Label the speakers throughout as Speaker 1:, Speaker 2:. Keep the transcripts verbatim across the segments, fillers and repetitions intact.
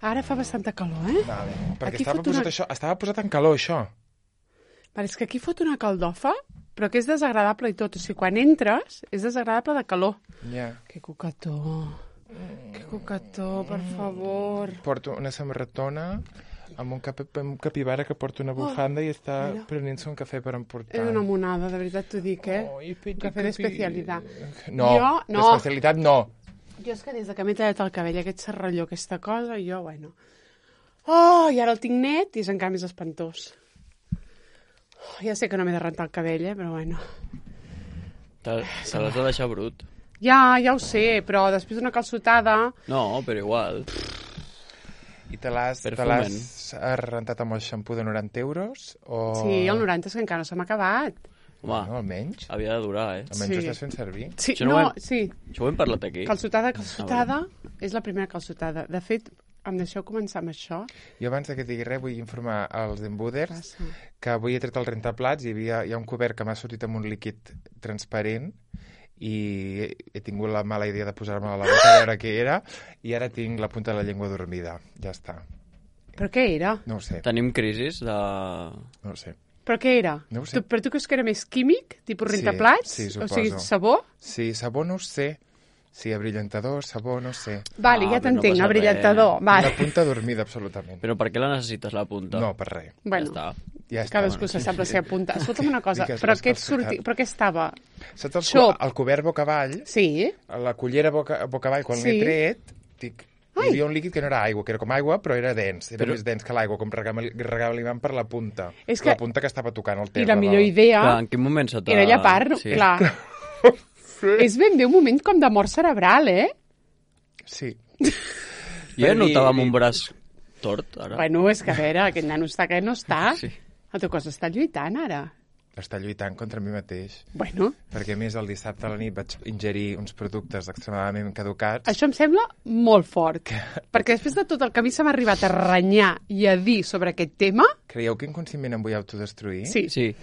Speaker 1: Ara fa bastanta calor, eh?
Speaker 2: Vale. Perquè
Speaker 1: Aquí
Speaker 2: estava
Speaker 1: fot
Speaker 2: posat,
Speaker 1: una-
Speaker 2: això, estava posat en calor, això.
Speaker 1: Vale, és que aquí fot una caldofa, però que és desagradable i tot. O sigui, quan entres, és desagradable de calor.
Speaker 2: Ja.
Speaker 1: Que cucató. Que cucató, per favor.
Speaker 2: Porto una samarretona amb un, cap, amb un capibara que porta una bufanda oh, i està
Speaker 1: mira.
Speaker 2: prenent-se un cafè per emportar.
Speaker 1: És una monada, de veritat t'ho dic, eh?
Speaker 2: Oh, i petit
Speaker 1: un cafè
Speaker 2: capi-
Speaker 1: d'especialitat.
Speaker 2: No,
Speaker 1: Jo, no.
Speaker 2: d'especialitat no.
Speaker 1: Jo és que des de que m'he tallat el cabell, aquest serralló, aquesta cosa, jo, bueno... Oh, i ara el tinc net i és encara més espantós. Oh, ja sé que no m'he de rentar el cabell, eh, però bueno...
Speaker 3: Te, te l'has de deixar brut.
Speaker 1: Ja, ja ho sé, però després d'una calçotada...
Speaker 3: No, però igual.
Speaker 2: I te l'has
Speaker 3: Per
Speaker 2: te l'has
Speaker 3: foment.
Speaker 2: rentat amb el xampú de noranta euros? O...
Speaker 1: Sí, el noranta és que encara no se m'ha acabat.
Speaker 3: Home,
Speaker 2: Bueno, almenys.
Speaker 3: havia de durar, eh?
Speaker 2: Almenys
Speaker 1: Sí.
Speaker 2: ho estàs fent servir.
Speaker 1: Sí,
Speaker 3: Això no
Speaker 1: no,
Speaker 3: ho hem-
Speaker 1: sí.
Speaker 3: Això ho hem parlat aquí.
Speaker 1: Calçotada, calçotada, és la primera calçotada. De fet, em deixeu començar amb això?
Speaker 2: Jo abans de que digui res vull informar als embuders
Speaker 1: Passa.
Speaker 2: que avui he tret el rentaplats i hi, havia, hi ha un cobert que m'ha sortit amb un líquid transparent i he, he tingut la mala idea de posar-me a la boca a veure què era i ara tinc la punta de la llengua dormida. Ja està.
Speaker 1: Però què era?
Speaker 2: No ho sé.
Speaker 3: Tenim crisis de...
Speaker 2: No ho sé.
Speaker 1: Però què era?
Speaker 2: No ho sé.
Speaker 1: Tu, però tu creus que era més químic? Tipus
Speaker 2: Sí,
Speaker 1: rentaplats?
Speaker 2: sí,
Speaker 1: O sigui,
Speaker 2: suposo.
Speaker 1: sabó?
Speaker 2: Sí, sabó no ho sé. Sí, abrillantador, sabó, no ho sé.
Speaker 1: Vale,
Speaker 3: Ah,
Speaker 1: ja
Speaker 3: però no
Speaker 1: t'entenc,
Speaker 3: passa
Speaker 1: abrillantador.
Speaker 3: res.
Speaker 1: Vale.
Speaker 2: Una punta dormida, absolutament.
Speaker 3: Però per què la necessites, la punta?
Speaker 2: No, per res.
Speaker 1: Bueno,
Speaker 3: Ja està.
Speaker 2: Ja està.
Speaker 1: cadascú se sap la seva punta. Escolta'm una cosa,
Speaker 2: Digues
Speaker 1: però
Speaker 2: les
Speaker 1: què, et
Speaker 2: coses
Speaker 1: surti...
Speaker 2: que-
Speaker 1: però què estava?
Speaker 2: Saps el,
Speaker 1: Xop.
Speaker 2: el cobert boca avall?
Speaker 1: Sí?
Speaker 2: La cullera boca, boca avall, quan
Speaker 1: Sí.
Speaker 2: l'he tret, dic,
Speaker 1: Ai.
Speaker 2: hi havia un líquid que no era aigua, que era com aigua, però era dens, era
Speaker 3: Però-
Speaker 2: més dens que l'aigua, com regava, regava l'imant per la punta.
Speaker 1: És que-
Speaker 2: La punta que estava tocant el terra.
Speaker 1: I la millor
Speaker 2: del-
Speaker 1: idea
Speaker 3: Clar, en quin moment se t'ha...
Speaker 1: era llapar,
Speaker 3: Sí.
Speaker 1: clar. És ben bé un moment com de mort cerebral, eh?
Speaker 2: Sí.
Speaker 3: Jo ja
Speaker 2: Per dir-
Speaker 3: notava amb un braç tort, ara.
Speaker 1: Bueno, és que a veure, aquest nano està que no està.
Speaker 3: Sí.
Speaker 1: El teu cos està lluitant, ara.
Speaker 2: Està lluitant contra mi mateix.
Speaker 1: Bueno,
Speaker 2: Perquè, a més, el dissabte a la nit vaig ingerir uns productes extremadament caducats.
Speaker 1: això em sembla molt fort. Perquè després de tot el que a mi se m'ha arribat a renyar i a dir sobre aquest tema,
Speaker 2: Creieu que inconscientment em vull autodestruir?
Speaker 1: sí,
Speaker 3: Sí.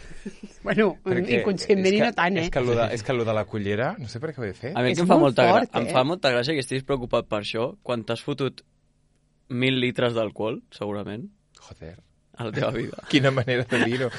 Speaker 1: bueno,
Speaker 2: Perquè
Speaker 1: inconscientment
Speaker 2: és
Speaker 1: i
Speaker 2: que-
Speaker 1: no tant, eh?
Speaker 2: És que, lo de, és que lo de la cullera, no sé per què ho he fet.
Speaker 3: A mi el
Speaker 1: És
Speaker 3: que em fa,
Speaker 1: molt
Speaker 3: molta gra...
Speaker 1: fort,
Speaker 3: em
Speaker 1: eh?
Speaker 3: fa molta gràcia que estiguis preocupat per això quan t'has fotut mil litres d'alcohol, segurament,
Speaker 2: Joder,
Speaker 3: a la teva vida.
Speaker 2: quina manera de dir-ho.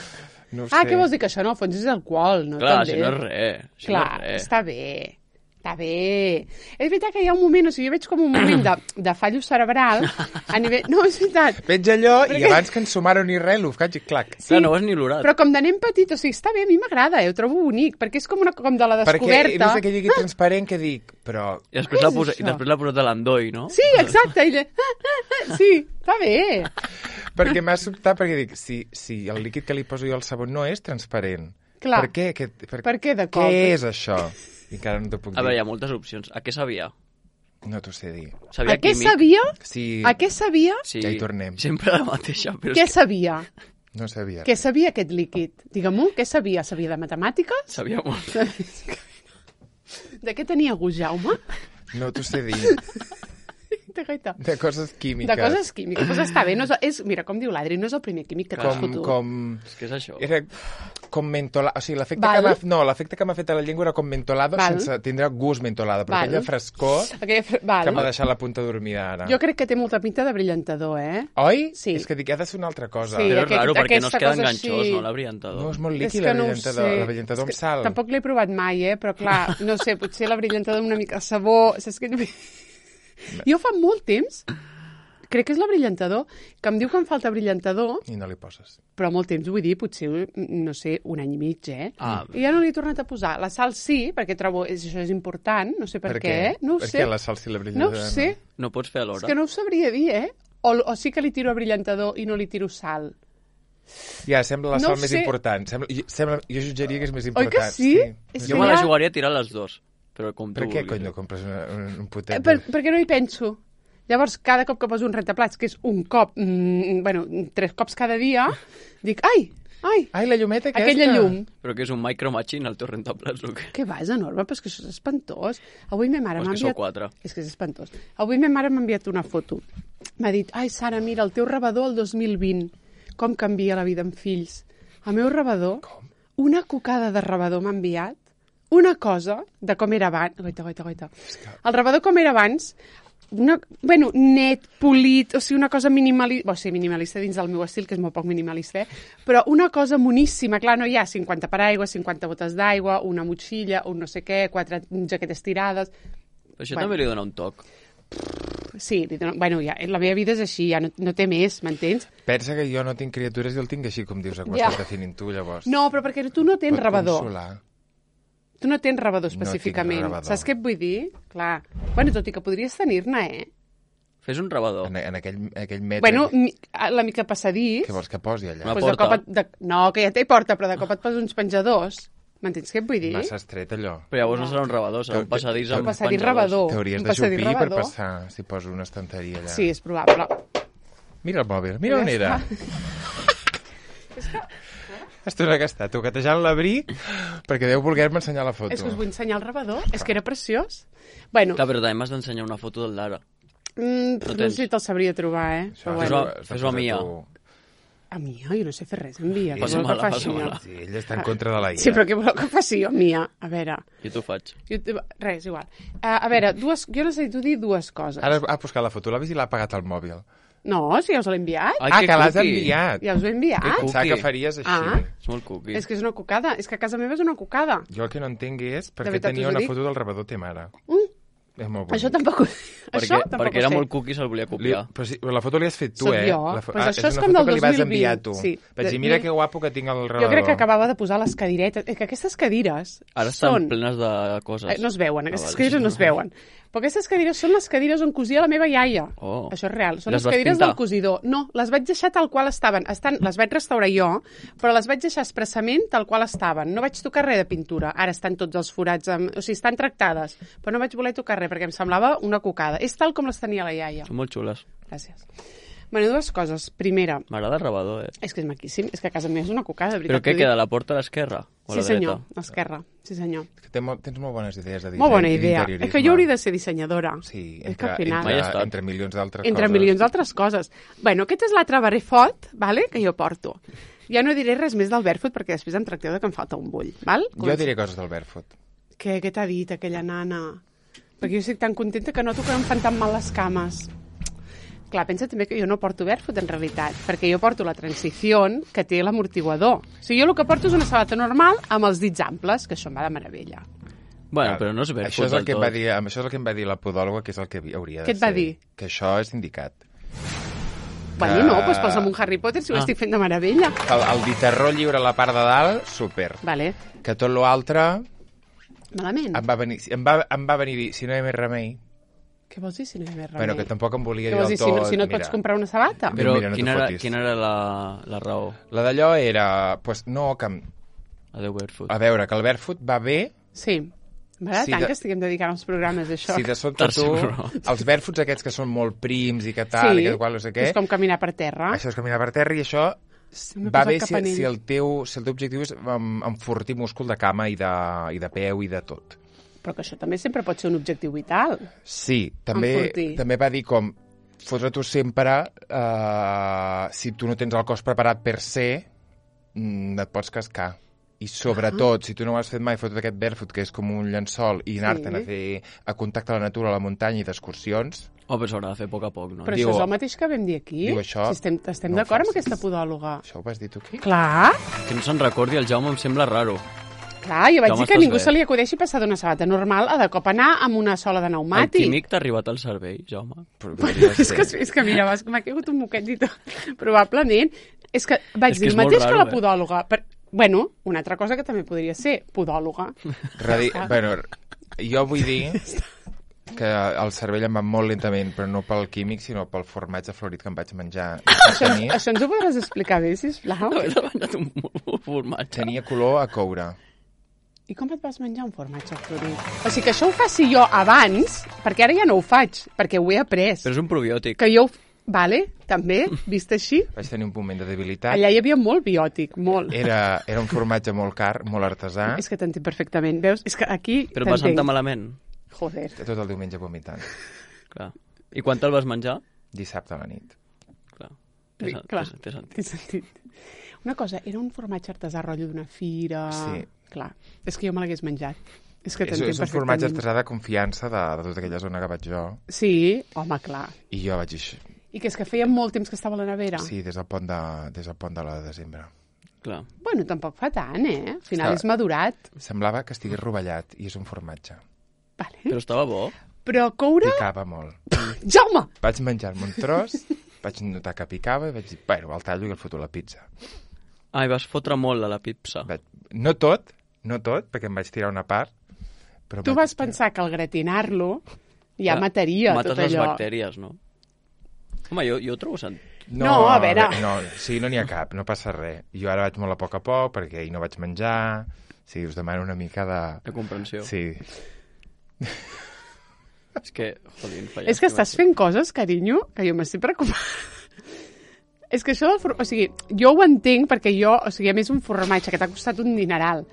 Speaker 2: No ho
Speaker 1: Ah,
Speaker 2: sé.
Speaker 1: què vols dir? Que això no, al fons és alcohol, no?
Speaker 3: Clar,
Speaker 1: També.
Speaker 3: si no és res. Si
Speaker 1: Clar,
Speaker 3: no és res.
Speaker 1: està bé. Està bé. És veritat que hi ha un moment, o sigui, jo veig com un moment de, de fallo cerebral a nivell... No, és veritat.
Speaker 2: Veig allò i
Speaker 1: Perquè-
Speaker 2: abans que ens sumaron ni res, l'ho faig i clac.
Speaker 1: Sí,
Speaker 3: Clar, no ho has ni olorat.
Speaker 1: però com de nen petit, o sigui, està bé, a mi m'agrada, eh? Ho trobo bonic, perquè és com, una, com de la
Speaker 2: Perquè he
Speaker 1: descoberta.
Speaker 2: vist aquell lliguit transparent que dic, però...
Speaker 3: I després
Speaker 1: Què
Speaker 3: l'ha
Speaker 1: és
Speaker 3: posa...
Speaker 1: això?
Speaker 3: I després l'ha posat a l'endoi, no?
Speaker 1: Sí, exacte. I ella... Sí, està bé.
Speaker 2: Perquè m'ha sobtat, perquè dic, si, si el líquid que li poso jo al sabó no és transparent,
Speaker 1: Clar.
Speaker 2: per què? Que, per,
Speaker 1: Per què de cop?
Speaker 2: Què és això? I encara no t'ho puc
Speaker 3: A veure, hi
Speaker 2: dir.
Speaker 3: ha moltes opcions. A què sabia?
Speaker 2: No t'ho sé dir.
Speaker 3: Sabia
Speaker 1: A què
Speaker 3: químic?
Speaker 1: sabia?
Speaker 2: Sí,
Speaker 1: A què sabia?
Speaker 3: Sí,
Speaker 2: Ja hi tornem.
Speaker 3: Sempre la mateixa, però
Speaker 1: Què
Speaker 3: és que
Speaker 1: sabia?
Speaker 2: no sabia.
Speaker 1: Què sabia aquest líquid? Digue-m'ho, què sabia? Sabia de matemàtiques?
Speaker 3: sabia molt.
Speaker 1: De què tenia gust, Jaume?
Speaker 2: No t'ho sé dir.
Speaker 1: De gaita.
Speaker 2: De coses químiques.
Speaker 1: De coses químiques. Pues està bé. No és, és, mira, com diu l'Adri, no és el primer químic que t'has
Speaker 2: Com,
Speaker 1: fotut.
Speaker 2: com...
Speaker 3: És que és això.
Speaker 2: Era com mentolada. O sigui, l'efecte
Speaker 1: Val.
Speaker 2: que m'ha... No, l'efecte que m'ha fet a la llengua era com mentolado
Speaker 1: Val.
Speaker 2: sense tindre gust mentolada. Però
Speaker 1: Val.
Speaker 2: aquella frescor
Speaker 1: Aquella... fre- Val.
Speaker 2: que m'ha deixat la punta dormida ara.
Speaker 1: Jo crec que té molta pinta de brillantador, eh?
Speaker 2: Oi?
Speaker 1: Sí.
Speaker 2: És que dic, ha de ser una altra cosa.
Speaker 1: Sí,
Speaker 3: Però és
Speaker 1: aquest-
Speaker 3: raro perquè no es
Speaker 1: aquesta
Speaker 3: queda
Speaker 1: cosa
Speaker 3: enganxós,
Speaker 1: així.
Speaker 3: no, l'abrilantador.
Speaker 2: No, és molt
Speaker 1: És
Speaker 2: líquid,
Speaker 1: que
Speaker 2: la
Speaker 1: no ho
Speaker 2: brillantador,
Speaker 1: sé.
Speaker 2: la brillantador
Speaker 1: És
Speaker 2: amb
Speaker 1: que
Speaker 2: sal.
Speaker 1: Tampoc l'he provat mai, eh? Però clar, no sé, potser la brillantador amb una mica de sabó... Saps què? Jo fa molt temps, crec que és la brillantador, que em diu que em falta brillantador,
Speaker 2: I no li poses.
Speaker 1: però molt temps, vull dir, potser, no sé, un any i mig, eh?
Speaker 3: Ah.
Speaker 1: I ja no l'he tornat a posar. La sal sí, perquè trobo que això és important, no sé per, què. No ho
Speaker 2: per
Speaker 1: sé.
Speaker 2: què la sal si la
Speaker 1: No
Speaker 2: brillantador?
Speaker 1: ho sé.
Speaker 3: No pots fer
Speaker 1: És
Speaker 3: alhora.
Speaker 1: que no ho sabria dir, eh? O, o sí que li tiro a brillantador i no li tiro sal.
Speaker 2: Ja, sembla la
Speaker 1: No
Speaker 2: sal
Speaker 1: ho
Speaker 2: més
Speaker 1: sé.
Speaker 2: important. Sembla, jo- sembla, jo jutjaria que és més
Speaker 1: Oi
Speaker 2: important.
Speaker 1: que sí? És
Speaker 3: Jo
Speaker 1: que
Speaker 3: me la
Speaker 1: ja-
Speaker 3: jugaria a tirar les dues. Però com tu
Speaker 2: Per què,
Speaker 3: vulguis.
Speaker 2: cony, no compres una, un, un
Speaker 1: Eh,
Speaker 2: potet?
Speaker 1: per, perquè no hi penso. Llavors, cada cop que poso un rentaplats, que és un cop, mm, bueno, tres cops cada dia, dic, ai, ai,
Speaker 2: Ai, la llumeta aquesta.
Speaker 1: aquella llum.
Speaker 3: Però que és un micro machine el teu rentaplats, o què?
Speaker 1: Què va, és enorme, però és que això és espantós. Avui ma mare
Speaker 3: O és
Speaker 1: m'ha
Speaker 3: que sou
Speaker 1: enviat...
Speaker 3: quatre.
Speaker 1: És que és espantós. Avui ma mare m'ha enviat una foto. M'ha dit, ai, Sara, mira, el teu rebedor el dos mil vint. Com canvia la vida amb fills. El meu rebedor,
Speaker 2: Com?
Speaker 1: una cocada de rebedor m'ha enviat, una cosa de com era abans... Goita, goita, goita. El rebedor com era abans, una, bueno, net, polit, o sigui, una cosa minimalista, o sigui, minimalista dins del meu estil, que és molt poc minimalista, eh? Però una cosa moníssima, clar, no hi ha cinquanta paraigües, cinquanta botes d'aigua, una motxilla, un no sé què, quatre jaquetes tirades...
Speaker 3: Però això
Speaker 1: Bueno.
Speaker 3: també li dona un toc.
Speaker 1: Sí, li dono- bueno, ja, la meva vida és així, ja no, no té més, m'entens?
Speaker 2: Pensa que jo no tinc criatures i el tinc així, com dius, com
Speaker 1: Ja.
Speaker 2: estàs definint tu, llavors.
Speaker 1: No, però perquè tu no tens
Speaker 2: Pot
Speaker 1: rebador.
Speaker 2: consolar.
Speaker 1: Tu no tens rebador
Speaker 2: No tinc
Speaker 1: específicament.
Speaker 2: rebador.
Speaker 1: Saps què et vull dir? Clar. Bueno, tot i que podries tenir-ne, eh?
Speaker 3: Fes un rebador.
Speaker 2: En, en aquell, aquell metre...
Speaker 1: Bueno, mi- a la mica passadís...
Speaker 2: Què vols que posi allà?
Speaker 3: Una
Speaker 1: Pues de
Speaker 3: porta.
Speaker 1: cop et, de, no, que ja té porta, però de cop et poses uns penjadors. M'entens què et vull dir?
Speaker 2: Massa estret, allò.
Speaker 3: Però llavors no serà un rebador, serà un passadís
Speaker 2: Un
Speaker 3: amb
Speaker 1: passadís
Speaker 3: penjadors.
Speaker 1: rebador.
Speaker 2: T'hauries
Speaker 1: un
Speaker 2: de
Speaker 1: passadís
Speaker 2: xupir per
Speaker 1: rebador.
Speaker 2: passar, si poso una estanteria allà.
Speaker 1: Sí, és probable.
Speaker 2: Mira el mòbil, mira on
Speaker 1: Ja
Speaker 2: era. Estona que està toquetejant l'abric perquè deu voler-me ensenyar la foto.
Speaker 1: És que us vull ensenyar el rebador. És que era preciós. Bueno,
Speaker 3: Clar, però també m'has d'ensenyar una foto del Lara.
Speaker 1: mm,
Speaker 3: no
Speaker 1: no,
Speaker 3: tens.
Speaker 1: sé si te'l sabria trobar, eh?
Speaker 2: Això,
Speaker 1: Però
Speaker 3: Fes-ho-
Speaker 1: bueno.
Speaker 2: has de
Speaker 3: fes-ho a
Speaker 2: posar
Speaker 3: mi, ja.
Speaker 2: tu-
Speaker 1: A mi, jo no sé fer res, envia. Què
Speaker 3: Passa
Speaker 1: voleu que
Speaker 3: mala,
Speaker 1: faci
Speaker 3: passa
Speaker 1: jo?
Speaker 3: mala.
Speaker 2: Sí, ell està en contra de la I A.
Speaker 1: Sí, però què voleu que faci jo, Mia? A veure...
Speaker 3: Jo t'ho faig.
Speaker 1: Jo, res, igual. Uh, a veure, dues, jo necessito dir dues coses.
Speaker 2: Ara ha buscat la foto, l'ha vist i l'ha apagat al mòbil.
Speaker 1: No, si ja us l'he enviat.
Speaker 3: Ai,
Speaker 2: ah,
Speaker 3: que
Speaker 2: que l'has
Speaker 3: cuqui.
Speaker 2: enviat.
Speaker 1: Ja us ho he enviat.
Speaker 3: Que
Speaker 2: Pensava
Speaker 3: cuqui.
Speaker 2: que faries així.
Speaker 1: Ah.
Speaker 3: És molt cuqui.
Speaker 1: És que és una cucada. És que a casa meva és una cucada.
Speaker 2: Jo el que no entenc és per què
Speaker 1: veritat
Speaker 2: tenia
Speaker 1: us ho
Speaker 2: una
Speaker 1: dic?
Speaker 2: foto del rebador té mare.
Speaker 1: Mm.
Speaker 2: És molt bonic.
Speaker 1: Això tampoc ho...
Speaker 3: Perquè,
Speaker 1: Això tampoc
Speaker 3: perquè
Speaker 1: ho
Speaker 3: era
Speaker 1: sé.
Speaker 3: molt cuqui i se'l volia
Speaker 2: Li,
Speaker 3: copiar.
Speaker 2: però si, la foto l'has fet tu,
Speaker 1: Soc
Speaker 2: eh?
Speaker 1: jo.
Speaker 2: La fo-
Speaker 1: Pues
Speaker 2: ah,
Speaker 1: això
Speaker 2: és
Speaker 1: és
Speaker 2: una
Speaker 1: com
Speaker 2: foto
Speaker 1: del
Speaker 2: que li vas
Speaker 1: dos mil vint.
Speaker 2: enviar tu.
Speaker 1: Sí.
Speaker 2: Vaig dir,
Speaker 1: De-
Speaker 2: mira
Speaker 1: mira-
Speaker 2: que guapo que tinc el rebador.
Speaker 1: Jo crec que acabava de posar les cadiretes. És que aquestes cadires
Speaker 3: Ara estan
Speaker 1: són...
Speaker 3: plenes de coses.
Speaker 1: Eh, No es veuen, aquestes
Speaker 3: Ah, vale.
Speaker 1: cadires no es veuen. Però aquestes cadires són les cadires on cosia la meva iaia.
Speaker 3: Oh.
Speaker 1: Això és real. Són
Speaker 3: Les
Speaker 1: les,
Speaker 3: vas
Speaker 1: cadires
Speaker 3: pintar?
Speaker 1: del cosidor. No, les vaig deixar tal qual estaven. Estan, les vaig restaurar jo, però les vaig deixar expressament tal qual estaven. No vaig tocar res de pintura. Ara estan tots els forats, amb... o sigui, estan tractades. Però no vaig voler tocar res perquè em semblava una cucada. És tal com les tenia la iaia.
Speaker 3: Són molt xules.
Speaker 1: Gràcies. Bueno, dues coses. Primera,
Speaker 3: M'agrada el rebador, eh?
Speaker 1: és que és maquíssim. És que a casa meva és una cucada, de
Speaker 3: Però
Speaker 1: veritat.
Speaker 3: què
Speaker 1: t'ho dic.
Speaker 3: queda, la porta a l'esquerra? O a
Speaker 1: Sí,
Speaker 3: la
Speaker 1: senyor.
Speaker 3: dreta?
Speaker 1: A l'esquerra. Sí, senyor.
Speaker 2: Que té molt, tens molt bones idees de disseny
Speaker 1: Molt bona
Speaker 2: i
Speaker 1: idea.
Speaker 2: d'interiorisme.
Speaker 1: És que jo hauria de ser dissenyadora.
Speaker 2: Sí,
Speaker 1: és que
Speaker 2: entre,
Speaker 1: al final...
Speaker 3: Mai he
Speaker 2: entre,
Speaker 3: estat.
Speaker 2: entre milions d'altres
Speaker 1: Entre
Speaker 2: coses.
Speaker 1: milions d'altres coses. Bueno, aquest és l'altre barrefot, vale, que jo porto. Ja no diré res més del barefoot perquè després em tracteu de que em falta un bull, val?
Speaker 2: Jo diré coses del barefoot.
Speaker 1: Què, què t'ha dit aquella nana? Perquè jo estic tan contenta que noto que no em fan tan mal les cames. Clar, pensa també que jo no porto barefoot en realitat, perquè jo porto la transició que té l'amortiguador. O sigui, jo el que porto és una sabata normal amb els dits amples, que això em va de meravella.
Speaker 3: Bueno,
Speaker 2: Clar,
Speaker 3: però no és barefoot
Speaker 2: això és el
Speaker 3: del
Speaker 2: que em
Speaker 3: tot.
Speaker 2: va dir, això és el que em va dir la podòloga, que és el que hauria de
Speaker 1: Què et va
Speaker 2: ser.
Speaker 1: dir?
Speaker 2: Que això és indicat.
Speaker 1: Bueno, no, doncs posa'm un Harry Potter si ho
Speaker 3: Ah.
Speaker 1: estic fent de meravella.
Speaker 2: El, el guitarró lliure a la part de dalt, super.
Speaker 1: Vale,
Speaker 2: Que tot l'altre
Speaker 1: malament.
Speaker 2: em va venir, em va, em va venir a dir, si no hi ha més remei,
Speaker 1: Què vols dir si no hi ha més remei?
Speaker 2: bueno, que tampoc em volia
Speaker 1: Què
Speaker 2: dir
Speaker 1: vols
Speaker 2: del
Speaker 1: dir, si no,
Speaker 2: tot.
Speaker 1: si no et
Speaker 2: mira.
Speaker 1: pots comprar una sabata?
Speaker 2: Però-
Speaker 3: Però
Speaker 2: Mira, no
Speaker 3: quina,
Speaker 2: t'ho
Speaker 3: era,
Speaker 2: fotis.
Speaker 3: quina era la, la raó?
Speaker 2: La d'allò era, pues, no, que, em-
Speaker 3: Adéu, barefoot.
Speaker 2: a veure, que el barefoot va bé
Speaker 1: Sí. M'agrada
Speaker 2: Sí,
Speaker 1: tant
Speaker 2: de-
Speaker 1: que estiguem dedicant els programes, això.
Speaker 2: si de sobte
Speaker 3: Tercer
Speaker 2: tu,
Speaker 3: programa.
Speaker 2: els barefoots aquests que són molt prims i que tal, i que qual, no sé què,
Speaker 1: és com caminar per terra.
Speaker 2: això és caminar per terra i això
Speaker 1: M'he
Speaker 2: va
Speaker 1: posat
Speaker 2: bé
Speaker 1: cap
Speaker 2: si,
Speaker 1: anell.
Speaker 2: si, el teu, si el teu objectiu és um, enfortir múscul de cama i de, i de peu i de tot.
Speaker 1: Però que això també sempre pot ser un objectiu vital.
Speaker 2: Sí, també,
Speaker 1: Enfortir.
Speaker 2: també va dir com fotre tu sempre, uh, si tu no tens el cos preparat per ser, mm, et pots cascar. I sobretot, si tu no ho has fet mai, fotut aquest barefoot, que és com un llençol, i anar-te'n
Speaker 1: Sí.
Speaker 2: a fer a contacte amb la natura, a la muntanya i d'excursions,
Speaker 3: Oh, però s'haurà de fer a poc a poc, no?
Speaker 1: Però
Speaker 2: Diu-
Speaker 1: això és el mateix que vam dir aquí.
Speaker 2: diu això,
Speaker 1: Si estem estem
Speaker 2: no ho
Speaker 1: d'acord amb
Speaker 2: facis.
Speaker 1: aquesta podòloga.
Speaker 2: això ho vas dir tu aquí?
Speaker 1: Clar,
Speaker 3: Que no se'n recordi, el Jaume em sembla raro.
Speaker 1: clar, jo vaig
Speaker 3: Jaume,
Speaker 1: dir que a
Speaker 3: estàs
Speaker 1: ningú
Speaker 3: bé?
Speaker 1: se li acudeixi passar d'una sabata normal a de cop anar amb una sola de
Speaker 3: El
Speaker 1: pneumàtic.
Speaker 3: químic t'ha arribat al cervell, Jaume?
Speaker 2: Però
Speaker 1: Bueno,
Speaker 2: podria
Speaker 1: és,
Speaker 2: ser.
Speaker 1: que, és que mira, vas- m'ha caigut un moquet i tot. Probablement. És que vaig
Speaker 3: És que
Speaker 1: dir
Speaker 3: és
Speaker 1: el
Speaker 3: molt
Speaker 1: mateix
Speaker 3: raro,
Speaker 1: que la
Speaker 3: eh?
Speaker 1: podòloga. Per... Bueno, una altra cosa que també podria ser, podòloga.
Speaker 2: Radi... bueno, jo vull dir que el cervell em va molt lentament, però no pel químic, sinó pel formatge florit que em vaig menjar.
Speaker 1: Això,
Speaker 2: Tenia,
Speaker 1: això ens ho podràs explicar bé, sisplau?
Speaker 3: Haver demanat un, un formatge.
Speaker 2: tenia color a coure.
Speaker 1: I com et vas menjar un formatge florit? O sigui, que això ho faci jo abans, perquè ara ja no ho faig, perquè ho he après.
Speaker 3: Però és un probiòtic.
Speaker 1: Que jo... ho- Vale, també, vist així.
Speaker 2: Vaig tenir un moment de debilitat.
Speaker 1: Allà hi havia molt biòtic, molt.
Speaker 2: Era, era un formatge molt car, molt artesà.
Speaker 1: És que t'entenc perfectament, veus? És que aquí
Speaker 3: Però et va sentar
Speaker 1: t'entenc.
Speaker 3: malament.
Speaker 1: Joder.
Speaker 2: Tot el diumenge vomitant.
Speaker 3: Clar. I quan te'l vas menjar?
Speaker 2: Dissabte a la nit.
Speaker 3: Clar. Té,
Speaker 1: Sí,
Speaker 3: sen-
Speaker 1: clar.
Speaker 3: té, té sentit.
Speaker 1: Té sentit. Una cosa, era un formatge artesà rotllo d'una fira...
Speaker 2: Sí.
Speaker 1: Clar, és que jo me l'hagués menjat. És que
Speaker 2: És,
Speaker 1: t'entenc
Speaker 2: és un formatge
Speaker 1: perfectament.
Speaker 2: artesà de confiança de, de tota aquella zona que vaig jo.
Speaker 1: Sí, home, clar.
Speaker 2: I jo vaig dir,
Speaker 1: I que és que feia molt temps que estava a la nevera.
Speaker 2: sí, des del pont de, des del pont de la desembre.
Speaker 3: Clar.
Speaker 1: Bueno, tampoc fa tant, eh? Al final
Speaker 2: Estava-
Speaker 1: és madurat.
Speaker 2: Semblava que estigués rovellat i és un formatge.
Speaker 1: Vale.
Speaker 3: Però estava bo.
Speaker 1: Però coure...
Speaker 2: Picava molt.
Speaker 1: Jaume!
Speaker 2: Vaig menjar-me un tros, vaig notar que picava i vaig dir, bueno, el tallo i el foto a la pizza.
Speaker 3: Ah, i vas fotre molt a la pizza.
Speaker 2: Vaig... No tot, no tot, perquè em vaig tirar una part. Però
Speaker 1: Tu
Speaker 2: vaig...
Speaker 1: vas pensar que al gratinar-lo ja
Speaker 3: Clar,
Speaker 1: mataria
Speaker 3: mates
Speaker 1: tot
Speaker 3: les
Speaker 1: allò.
Speaker 3: bactèries, no? Home, jo, jo ho trobo sant.
Speaker 1: No, a veure.
Speaker 2: No, sí, no n'hi ha cap, no passa res. Jo ara vaig molt a poc a poc perquè ahir no vaig menjar. Sí, us demano una mica de...
Speaker 3: De comprensió.
Speaker 2: Sí.
Speaker 3: És que, jodint, falles.
Speaker 1: És que estàs fent coses, carinyo, que jo m'estic preocupant. És que això del formatge... O sigui, jo ho entenc perquè jo... O sigui, a més, un formatge que t'ha costat un dineral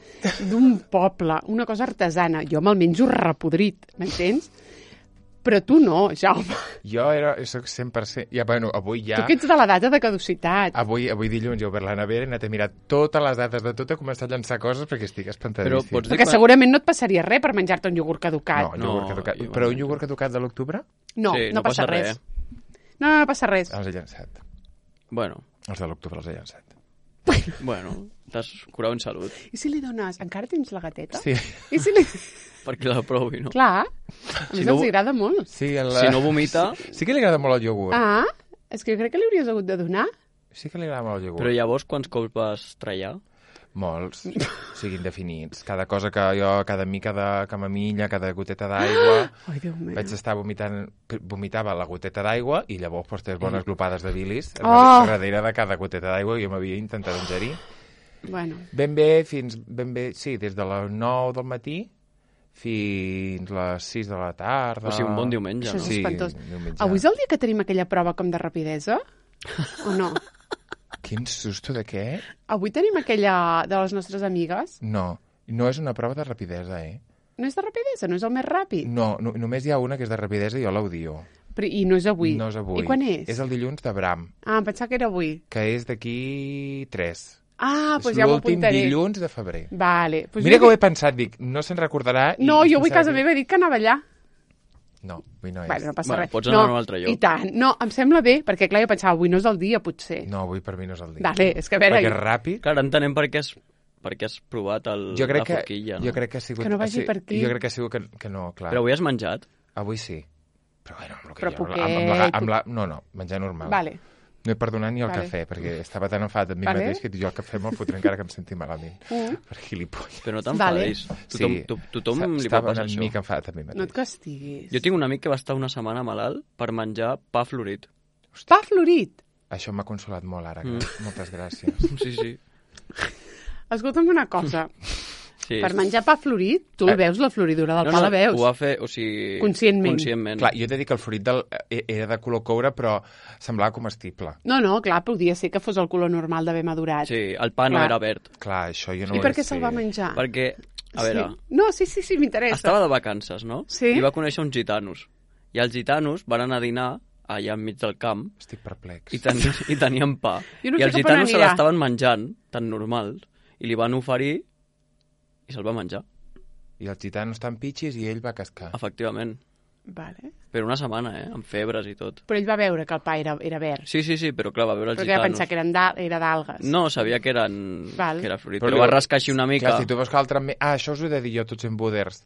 Speaker 1: d'un poble, una cosa artesana, jo me'l menjo repodrit, m'entens? Però tu no, Jaume.
Speaker 2: Jo era, soc cent per cent... Ja, bueno, avui ja...
Speaker 1: Tu que ets de la data de caducitat.
Speaker 2: Avui, avui dilluns he obert la nevera, he anat a mirar totes les dates de tot, he començat a llançar coses perquè estic espantadíssim.
Speaker 3: Però pots dir
Speaker 1: Perquè
Speaker 3: quan-
Speaker 1: segurament no et passaria res per menjar-te un iogurt caducat.
Speaker 2: No,
Speaker 3: No,
Speaker 2: iogurt caducat.
Speaker 3: jo-
Speaker 2: Però un iogurt caducat de l'octubre
Speaker 1: No,
Speaker 3: Sí,
Speaker 1: no,
Speaker 3: no
Speaker 1: passa
Speaker 3: passa
Speaker 1: res.
Speaker 3: res.
Speaker 1: No, no, no passa res.
Speaker 2: els he llançat.
Speaker 3: Bueno,
Speaker 2: Els de l'octubre els he llançat.
Speaker 3: bueno, t'has curat en salut.
Speaker 1: I si li dones... Encara tens la gateta?
Speaker 2: Sí,
Speaker 1: I si li...
Speaker 3: Perquè la provi, no?
Speaker 1: Clar, a
Speaker 3: Si
Speaker 1: més
Speaker 3: no-
Speaker 1: els agrada molt.
Speaker 2: sí, en la...
Speaker 3: Si no vomita...
Speaker 2: Sí, sí que li agrada molt el iogurt.
Speaker 1: Ah, és que jo crec que li hauries hagut de donar.
Speaker 2: Sí que li agrada molt el iogurt.
Speaker 3: Però llavors quants cops vas trallar?
Speaker 2: Molts, siguin definits. Cada cosa que jo, cada mica de camamilla, cada goteta d'aigua...
Speaker 1: Ai, Déu meu.
Speaker 2: Vaig estar vomitant, vomitava la goteta d'aigua i llavors pues, tres bones glopades de bilis
Speaker 1: Oh!
Speaker 2: darrere de cada goteta d'aigua que jo m'havia intentat ingerir.
Speaker 1: Bueno,
Speaker 2: Ben bé, fins ben bé, sí, des de les nou del matí fins les sis de la tarda.
Speaker 3: O sigui, un bon diumenge,
Speaker 1: això és
Speaker 3: no?
Speaker 2: Sí,
Speaker 1: espantós.
Speaker 2: diumenge.
Speaker 1: Avui és el dia que tenim aquella prova com de rapidesa? O no?
Speaker 2: Quin susto de què?
Speaker 1: Avui tenim aquella de les nostres amigues?
Speaker 2: No, no és una prova de rapidesa, eh?
Speaker 1: No és de rapidesa, no és el més ràpid.
Speaker 2: No, no només hi ha una que és de rapidesa i jo l'odio.
Speaker 1: Però, I no és avui.
Speaker 2: No és avui.
Speaker 1: I quan és?
Speaker 2: És el dilluns de Bram,
Speaker 1: Ah, em pensava que era avui.
Speaker 2: que és d'aquí tres.
Speaker 1: Ah, doncs
Speaker 2: és
Speaker 1: ja m'ho
Speaker 2: l'últim
Speaker 1: apuntaré.
Speaker 2: dilluns de febrer.
Speaker 1: Vale. Pues
Speaker 2: Mira
Speaker 1: jo
Speaker 2: que ho he
Speaker 1: dic-
Speaker 2: pensat, dic, no se'n recordarà... I,
Speaker 1: No,
Speaker 2: i
Speaker 1: jo avui a
Speaker 2: pensava
Speaker 1: casa
Speaker 2: que-
Speaker 1: meva he dit que anava allà.
Speaker 2: No, avui no és.
Speaker 1: Bueno, no passa
Speaker 3: Bueno,
Speaker 1: res.
Speaker 3: pots anar
Speaker 1: no,
Speaker 3: a un altre lloc.
Speaker 1: I tant. No, em sembla bé, perquè clar, jo pensava, avui no és el dia, potser.
Speaker 2: No, avui per mi no és el dia.
Speaker 1: Vale, és que a veure...
Speaker 2: Perquè és ràpid.
Speaker 3: Clar, entenem per què has, per què has provat el,
Speaker 2: Jo crec,
Speaker 3: la
Speaker 2: que,
Speaker 3: forquilla, no?
Speaker 2: jo crec que ha sigut...
Speaker 1: Que no vagi
Speaker 2: ha sigut-
Speaker 1: per aquí.
Speaker 2: Jo crec que ha sigut que, que no, clar.
Speaker 3: Però avui has menjat?
Speaker 2: Avui sí. Però bueno, amb, el que
Speaker 1: Però
Speaker 2: jo, amb, amb, la,
Speaker 1: poquet.
Speaker 2: amb la... No, no, menjar normal.
Speaker 1: Vale.
Speaker 2: No he perdonat ni el
Speaker 1: Vale.
Speaker 2: cafè, perquè estava tan enfadat amb mi
Speaker 1: Vale.
Speaker 2: mateix que jo el cafè me'l fotré encara que em senti malament.
Speaker 1: Mm.
Speaker 2: Per gilipolles.
Speaker 3: Però no
Speaker 1: Vale.
Speaker 3: t'enfadis. Tothom, to, tothom li pot
Speaker 2: Estava
Speaker 3: passar
Speaker 2: una
Speaker 3: això.
Speaker 2: mica enfadat amb mi mateix.
Speaker 1: No et castiguis.
Speaker 3: Jo tinc un amic que va estar una setmana malalt per menjar pa florit.
Speaker 1: Pa florit.
Speaker 2: Això m'ha consolat molt ara.
Speaker 3: Mm.
Speaker 2: Mm. Moltes gràcies.
Speaker 3: Sí, sí.
Speaker 1: Escolta'm una cosa.
Speaker 3: sí.
Speaker 1: Per menjar pa florit, tu el
Speaker 2: Eh.
Speaker 1: veus, la floridura del
Speaker 3: no,
Speaker 1: pa
Speaker 3: no,
Speaker 1: la veus.
Speaker 3: ho va fer, o sigui...
Speaker 1: Conscientment.
Speaker 3: Conscientment.
Speaker 2: Clar, jo t'he dit que el florit del, eh, era de color coure, però semblava comestible.
Speaker 1: No, no, clar, podia ser que fos el color normal d'haver madurat.
Speaker 3: Sí, el pa no
Speaker 1: Clar.
Speaker 3: era verd.
Speaker 2: Clar, això jo no
Speaker 1: I
Speaker 2: ho
Speaker 1: per
Speaker 2: he-
Speaker 1: què se'l va menjar?
Speaker 3: Perquè, a veure,
Speaker 1: Sí. No, sí, sí, sí, m'interessa.
Speaker 3: estava de vacances, no?
Speaker 1: Sí.
Speaker 3: I va conèixer uns gitanos. I els gitanos van anar a dinar allà enmig del camp
Speaker 2: Estic perplex.
Speaker 3: i, ten i tenien pa.
Speaker 1: Jo no
Speaker 3: I
Speaker 1: sé
Speaker 3: els
Speaker 1: cap on
Speaker 3: gitanos se
Speaker 1: anirà.
Speaker 3: l'estaven menjant, tan normal, i li van oferir i se'l va menjar,
Speaker 2: I els gitanos estan pitxis i ell va cascar.
Speaker 3: efectivament.
Speaker 1: Vale.
Speaker 3: Per una setmana, eh? Amb febres i tot.
Speaker 1: Però ell va veure que el pa era, era verd.
Speaker 3: Sí, sí, sí, però clar, va veure els
Speaker 1: Perquè va
Speaker 3: gitanos.
Speaker 1: pensar que eren d'al- era d'algues.
Speaker 3: No, sabia que eren
Speaker 1: Val.
Speaker 3: que era florit,
Speaker 2: Però
Speaker 3: però,
Speaker 2: li-
Speaker 3: va rascar així una mica.
Speaker 2: Clar, si tu veus que l'altre... me- Ah, això us ho he de dir jo, tots en buders.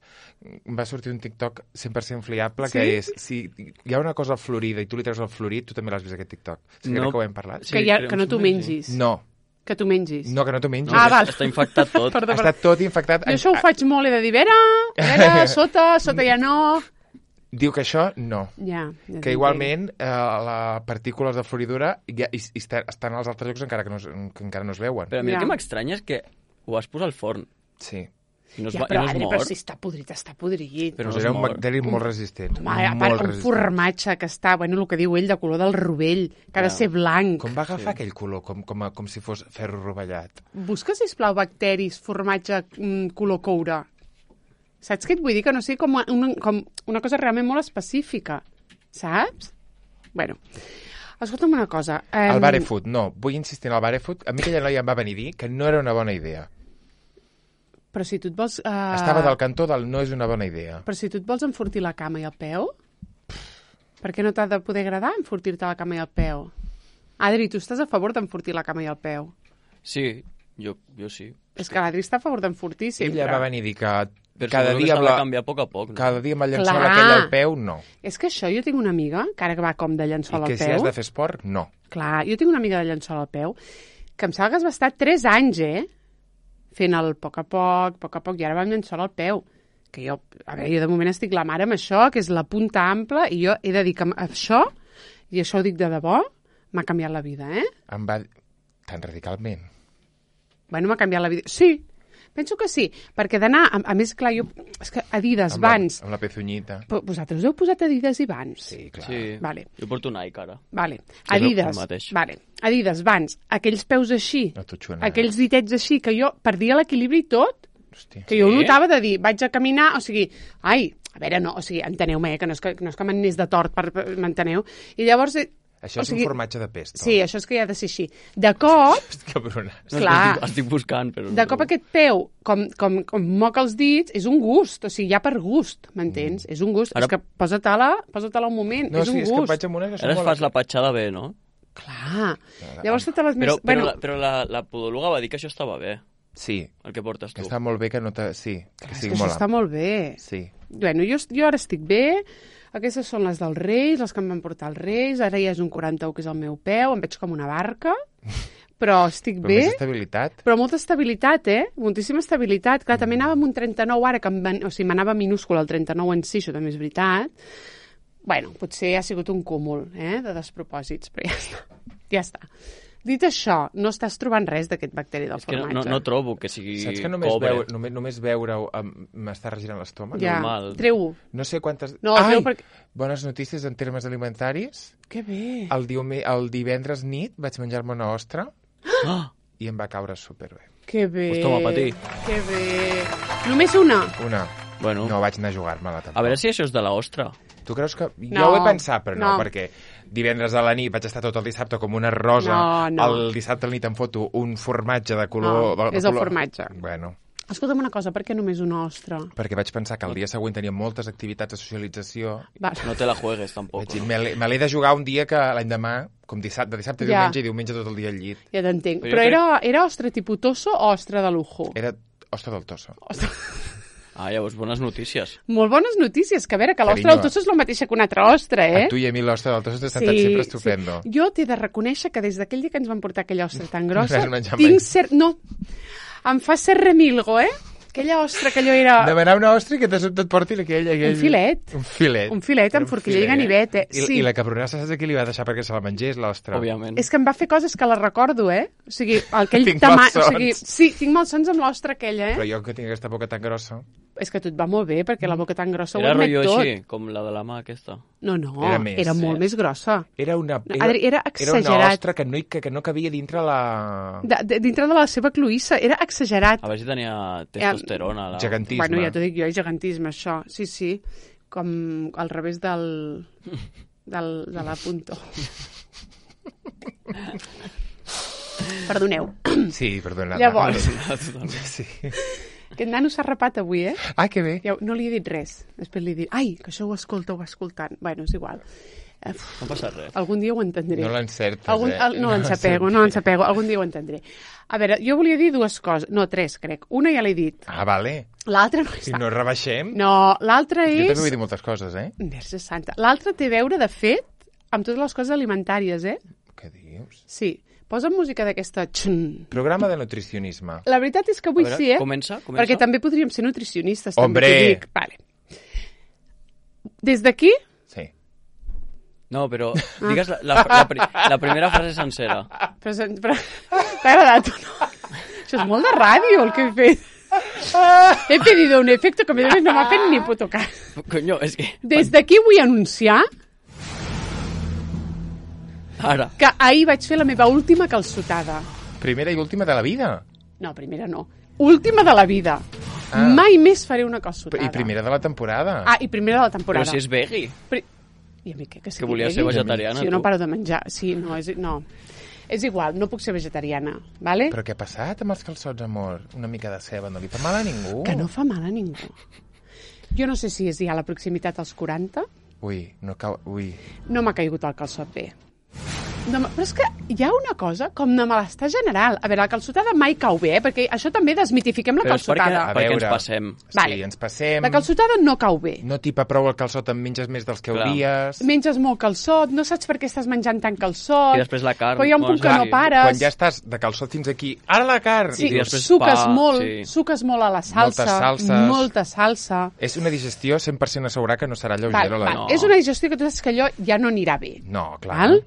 Speaker 2: Em va sortir un TikTok cent per cent fiable,
Speaker 1: Sí?
Speaker 2: que és, si hi ha una cosa florida i tu li treus el florit, tu també l'has vist, aquest TikTok. Sí,
Speaker 3: No.
Speaker 2: crec que ho hem parlat.
Speaker 3: Sí,
Speaker 1: que, ja,
Speaker 3: crec
Speaker 1: que no
Speaker 3: que
Speaker 1: t'ho
Speaker 3: sí.
Speaker 1: mengis.
Speaker 2: No,
Speaker 1: Que t'ho mengis.
Speaker 2: no, que no t'ho mengis.
Speaker 1: Ah,
Speaker 3: que
Speaker 1: val.
Speaker 3: Està infectat tot.
Speaker 1: Perdó,
Speaker 2: Ha
Speaker 1: perdó.
Speaker 2: estat tot infectat.
Speaker 1: Jo això ho faig molt, he de dir, vera, vera, sota, sota ja no...
Speaker 2: Diu que això, no.
Speaker 1: Ja, ja
Speaker 2: Que
Speaker 1: t'entenc.
Speaker 2: igualment eh, les partícules de floridura ja, i, i està- estan als altres llocs encara que no, es- que encara no es veuen.
Speaker 3: Però a mi
Speaker 1: Ja.
Speaker 3: el que m'estranya és que ho vas posar al forn
Speaker 2: Sí.
Speaker 3: i no es,
Speaker 1: Ja,
Speaker 3: va,
Speaker 1: però,
Speaker 3: i no es
Speaker 1: Adri,
Speaker 3: mor.
Speaker 1: però si està podrit, està podrit.
Speaker 3: Però
Speaker 2: Doncs
Speaker 3: no es
Speaker 2: era un
Speaker 3: mor.
Speaker 2: bacteri molt resistent.
Speaker 1: Home, a
Speaker 2: molt
Speaker 1: part, un
Speaker 2: resistent.
Speaker 1: formatge que està, bueno, el que diu ell, de color del rovell, que ha de
Speaker 3: Ja.
Speaker 1: ser blanc.
Speaker 2: Com va agafar aquell color? Com, com, a- com si fos ferro rovellat.
Speaker 1: Busca, sisplau, bacteris, formatge, mm, color coure. Saps què et vull dir? Que no sigui com una, com una cosa realment molt específica. Saps? Bueno, escolta'm una cosa. Um,
Speaker 2: El barefoot, no. Vull insistir en el barefoot. A mi aquella noia em va venir a dir que no era una bona idea.
Speaker 1: Però si tu et vols... Uh...
Speaker 2: Estava del cantó del no és una bona idea.
Speaker 1: Però si tu et vols enfortir la cama i el peu, per què no t'ha de poder agradar enfortir-te la cama i el peu? Adri, tu estàs a favor d'enfortir la cama i el peu?
Speaker 3: Sí, jo, jo sí.
Speaker 1: És que l'Adri està a favor d'enfortir sempre.
Speaker 2: Ella va venir a dir que
Speaker 3: Però
Speaker 2: cada dia,
Speaker 3: amb
Speaker 2: amb
Speaker 3: la...
Speaker 2: la...
Speaker 3: canviar a poc a poc. No?
Speaker 2: cada dia amb el llençol
Speaker 1: Clar.
Speaker 2: aquell al peu, no.
Speaker 1: És que això, jo tinc una amiga, que ara que va com de llençol
Speaker 2: I
Speaker 1: al
Speaker 2: que
Speaker 1: peu...
Speaker 2: si has de fer esport, no.
Speaker 1: Clar, jo tinc una amiga de llençol al peu que em sembla que es va estar tres anys, eh? Fent el poc a poc, poc a poc, i ara va amb llençol al peu. Que jo, a veure, jo de moment estic la mare amb això, que és la punta ampla, i jo he de dir que això, i això ho dic de debò, m'ha canviat la vida, eh?
Speaker 2: Em va... Tan radicalment.
Speaker 1: Bueno, m'ha canviat la vida. Sí, penso que sí, perquè d'anar, a, a més, clar, jo, és que Adidas,
Speaker 2: Amb la,
Speaker 1: Vans...
Speaker 2: amb la pezunyita.
Speaker 1: Però vosaltres heu posat Adidas i Vans?
Speaker 2: Sí, clar.
Speaker 3: Sí,
Speaker 1: Vale.
Speaker 3: jo porto Nike ara.
Speaker 1: Vale.
Speaker 3: és el
Speaker 1: Adidas,
Speaker 3: mateix.
Speaker 1: vale. Adidas, Vans, aquells peus així,
Speaker 2: No t'ho xuena.
Speaker 1: aquells ditets així, que jo perdia l'equilibri i tot,
Speaker 2: Hòstia.
Speaker 1: que jo ho
Speaker 3: Sí?
Speaker 1: notava de dir, vaig a caminar, o sigui, ai, a veure, no, o sigui, enteneu-me, eh, que no és que, no és que m'anés de tort, per, per, m'enteneu? I llavors... eh,
Speaker 2: Això
Speaker 1: o
Speaker 2: és
Speaker 1: sigui,
Speaker 2: un formatge de pesto.
Speaker 1: Sí, això és que ja ha de ser així. De cop,
Speaker 2: Cabrona.
Speaker 3: No,
Speaker 1: Clar.
Speaker 3: Estic, estic buscant, però...
Speaker 1: de cop aquest peu, com, com, com moca els dits, és un gust, o sigui, ja per gust, m'entens? Mm. És un gust,
Speaker 3: Ara-
Speaker 1: és que posa-te-la, posa-te-la un moment,
Speaker 2: No,
Speaker 1: és
Speaker 2: sí,
Speaker 1: un
Speaker 2: és que
Speaker 1: gust.
Speaker 2: vaig amb una que
Speaker 3: Ara es fas la patxada bé, no?
Speaker 1: Clar. Llavors totes les
Speaker 3: Però,
Speaker 1: més...
Speaker 3: però,
Speaker 1: bueno,
Speaker 3: la, però la, la podòloga va dir que això estava bé,
Speaker 2: Sí,
Speaker 3: el que portes
Speaker 2: que
Speaker 3: tu.
Speaker 2: està molt bé que no te... Sí, que
Speaker 1: és
Speaker 2: sigui
Speaker 1: que això
Speaker 2: molt
Speaker 1: està molt bé.
Speaker 2: Sí.
Speaker 1: Bueno, jo, jo ara estic bé, aquestes són les dels Reis, les que em van portar els Reis, ara ja és un quaranta-u que és el meu peu, em veig com una barca, però estic
Speaker 2: Però
Speaker 1: bé.
Speaker 2: més estabilitat.
Speaker 1: Però molta estabilitat, eh? Moltíssima estabilitat. Clar, també anava amb un trenta-nou ara, que em van... o sigui, m'anava minúscul el trenta-nou en si, això també és veritat. Bueno, potser ha sigut un cúmul, eh?, de despropòsits, però ja està. Ja està. Dit això, no estàs trobant res d'aquest bacteri del
Speaker 3: És que no,
Speaker 1: formatge.
Speaker 3: no, no trobo que sigui
Speaker 2: Saps que només,
Speaker 3: cobre.
Speaker 2: veu, només, només veure-ho em- m'està regirant l'estómac?
Speaker 1: Ja,
Speaker 3: normal.
Speaker 1: treu-ho.
Speaker 2: No sé quantes...
Speaker 1: No,
Speaker 2: Ai!
Speaker 1: treu perquè...
Speaker 2: Bones notícies en termes alimentaris.
Speaker 1: Que bé.
Speaker 2: El, diume, el divendres nit vaig menjar-me una ostra
Speaker 3: Ah!
Speaker 2: i em va caure superbé.
Speaker 1: Que bé.
Speaker 3: Pues toma, patí.
Speaker 1: Que bé. Només una?
Speaker 2: Una.
Speaker 3: Bueno,
Speaker 2: No vaig anar a jugar-me-la tampoc.
Speaker 3: a veure si això és de la ostra.
Speaker 2: Tu creus que... Jo
Speaker 1: No,
Speaker 2: ho he pensat, però no,
Speaker 1: no.
Speaker 2: perquè divendres a la nit vaig estar tot el dissabte com una rosa.
Speaker 1: No, no.
Speaker 2: El dissabte a la nit em foto un formatge de color...
Speaker 1: No,
Speaker 2: de
Speaker 1: és el
Speaker 2: color...
Speaker 1: formatge.
Speaker 2: Bueno,
Speaker 1: Escolta'm una cosa, per què només una ostra?
Speaker 2: perquè vaig pensar que el dia següent tenia moltes activitats de socialització.
Speaker 1: Va.
Speaker 3: No te la juegues, tampoc.
Speaker 2: Vaig dir, me l'he me l'he de jugar un dia que l'endemà, com dissabte, de dissabte a
Speaker 1: Ja.
Speaker 2: diumenge i diumenge tot el dia al llit.
Speaker 1: Ja t'entenc.
Speaker 3: Però
Speaker 1: Però,
Speaker 3: jo
Speaker 1: era, era ostra tipus tosso o ostra de lujo?
Speaker 2: Era ostra del tosso.
Speaker 1: Ostra...
Speaker 3: Ah, llavors, bones notícies.
Speaker 1: Molt bones notícies, que a veure, que l'ostra
Speaker 2: Carinyo,
Speaker 1: del tosso és la mateixa que una altra ostra, eh?
Speaker 2: A tu i a mi l'ostra del tosso t'ha estat sempre estupendo.
Speaker 1: Sí. Jo t'he de reconèixer que des d'aquell dia que ens van portar aquella ostra tan
Speaker 2: No
Speaker 1: grossa,
Speaker 2: l'has menjat
Speaker 1: tinc
Speaker 2: mai.
Speaker 1: cert... No, em fa cert remilgo, eh? Aquella ostra que allò era...
Speaker 2: Demanar una ostra i que de sobte et porti aquell, aquell...
Speaker 1: Un filet.
Speaker 2: Un filet.
Speaker 1: Un filet amb
Speaker 2: Era un
Speaker 1: forquilla i
Speaker 2: filet.
Speaker 1: ganivet, eh?
Speaker 2: I,
Speaker 1: Sí.
Speaker 2: I la cabronassa saps a qui li va deixar perquè se la mengés, l'ostra?
Speaker 3: Òbviament.
Speaker 1: És que em va fer coses que les recordo, eh? O sigui, aquell
Speaker 2: Tinc
Speaker 1: tama... O
Speaker 2: malsons.
Speaker 1: sigui, sí, tinc malsons amb l'ostra aquella, eh?
Speaker 2: Però jo que tinc aquesta boca tan grossa...
Speaker 1: És que a tu et va molt bé, perquè la boca tan grossa
Speaker 3: Era
Speaker 1: ho admet
Speaker 3: rotllo
Speaker 1: tot.
Speaker 3: així, com la de la mà aquesta.
Speaker 1: No, no,
Speaker 2: Era
Speaker 1: era,
Speaker 2: més,
Speaker 1: era
Speaker 2: eh?
Speaker 1: molt més grossa.
Speaker 2: Era una...
Speaker 1: Adri, era
Speaker 2: Era una
Speaker 1: exagerat.
Speaker 2: ostra que no, hi- que, que no cabia dintre la...
Speaker 1: De, de, dintre de la seva cluïssa, era exagerat.
Speaker 3: A veure si tenia testosterona. La...
Speaker 2: Gegantisme.
Speaker 1: Bueno, ja t'ho dic jo, és gegantisme, això. Sí, sí, com al revés del, del, de la punto. Perdoneu.
Speaker 2: Sí, perdona.
Speaker 1: Llavors.
Speaker 2: Sí.
Speaker 1: Aquest nano s'ha rapat avui, eh?
Speaker 2: Ah, que bé.
Speaker 1: Ja, no li he dit res. Després li he dit, ai, que això ho escolta, ho va escoltant. Bueno, és igual. Uf,
Speaker 3: No passa res.
Speaker 1: algun dia ho entendré.
Speaker 2: No l'encertes,
Speaker 1: Algun,
Speaker 2: eh?
Speaker 1: el, no l'ensapego, no l'ensapego. Algun dia ho entendré. A veure, jo volia dir dues coses. No, tres, crec. Una ja l'he dit.
Speaker 2: Ah, vale.
Speaker 1: L'altra no
Speaker 2: Si
Speaker 1: està.
Speaker 2: no rebaixem...
Speaker 1: No, l'altra
Speaker 2: Jo
Speaker 1: és...
Speaker 2: també vull dir moltes coses, eh?
Speaker 1: Verge santa. L'altra té a veure, de fet, amb totes les coses alimentàries, eh?
Speaker 2: Què dius?
Speaker 1: Sí. Posa'm música d'aquesta... Xun.
Speaker 2: Programa de nutricionisme.
Speaker 1: La veritat és que avui
Speaker 3: A veure,
Speaker 1: sí, eh?
Speaker 3: comença, comença.
Speaker 1: Perquè també podríem ser nutricionistes,
Speaker 2: Hombre!
Speaker 1: també t'ho dic. Vale. Des d'aquí,
Speaker 2: Sí.
Speaker 3: No, però digues la, la, la, pri- la primera frase sencera.
Speaker 1: però, se- però t'ha agradat o no? Això és molt de ràdio, el que he fet. He pedido un efecto que a més no m'ha fet ni puto cas.
Speaker 3: Coño, és que...
Speaker 1: Des d'aquí vull anunciar
Speaker 3: Ara.
Speaker 1: que ahir vaig fer la meva última calçotada.
Speaker 2: Primera i última de la vida.
Speaker 1: No, primera no. Última de la vida.
Speaker 2: Ah.
Speaker 1: Mai més faré una calçotada.
Speaker 2: I primera de la temporada.
Speaker 1: Ah, i primera de la
Speaker 3: Però
Speaker 1: temporada.
Speaker 3: si és veggie.
Speaker 1: Pri... I a mi què? Que,
Speaker 3: Que volia ser vegetariana,
Speaker 1: Si jo no
Speaker 3: tu.
Speaker 1: paro de menjar. Sí, no, és... No. És igual, no puc ser vegetariana, vale?
Speaker 2: Però què ha passat amb els calçots, amor? Una mica de ceba no li fa mal a ningú?
Speaker 1: Que no fa mal a ningú. Jo no sé si és ja la proximitat als quaranta.
Speaker 2: Ui, no cau... Ui.
Speaker 1: No m'ha caigut el calçot bé. No, però és que hi ha una cosa com de malestar general. A veure, la calçotada mai cau bé, eh? Perquè això també desmitifiquem la
Speaker 3: Però és perquè,
Speaker 1: calçotada.
Speaker 3: perquè
Speaker 2: veure.
Speaker 3: ens passem.
Speaker 2: Sí,
Speaker 1: Vale.
Speaker 2: ens passem.
Speaker 1: La calçotada no cau bé.
Speaker 2: No tipa prou el calçot, en menges més dels que
Speaker 3: Clar.
Speaker 2: hauries.
Speaker 1: Menges molt calçot, no saps per què estàs menjant tant calçot.
Speaker 3: I després la carn.
Speaker 1: Però hi ha un
Speaker 3: bueno,
Speaker 1: punt que
Speaker 3: sí.
Speaker 1: no pares.
Speaker 2: Quan ja estàs de calçot fins aquí, ara la carn!
Speaker 1: Sí,
Speaker 3: I després
Speaker 1: suques
Speaker 3: pa,
Speaker 1: molt,
Speaker 3: sí.
Speaker 1: suques molt a la salsa.
Speaker 2: Moltes salses.
Speaker 1: Molta salsa.
Speaker 2: És una digestió cent per cent assegurar que no serà lleugera.
Speaker 1: Val,
Speaker 2: la...
Speaker 1: val.
Speaker 3: No.
Speaker 1: És una digestió que tu saps que allò ja no anirà bé.
Speaker 2: No, clar.
Speaker 1: Val?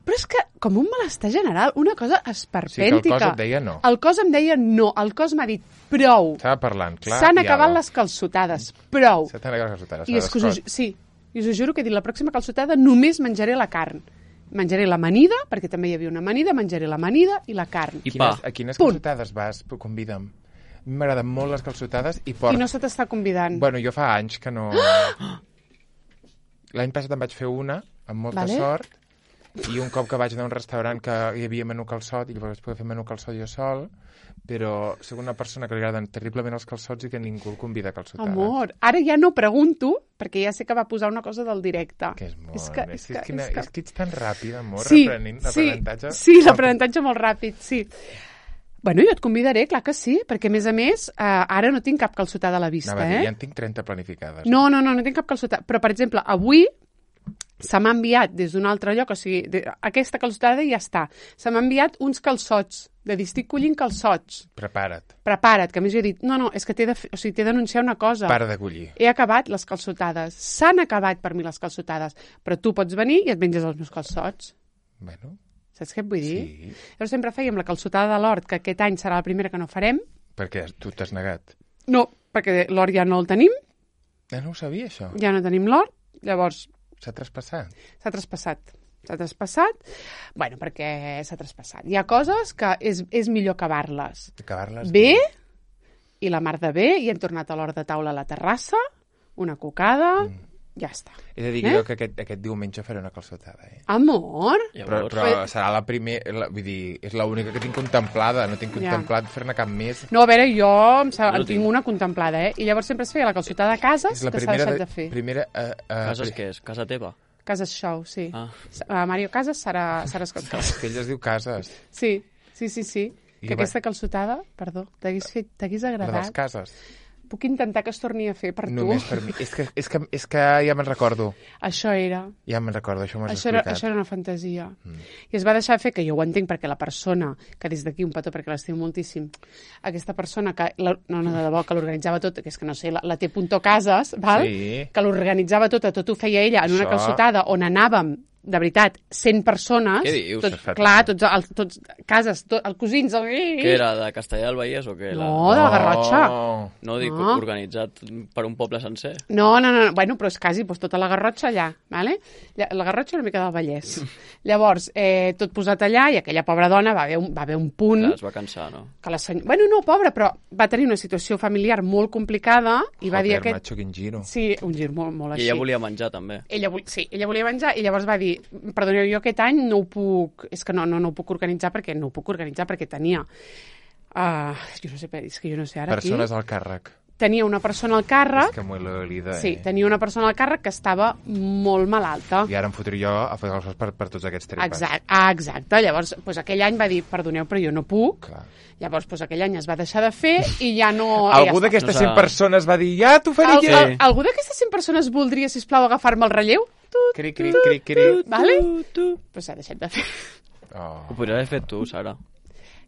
Speaker 1: Però és que, com un malestar general, una cosa esperpèntica.
Speaker 2: Sí, que el cos et deia no.
Speaker 1: El cos em deia no. El cos m'ha dit prou.
Speaker 2: Estava parlant, clar.
Speaker 1: S'han
Speaker 2: i
Speaker 1: acabat
Speaker 2: ara.
Speaker 1: les calçotades. Prou.
Speaker 2: S'han acabat les calçotades.
Speaker 1: I és que us ho, ju- sí, i us ho juro que he dit, la pròxima calçotada només menjaré la carn. Menjaré l'amanida, perquè també hi havia una amanida, menjaré l'amanida i la carn.
Speaker 3: I
Speaker 2: Quines,
Speaker 3: pa.
Speaker 2: a quines
Speaker 1: Punt.
Speaker 2: calçotades vas? Convida'm. A mi m'agraden molt les calçotades i porc.
Speaker 1: I no se t'està convidant.
Speaker 2: Bueno, jo fa anys que no... L'any passat en vaig fer una, amb molta
Speaker 1: Vale.
Speaker 2: sort, i un cop que vaig anar a un restaurant que hi havia menú calçot, i llavors vaig poder fer menú calçot jo sol, però soc una persona que li agraden terriblement els calçots i que ningú el convida a calçotades.
Speaker 1: Amor, ara ja no pregunto, perquè ja sé que va posar una cosa del directe.
Speaker 2: Que és molt...
Speaker 1: És que,
Speaker 2: és,
Speaker 1: és que,
Speaker 2: és, que,
Speaker 1: és que...
Speaker 2: és que ets tan ràpid, amor,
Speaker 1: Sí,
Speaker 2: reprenent
Speaker 1: sí,
Speaker 2: l'aprenentatge.
Speaker 1: sí, l'aprenentatge molt ràpid, sí. Bueno, jo et convidaré, clar que sí, perquè a més a més, eh, ara no tinc cap calçotada a la vista,
Speaker 2: Anava a dir,
Speaker 1: eh?
Speaker 2: ja en tinc trenta planificades.
Speaker 1: No, no, no, no tinc cap calçotada. Però, per exemple, avui se m'ha enviat des d'un altre lloc, o sigui, de, aquesta calçotada ja està. Se m'ha enviat uns calçots, de dir, estic collint calçots.
Speaker 2: Prepara't.
Speaker 1: Prepara't, que a més jo he dit, no, no, és que t'he de, fer- o sigui, t'he d'anunciar una cosa.
Speaker 2: Para de collir.
Speaker 1: He acabat les calçotades. S'han acabat per mi les calçotades. Però tu pots venir i et menges els meus calçots.
Speaker 2: Bueno,
Speaker 1: Saps què et vull dir?
Speaker 2: sí,
Speaker 1: Llavors sempre fèiem la calçotada de l'hort, que aquest any serà la primera que no farem.
Speaker 2: perquè tu t'has negat.
Speaker 1: No, perquè l'hort ja no el tenim,
Speaker 2: Ja no ho sabia, això.
Speaker 1: ja no tenim l'hort. Llavors
Speaker 2: S'ha traspassat.
Speaker 1: s'ha traspassat. S'ha traspassat, bueno, perquè s'ha traspassat. Hi ha coses que és, és millor acabar-les
Speaker 2: Acabar-les
Speaker 1: bé, i la mar de bé, i hem tornat a l'hora de taula a la terrassa, una cocada, mm. ja està.
Speaker 2: He de dir
Speaker 1: Eh?
Speaker 2: eh? jo que aquest, aquest diumenge faré una calçotada, eh?
Speaker 1: Amor!
Speaker 2: Però,
Speaker 3: Llavors,
Speaker 2: però serà la primera... Vull dir, és l'única que tinc contemplada. No tinc
Speaker 1: Ja.
Speaker 2: contemplat fer-ne cap més.
Speaker 1: No, a veure, jo em sa-
Speaker 3: No
Speaker 1: en tinc
Speaker 3: tinc.
Speaker 1: una contemplada, eh? I llavors sempre es feia la calçotada a cases,
Speaker 2: És la
Speaker 1: que s'ha
Speaker 2: primera...
Speaker 1: deixat de fer.
Speaker 2: primera uh, uh,
Speaker 3: cases què és? Casa teva?
Speaker 1: Cases Show, sí.
Speaker 3: Ah.
Speaker 1: Uh, Mario Casas serà, serà escoltat.
Speaker 2: Que ell es diu Cases.
Speaker 1: Sí, sí, sí, sí.
Speaker 2: I
Speaker 1: Que
Speaker 2: va-
Speaker 1: aquesta calçotada, perdó, t'hagués fet- t'hagués
Speaker 2: La dels
Speaker 1: agradat.
Speaker 2: Cases.
Speaker 1: Puc intentar que es torni a fer per
Speaker 2: Només
Speaker 1: tu.
Speaker 2: per mi. És que, és que, és que ja me'n recordo.
Speaker 1: Això era.
Speaker 2: Ja me'n recordo, això m'has
Speaker 1: Això era,
Speaker 2: explicat.
Speaker 1: això era una fantasia. Mm. I es va deixar fer, que jo ho entenc, perquè la persona, que des d'aquí un petó, perquè l'estimo moltíssim, aquesta persona que, la, no, no, de debò, que l'organitzava tot, que és que no sé, la, la T. Cases, val?
Speaker 2: Sí.
Speaker 1: Que l'organitzava tot, tot ho feia ella en una
Speaker 2: Això-
Speaker 1: calçotada on anàvem, de veritat, cent persones.
Speaker 3: Què dius?
Speaker 1: Tots,
Speaker 2: Perfecte.
Speaker 1: clar, tots, els, tots cases, tot, els cosins... El...
Speaker 3: Què era, de Castellà del Vallès o què?
Speaker 1: No, de la Garrotxa.
Speaker 2: Oh.
Speaker 3: No, dic,
Speaker 1: No.
Speaker 3: organitzat per un poble sencer.
Speaker 1: No, no, no, bueno, però és quasi doncs, tota la Garrotxa allà, ¿vale? Lla- La Garrotxa una mica del Vallès. Llavors, eh, tot posat allà, i aquella pobra dona va haver un, va haver un punt...
Speaker 3: Clar, es va cansar, no?
Speaker 1: Que la seny... Bueno, no, pobra, però va tenir una situació familiar molt complicada i va dir
Speaker 2: Joder,
Speaker 1: aquest...
Speaker 2: macho, quin giro.
Speaker 1: Sí, un gir molt, molt
Speaker 3: I
Speaker 1: així.
Speaker 3: ella volia menjar, també.
Speaker 1: Ella, vol... sí, ella volia menjar i llavors va dir, perdoneu, jo aquest any no ho puc, és que no, no, no ho puc organitzar perquè no ho puc organitzar perquè tenia, uh, jo no sé, és que jo no sé ara
Speaker 2: Persones
Speaker 1: aquí,
Speaker 2: al càrrec.
Speaker 1: tenia una persona al càrrec,
Speaker 2: És que m'ho he oblidat,
Speaker 1: sí,
Speaker 2: eh?
Speaker 1: tenia una persona al càrrec que estava molt malalta.
Speaker 2: I ara em fotré jo a fer calçots per, per tots aquests tripes.
Speaker 1: Exacte, ah, exacte. Llavors, doncs, aquell any va dir, perdoneu, però jo no puc.
Speaker 2: Clar.
Speaker 1: Llavors, doncs, aquell any es va deixar de fer i ja no...
Speaker 2: Algú
Speaker 1: ja
Speaker 2: d'aquestes
Speaker 3: No
Speaker 2: cent
Speaker 3: s'ha-
Speaker 2: persones va dir, ja t'ho faré
Speaker 1: Al,
Speaker 2: jo.
Speaker 1: al, algú d'aquestes cent persones voldria, sisplau, agafar-me el relleu? Tu,
Speaker 2: Cri, cri, cri, cri.
Speaker 1: vale?
Speaker 3: Tu, tu.
Speaker 1: Però s'ha deixat de fer.
Speaker 2: Oh.
Speaker 3: Ho podries haver fet tu, Sara.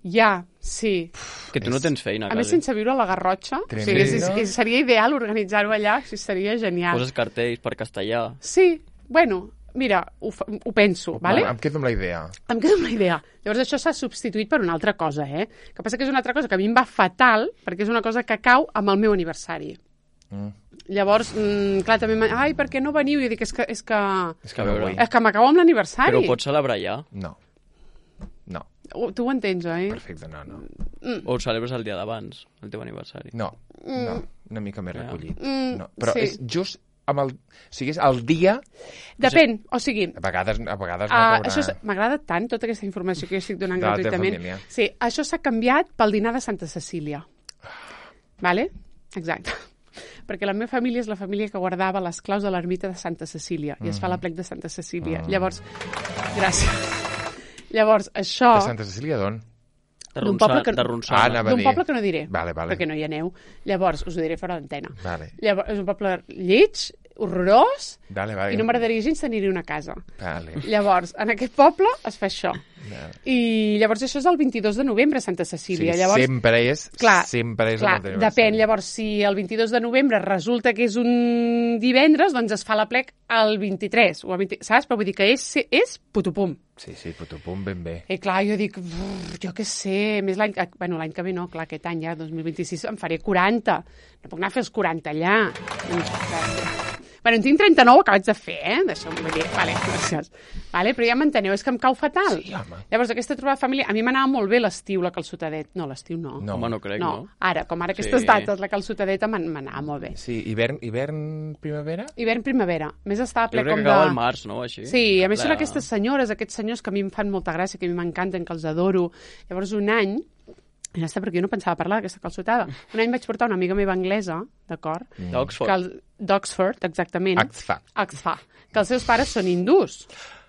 Speaker 1: Ja, sí.
Speaker 3: Que tu no tens feina,
Speaker 1: A més,
Speaker 3: quasi.
Speaker 1: sense viure a la Garrotxa. O sigui,
Speaker 2: Tremendo.
Speaker 1: és, és, és, seria ideal organitzar-ho allà, o sigui, seria genial.
Speaker 3: Poses cartells per castellà.
Speaker 1: Sí, bueno, mira, ho, fa- ho penso, vale?
Speaker 2: Em quedo amb la idea.
Speaker 1: Em quedo amb la idea. Llavors això s'ha substituït per una altra cosa, eh? Que passa que és una altra cosa que a mi em va fatal, perquè és una cosa que cau amb el meu aniversari.
Speaker 2: Mm.
Speaker 1: Llavors, mm, clar, també... m'ha- Ai, per què no veniu? I jo dic, és que, és que,
Speaker 2: És que
Speaker 3: A
Speaker 2: no
Speaker 3: veure.
Speaker 2: vull.
Speaker 1: és que m'acabo amb l'aniversari.
Speaker 3: Però ho pots celebrar ja?
Speaker 2: No. No.
Speaker 1: Oh, tu ho entens, oi?
Speaker 2: Perfecte, no, no.
Speaker 3: O ho celebres el dia d'abans, el teu aniversari?
Speaker 2: No, no. Una mica més
Speaker 3: Ja.
Speaker 2: recollit.
Speaker 1: Mm,
Speaker 2: No. Però
Speaker 1: sí.
Speaker 2: és just amb el... O sigui, és el dia...
Speaker 1: Depèn, o sigui...
Speaker 2: A vegades, a vegades no
Speaker 1: Uh,
Speaker 2: caurà...
Speaker 1: això és- m'agrada tant, tota aquesta informació que jo estic donant
Speaker 2: De la teva
Speaker 1: gratuïtament.
Speaker 2: família.
Speaker 1: Sí, això s'ha canviat pel dinar de Santa Cecília. Vale? Exacte. Perquè la meva família és la família que guardava les claus de l'ermita de Santa Cecília i es fa la plec de Santa Cecília.
Speaker 2: Mm.
Speaker 1: Llavors, gràcies. Llavors, això...
Speaker 2: De Santa Cecília d'on?
Speaker 3: De
Speaker 1: D'un
Speaker 3: Ronçana.
Speaker 1: poble que-
Speaker 3: De
Speaker 2: Ah,
Speaker 3: Ronçana.
Speaker 2: anava a
Speaker 1: D'un
Speaker 2: dir.
Speaker 1: poble que no diré,
Speaker 2: Vale, vale.
Speaker 1: perquè no hi aneu. Llavors, us ho diré fora d'antena.
Speaker 2: Vale.
Speaker 1: Llavors, és un poble lleig, horrorós,
Speaker 2: Vale, vale.
Speaker 1: i no m'agradaria gens tenir-hi una casa.
Speaker 2: Vale.
Speaker 1: Llavors, en aquest poble es fa això.
Speaker 2: Vale.
Speaker 1: I llavors això és el vint-i-dos de novembre a Santa Cecília.
Speaker 2: Sí,
Speaker 1: llavors,
Speaker 2: sempre és...
Speaker 1: clar,
Speaker 2: sempre és
Speaker 1: clar,
Speaker 2: el teu
Speaker 1: depèn.
Speaker 2: aniversari.
Speaker 1: Llavors, si el vint-i-dos de novembre resulta que és un divendres, doncs es fa la plec el vint-i-tres, o el vint... saps? Però vull dir que és, és putupum.
Speaker 2: Sí, sí, putupum, ben bé.
Speaker 1: I clar, jo dic, "Brr, jo què sé, més l'any... que- Bueno, l'any que ve no, clar, aquest any ja, dos mil vint-i-sis, em faré quaranta. No puc anar a fer els quaranta allà. Doncs, clar, bueno, en tinc trenta-nou acabats de fer, eh? D'això m'ho vull dir. Vale, gràcies. Vale, però ja m'enteneu, és que em cau fatal.
Speaker 2: Sí, home.
Speaker 1: Llavors, aquesta trobada familiar... A mi m'anava molt bé l'estiu, la calçotadet. No, l'estiu no.
Speaker 2: No.
Speaker 3: Home, no crec,
Speaker 1: no.
Speaker 3: no?
Speaker 1: Ara, com ara aquestes
Speaker 3: Sí.
Speaker 1: dates, la calçotadeta m'an- m'anava molt bé.
Speaker 2: Sí, hivern, hivern, primavera?
Speaker 1: Hivern-primavera. Més estava
Speaker 3: Jo
Speaker 1: ple
Speaker 3: crec
Speaker 1: com
Speaker 3: que
Speaker 1: de...
Speaker 3: acaba al març, no? Així.
Speaker 1: Sí, a més són
Speaker 3: La-
Speaker 1: aquestes senyores, aquests senyors que a mi em fan molta gràcia, que a mi m'encanten, que els adoro. Llavors, un any, ja està, perquè jo no pensava parlar d'aquesta calçotada, un any vaig portar una amiga meva anglesa, d'acord?
Speaker 3: D'Oxford.
Speaker 1: Que el- D'Oxford, exactament.
Speaker 2: Axfa.
Speaker 1: Oxford. Que els seus pares són hindús.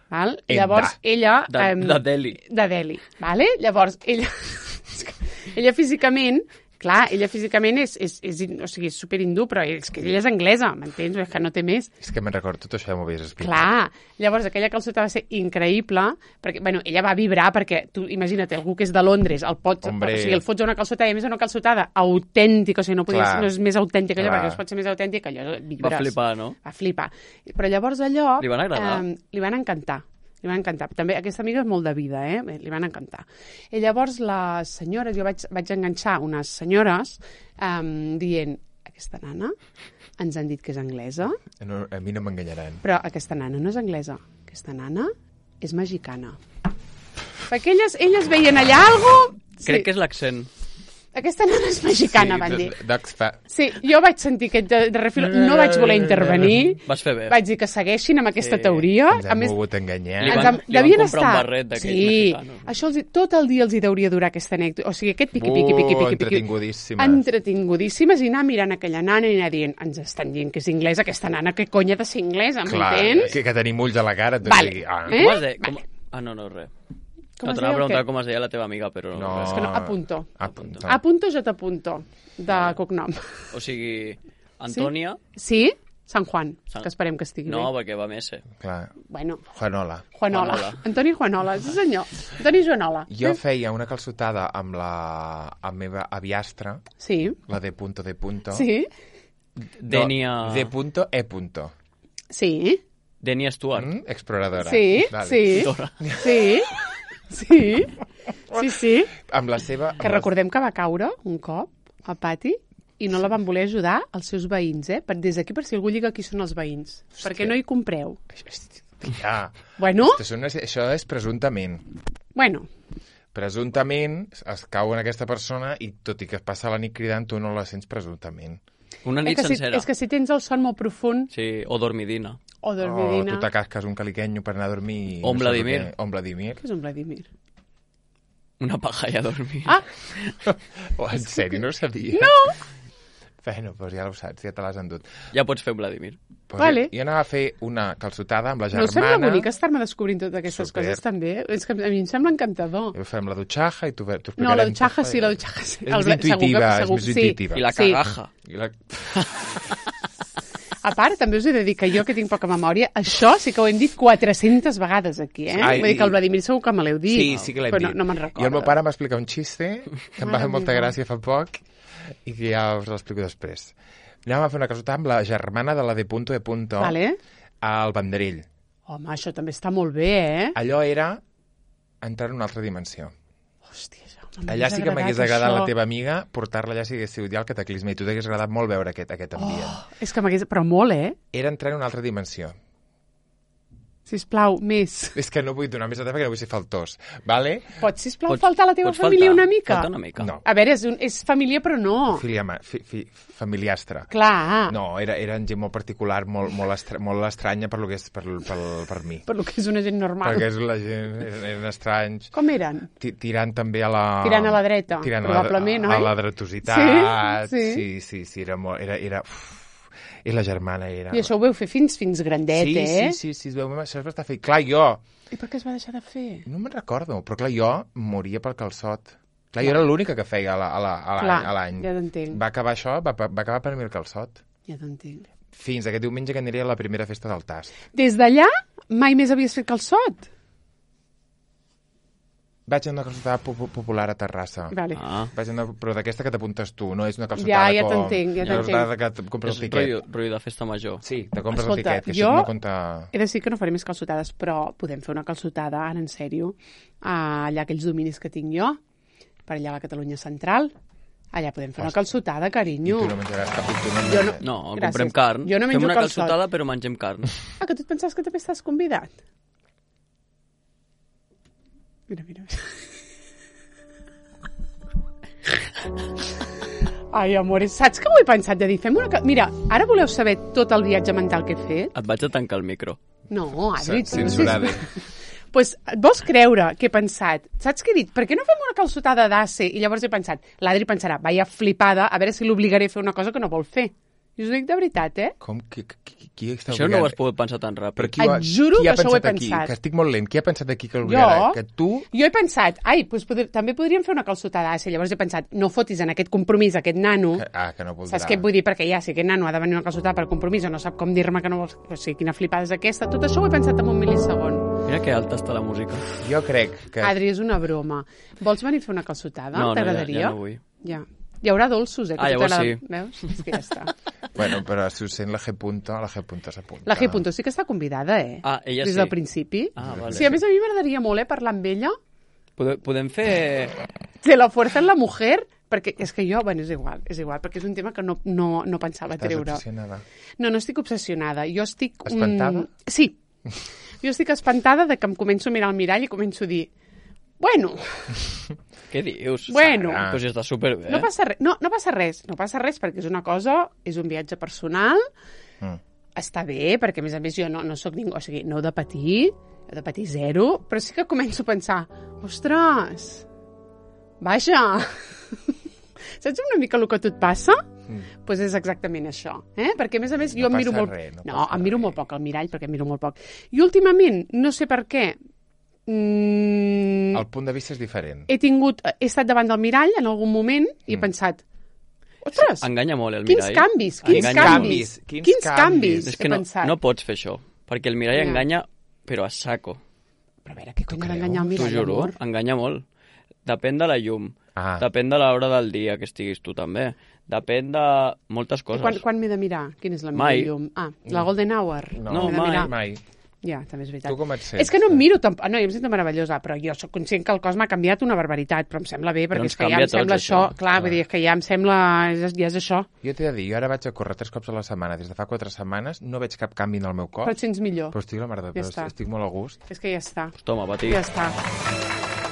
Speaker 1: Val?
Speaker 2: Enda.
Speaker 1: Llavors, ella...
Speaker 3: De,
Speaker 1: em,
Speaker 3: de Delhi.
Speaker 1: de Delhi, vale? Llavors, ella, ella físicament, clar, ella físicament és, és, és, o sigui, és superhindú, però és que ella és anglesa, m'entens? És que no té més.
Speaker 2: És que me'n recordo, tot això ja m'ho havies explicat.
Speaker 1: Clar, llavors aquella calçota va ser increïble, perquè, bueno, ella va vibrar, perquè tu imagina't, algú que és de Londres, el pots,
Speaker 2: Hombre.
Speaker 1: o sigui, el fots a una calçotada, i a més una calçotada autèntica, o sigui, no, podies,
Speaker 2: Clar.
Speaker 1: no és més autèntica allò,
Speaker 2: Clar.
Speaker 1: perquè no es pot ser més autèntica, allò vibres.
Speaker 3: Va flipar, no?
Speaker 1: Va flipar. Però llavors allò...
Speaker 3: Li van agradar?
Speaker 1: Eh, li van encantar. Li van encantar. També aquesta amiga és molt de vida, eh? Bé, li van encantar. I llavors les senyores, jo vaig, vaig enganxar unes senyores um, dient, aquesta nana ens han dit que és anglesa,
Speaker 2: No, a mi no m'enganyaran.
Speaker 1: però aquesta nana no és anglesa. Aquesta nana és mexicana. Perquè elles, elles veien allà algo...
Speaker 3: Crec que és l'accent.
Speaker 1: Aquesta nana és mexicana,
Speaker 2: sí,
Speaker 1: van dir.
Speaker 2: D'Oxfa.
Speaker 1: Sí, jo vaig sentir aquest de, de refil... No vaig voler intervenir.
Speaker 3: Vas fer bé.
Speaker 1: Vaig dir que segueixin amb aquesta
Speaker 3: Sí,
Speaker 1: teoria.
Speaker 2: Ens
Speaker 1: A
Speaker 2: han
Speaker 1: més,
Speaker 2: volgut enganyar.
Speaker 3: Li
Speaker 1: ens
Speaker 3: van-
Speaker 1: am-
Speaker 3: li van
Speaker 1: devien
Speaker 3: comprar un
Speaker 1: estar...
Speaker 3: barret d'aquells
Speaker 1: sí,
Speaker 3: mexicanos.
Speaker 1: això els, hi- tot el dia els hi deuria durar aquesta anècdota. O sigui, aquest piqui, piqui, piqui,
Speaker 2: Uh,
Speaker 1: piqui, piqui.
Speaker 2: entretingudíssimes.
Speaker 1: Entretingudíssimes, i anar mirant aquella nana i anar dient, ens estan dient que és inglesa, aquesta nana, que conya ha de ser inglesa,
Speaker 2: Clar,
Speaker 1: m'entens?
Speaker 2: que, que tenim ulls a la cara. Tot
Speaker 1: Vale.
Speaker 2: sigui, ah.
Speaker 1: Eh?
Speaker 3: Com es deia? Com...
Speaker 1: Vale.
Speaker 3: Ah, no, no, res.
Speaker 1: Com
Speaker 3: no,
Speaker 1: es
Speaker 3: t'anava
Speaker 1: deia
Speaker 3: a
Speaker 1: o
Speaker 3: preguntar
Speaker 1: què?
Speaker 3: com es deia la teva amiga, però no.
Speaker 2: No.
Speaker 3: res.
Speaker 1: És que no, apunto.
Speaker 2: Apunto.
Speaker 1: Apunto, jo t'apunto, de cognom.
Speaker 3: O sigui, Antònia...
Speaker 1: Sí? Sant Juan,
Speaker 3: Sant-
Speaker 1: que esperem que estigui
Speaker 3: No,
Speaker 1: bé.
Speaker 3: perquè va més, eh?
Speaker 2: Clar.
Speaker 1: Bueno,
Speaker 2: Juanola.
Speaker 1: Juanola.
Speaker 3: Juanola.
Speaker 1: Antoni Juanola, sí senyor. Antoni Joanola.
Speaker 2: Jo feia una calçotada amb la amb meva aviastra,
Speaker 1: Sí,
Speaker 2: la de punto de punto.
Speaker 1: sí,
Speaker 3: Dènia...
Speaker 2: No, de punto e punto.
Speaker 1: sí,
Speaker 3: Dènia Stuart.
Speaker 2: Mm? Exploradora.
Speaker 1: sí,
Speaker 2: Vale.
Speaker 1: sí,
Speaker 3: Dora.
Speaker 1: sí, sí, sí, sí.
Speaker 2: Amb la seva...
Speaker 1: Que recordem que va caure un cop al pati i no la van voler ajudar els seus veïns, eh? Per, des d'aquí, per si algú lliga qui són els veïns. Perquè no hi compreu.
Speaker 2: Ja.
Speaker 1: Bueno,
Speaker 2: Això, no és, això és presumptament.
Speaker 1: bueno,
Speaker 2: Presumptament es cau en aquesta persona i tot i que es passa la nit cridant, tu no la sents presumptament.
Speaker 3: Una
Speaker 1: és
Speaker 3: nit
Speaker 1: que, si,
Speaker 3: sencera.
Speaker 1: és que si tens el son molt profund
Speaker 3: Sí, o dormidina.
Speaker 1: o
Speaker 2: O
Speaker 1: dormidina...
Speaker 2: tu t'acasques un caliquenyo per anar a dormir... i
Speaker 3: O un
Speaker 2: no saps
Speaker 3: Vladimir.
Speaker 2: què- O un Vladimir.
Speaker 1: Què és un Vladimir?
Speaker 3: Una paja i a dormir.
Speaker 1: Ah,
Speaker 2: Oh, en sèrio, no ho sabia? No! Bueno, doncs ja ho saps, ja te l'has endut.
Speaker 3: Ja pots fer un Vladimir.
Speaker 2: Pues
Speaker 1: Vale.
Speaker 2: jo, jo anava a fer una calçotada amb la
Speaker 1: no
Speaker 2: germana.
Speaker 1: us sembla bonic estar-me descobrint totes aquestes
Speaker 2: Super.
Speaker 1: coses també? És que a mi em sembla encantador.
Speaker 2: Jo fem la dutxaja i tu t'ho
Speaker 1: No, la
Speaker 2: explicarem
Speaker 1: dutxaja
Speaker 2: tot.
Speaker 1: sí, la dutxaja sí.
Speaker 2: És
Speaker 1: El
Speaker 2: més
Speaker 1: bla- segur que-
Speaker 2: intuïtiva, és
Speaker 1: segur-
Speaker 2: més
Speaker 1: sí.
Speaker 2: intuïtiva.
Speaker 3: I la
Speaker 1: Sí.
Speaker 3: cagaja.
Speaker 2: I la...
Speaker 1: A part, també us he de dir que jo, que tinc poca memòria, això sí que ho hem dit quatre-centes vegades aquí, eh?
Speaker 2: Ai,
Speaker 1: Vull dir que el
Speaker 2: i-
Speaker 1: Vladimir segur que me l'heu dit.
Speaker 2: Sí, sí que l'hem
Speaker 1: però
Speaker 2: dit.
Speaker 1: no, no me'n
Speaker 2: I
Speaker 1: recordo.
Speaker 2: el meu pare m'ha explicat un xiste que em va
Speaker 1: Mare
Speaker 2: fer molta
Speaker 1: meva.
Speaker 2: gràcia fa poc i que ja us l'explico després. Anàvem a fer una calçotada amb la germana de la de punto de punto
Speaker 1: Vale.
Speaker 2: al Vendrell.
Speaker 1: Home, això també està molt bé, eh?
Speaker 2: Allò era entrar en una altra dimensió.
Speaker 1: Hòstia, això m'ha
Speaker 2: Allà sí que m'hagués
Speaker 1: agradat,
Speaker 2: agradat
Speaker 1: això.
Speaker 2: la teva amiga, portar-la allà si hagués sigut ja el cataclisme, i tu t'hagués agradat molt veure aquest, aquest ambient.
Speaker 1: Oh, és que m'hagués... Però molt, eh?
Speaker 2: Era entrar en una altra dimensió.
Speaker 1: Sisplau, més.
Speaker 2: És que no vull donar més detalls perquè no vull ser faltós, vale?
Speaker 1: Pots, sisplau,
Speaker 3: Pots-
Speaker 1: faltar a la teva
Speaker 3: pots
Speaker 1: família
Speaker 3: faltar,
Speaker 1: una mica?
Speaker 3: falta una mica.
Speaker 2: No.
Speaker 1: A veure, és, un, és família, però no.
Speaker 2: Filia, ma- fi, fi, familiastre.
Speaker 1: Clar,
Speaker 2: No, era, era gent molt particular, molt, molt, estra, molt estranya per, lo que és, per, per, per mi.
Speaker 1: per lo que és una gent normal.
Speaker 2: Perquè és la gent, eren, eren estranys.
Speaker 1: Com eren?
Speaker 2: Ti- Tirant també a la...
Speaker 1: Tirant a la dreta,
Speaker 2: tirant
Speaker 1: probablement,
Speaker 2: a la,
Speaker 1: oi?
Speaker 2: a la dretositat.
Speaker 1: Sí, sí.
Speaker 2: sí, sí, sí, era molt... Era, era, uf, I la germana era...
Speaker 1: I això ho veu fer fins fins grandet,
Speaker 2: sí,
Speaker 1: eh?
Speaker 2: sí, sí, sí, es veu, això es va estar fent. Clar, jo...
Speaker 1: I per què es va deixar de fer?
Speaker 2: No me'n recordo, però clar, jo moria pel calçot. Clar, jo era l'única que feia a la- a la- a l'any.
Speaker 1: Clar,
Speaker 2: a l'any.
Speaker 1: ja t'entenc.
Speaker 2: Va acabar això, va, va acabar per mi el calçot.
Speaker 1: Ja t'entenc.
Speaker 2: Fins aquest diumenge que aniré a la primera festa del tast.
Speaker 1: Des d'allà mai més havies fet calçot?
Speaker 2: Vaig a una calçotada po- po- popular a Terrassa.
Speaker 1: Vale.
Speaker 3: Ah,
Speaker 2: Vaig a una, però d'aquesta que t'apuntes tu, no és una calçotada
Speaker 1: Ja, ja
Speaker 2: com...
Speaker 1: t'entenc, ja
Speaker 2: una
Speaker 1: t'entenc.
Speaker 2: calçotada que et compres
Speaker 3: és
Speaker 2: el tiquet.
Speaker 3: rotllo, rotllo de festa major.
Speaker 2: Sí, te compres
Speaker 1: Escolta,
Speaker 2: el tiquet, que
Speaker 1: jo-
Speaker 2: això no compta...
Speaker 1: He de dir que no faré més calçotades, però podem fer una calçotada, ara en sèrio, allà aquells dominis que tinc jo, per allà a la Catalunya Central. Allà podem fer una
Speaker 2: Ostres.
Speaker 1: calçotada,
Speaker 2: I
Speaker 1: carinyo.
Speaker 2: tu no menjaràs cap i tu no...
Speaker 1: Jo no-
Speaker 3: No,
Speaker 1: Gràcies.
Speaker 3: comprem carn.
Speaker 1: Jo no menjo
Speaker 3: Fem una
Speaker 1: calçot.
Speaker 3: calçotada, però mengem carn.
Speaker 1: Ah, que tu et pensaves que també estàs convidat? Mira, mira. Ai, amores, saps que ho he pensat de dir? Fem una... ca- Mira, ara voleu saber tot el viatge mental que he fet?
Speaker 3: Et vaig a tancar el micro.
Speaker 1: No, Adri, tu...
Speaker 2: Censurada.
Speaker 1: Pues et vols creure que he pensat? Saps què he dit? Per què no fem una calçotada d'A C? I llavors he pensat, l'Adri pensarà, vaya flipada, a veure si l'obligaré a fer una cosa que no vol fer. I us ho dic de veritat, eh?
Speaker 2: Com? Qui, qui, qui està
Speaker 3: Això no ho
Speaker 2: obligant?
Speaker 3: has pogut pensar tan ràpid.
Speaker 2: Però qui ho ha,
Speaker 1: Et juro
Speaker 2: qui ha
Speaker 1: que això ho he
Speaker 2: pensat aquí?
Speaker 1: pensat.
Speaker 2: Que estic molt lent. Qui ha pensat aquí que l'obligarà?
Speaker 1: Jo?
Speaker 2: Que tu...
Speaker 1: Jo he pensat, ai, doncs poder, també podríem fer una calçotada d'A C. Llavors he pensat, no fotis en aquest compromís aquest nano.
Speaker 2: Que, ah, que no voldrà.
Speaker 1: Saps què et vull dir? Perquè ja, si aquest nano ha de venir a una calçotada per compromís o no sap com dir-me que no vols... O sigui, quina flipada és aquesta. Tot això ho he pensat en un mil·lisegon.
Speaker 3: Mira que alta està la música.
Speaker 2: Jo crec que...
Speaker 1: Adri, és una broma. Vols venir a fer una calçotada?
Speaker 3: No, no, ja,
Speaker 1: T'agradaria?
Speaker 3: ja no vull.
Speaker 1: Ja. Hi haurà dolços, eh? que
Speaker 3: Ah,
Speaker 1: a tu
Speaker 3: llavors
Speaker 1: t'agrada.
Speaker 3: sí.
Speaker 1: Veus? És que ja està.
Speaker 2: Bueno, però si us sent la G punto, la G punto s'apunta.
Speaker 1: La G. Punto sí que està convidada, eh?
Speaker 3: Ah, ella
Speaker 1: Des
Speaker 3: sí.
Speaker 1: del principi.
Speaker 3: Ah, vale.
Speaker 1: Sí, a més a mi m'agradaria molt, eh, parlar amb ella.
Speaker 3: Podem, podem fer...
Speaker 1: De la fuerza en la mujer, perquè és que jo, bueno, és igual, és igual, perquè és un tema que no, no, no pensava
Speaker 2: Estàs
Speaker 1: treure.
Speaker 2: obsessionada.
Speaker 1: No, no estic obsessionada. Jo estic... mm,
Speaker 2: Espantada?
Speaker 1: Sí. Jo estic espantada de que em començo a mirar al mirall i començo a dir, bueno,
Speaker 3: Què dius?
Speaker 1: Bueno.
Speaker 3: Sara? Però si està superbé.
Speaker 1: no passa res, no, no passa res, no passa res perquè és una cosa, és un viatge personal,
Speaker 2: Mm.
Speaker 1: està bé, perquè a més a més jo no, no sóc ningú, o sigui, no heu de patir, heu de patir zero, però sí que començo a pensar, ostres, vaja, saps una mica el que a tu et passa? Doncs
Speaker 2: Mm.
Speaker 1: pues és exactament això, eh? Perquè a més a més
Speaker 2: No
Speaker 1: jo em miro
Speaker 2: passa
Speaker 1: molt...
Speaker 2: res, no
Speaker 1: no,
Speaker 2: passa
Speaker 1: em miro
Speaker 2: res.
Speaker 1: molt poc al mirall, perquè em miro molt poc. I últimament, no sé per què, mm,
Speaker 2: El punt de vista és diferent.
Speaker 1: he tingut, he estat davant del mirall en algun moment i he
Speaker 2: Mm.
Speaker 1: pensat, ostres,
Speaker 3: Enganya molt el
Speaker 1: quins
Speaker 3: mirall.
Speaker 1: canvis, quins
Speaker 3: Enganya
Speaker 1: canvis,
Speaker 2: molt. Quins
Speaker 1: quins
Speaker 2: canvis.
Speaker 1: canvis,
Speaker 3: És
Speaker 1: he
Speaker 3: que no,
Speaker 1: pensat.
Speaker 3: no pots fer això, perquè el mirall
Speaker 1: Ja.
Speaker 3: enganya, però a saco.
Speaker 1: Però a veure, què cony ha
Speaker 2: creus?
Speaker 1: d'enganyar el
Speaker 3: T'ho
Speaker 1: mirall,
Speaker 3: juro,
Speaker 1: amor?
Speaker 3: enganya molt. Depèn de la llum,
Speaker 2: Ah,
Speaker 3: depèn de l'hora del dia que estiguis tu també, depèn de moltes
Speaker 1: I
Speaker 3: coses.
Speaker 1: quan, quan m'he de mirar? Quina és la meva
Speaker 3: Mai.
Speaker 1: llum? Ah, la Golden Hour.
Speaker 2: no,
Speaker 3: No,
Speaker 1: M'he de
Speaker 3: mai.
Speaker 1: mirar.
Speaker 2: mai.
Speaker 1: Ja, també és veritat.
Speaker 2: Tu com et sents?
Speaker 1: És que no em miro tampoc... No, jo em sento meravellosa, però jo sóc conscient que el cos m'ha canviat una barbaritat, però em sembla bé, perquè
Speaker 3: ens
Speaker 1: és que ja
Speaker 3: canvia
Speaker 1: em sembla
Speaker 3: tots,
Speaker 1: això.
Speaker 3: això.
Speaker 1: Clar, vull dir, és que ja em sembla... Ja és, ja és això.
Speaker 2: Jo t'he de dir, jo ara vaig a córrer tres cops a la setmana. Des de fa quatre setmanes no veig cap canvi en el meu cos.
Speaker 1: Però et sents millor.
Speaker 2: Però estic a la mar de...
Speaker 1: Ja
Speaker 2: però
Speaker 1: està.
Speaker 2: estic molt a gust.
Speaker 1: És que ja està.
Speaker 3: Pues toma, patir.
Speaker 1: Ja està.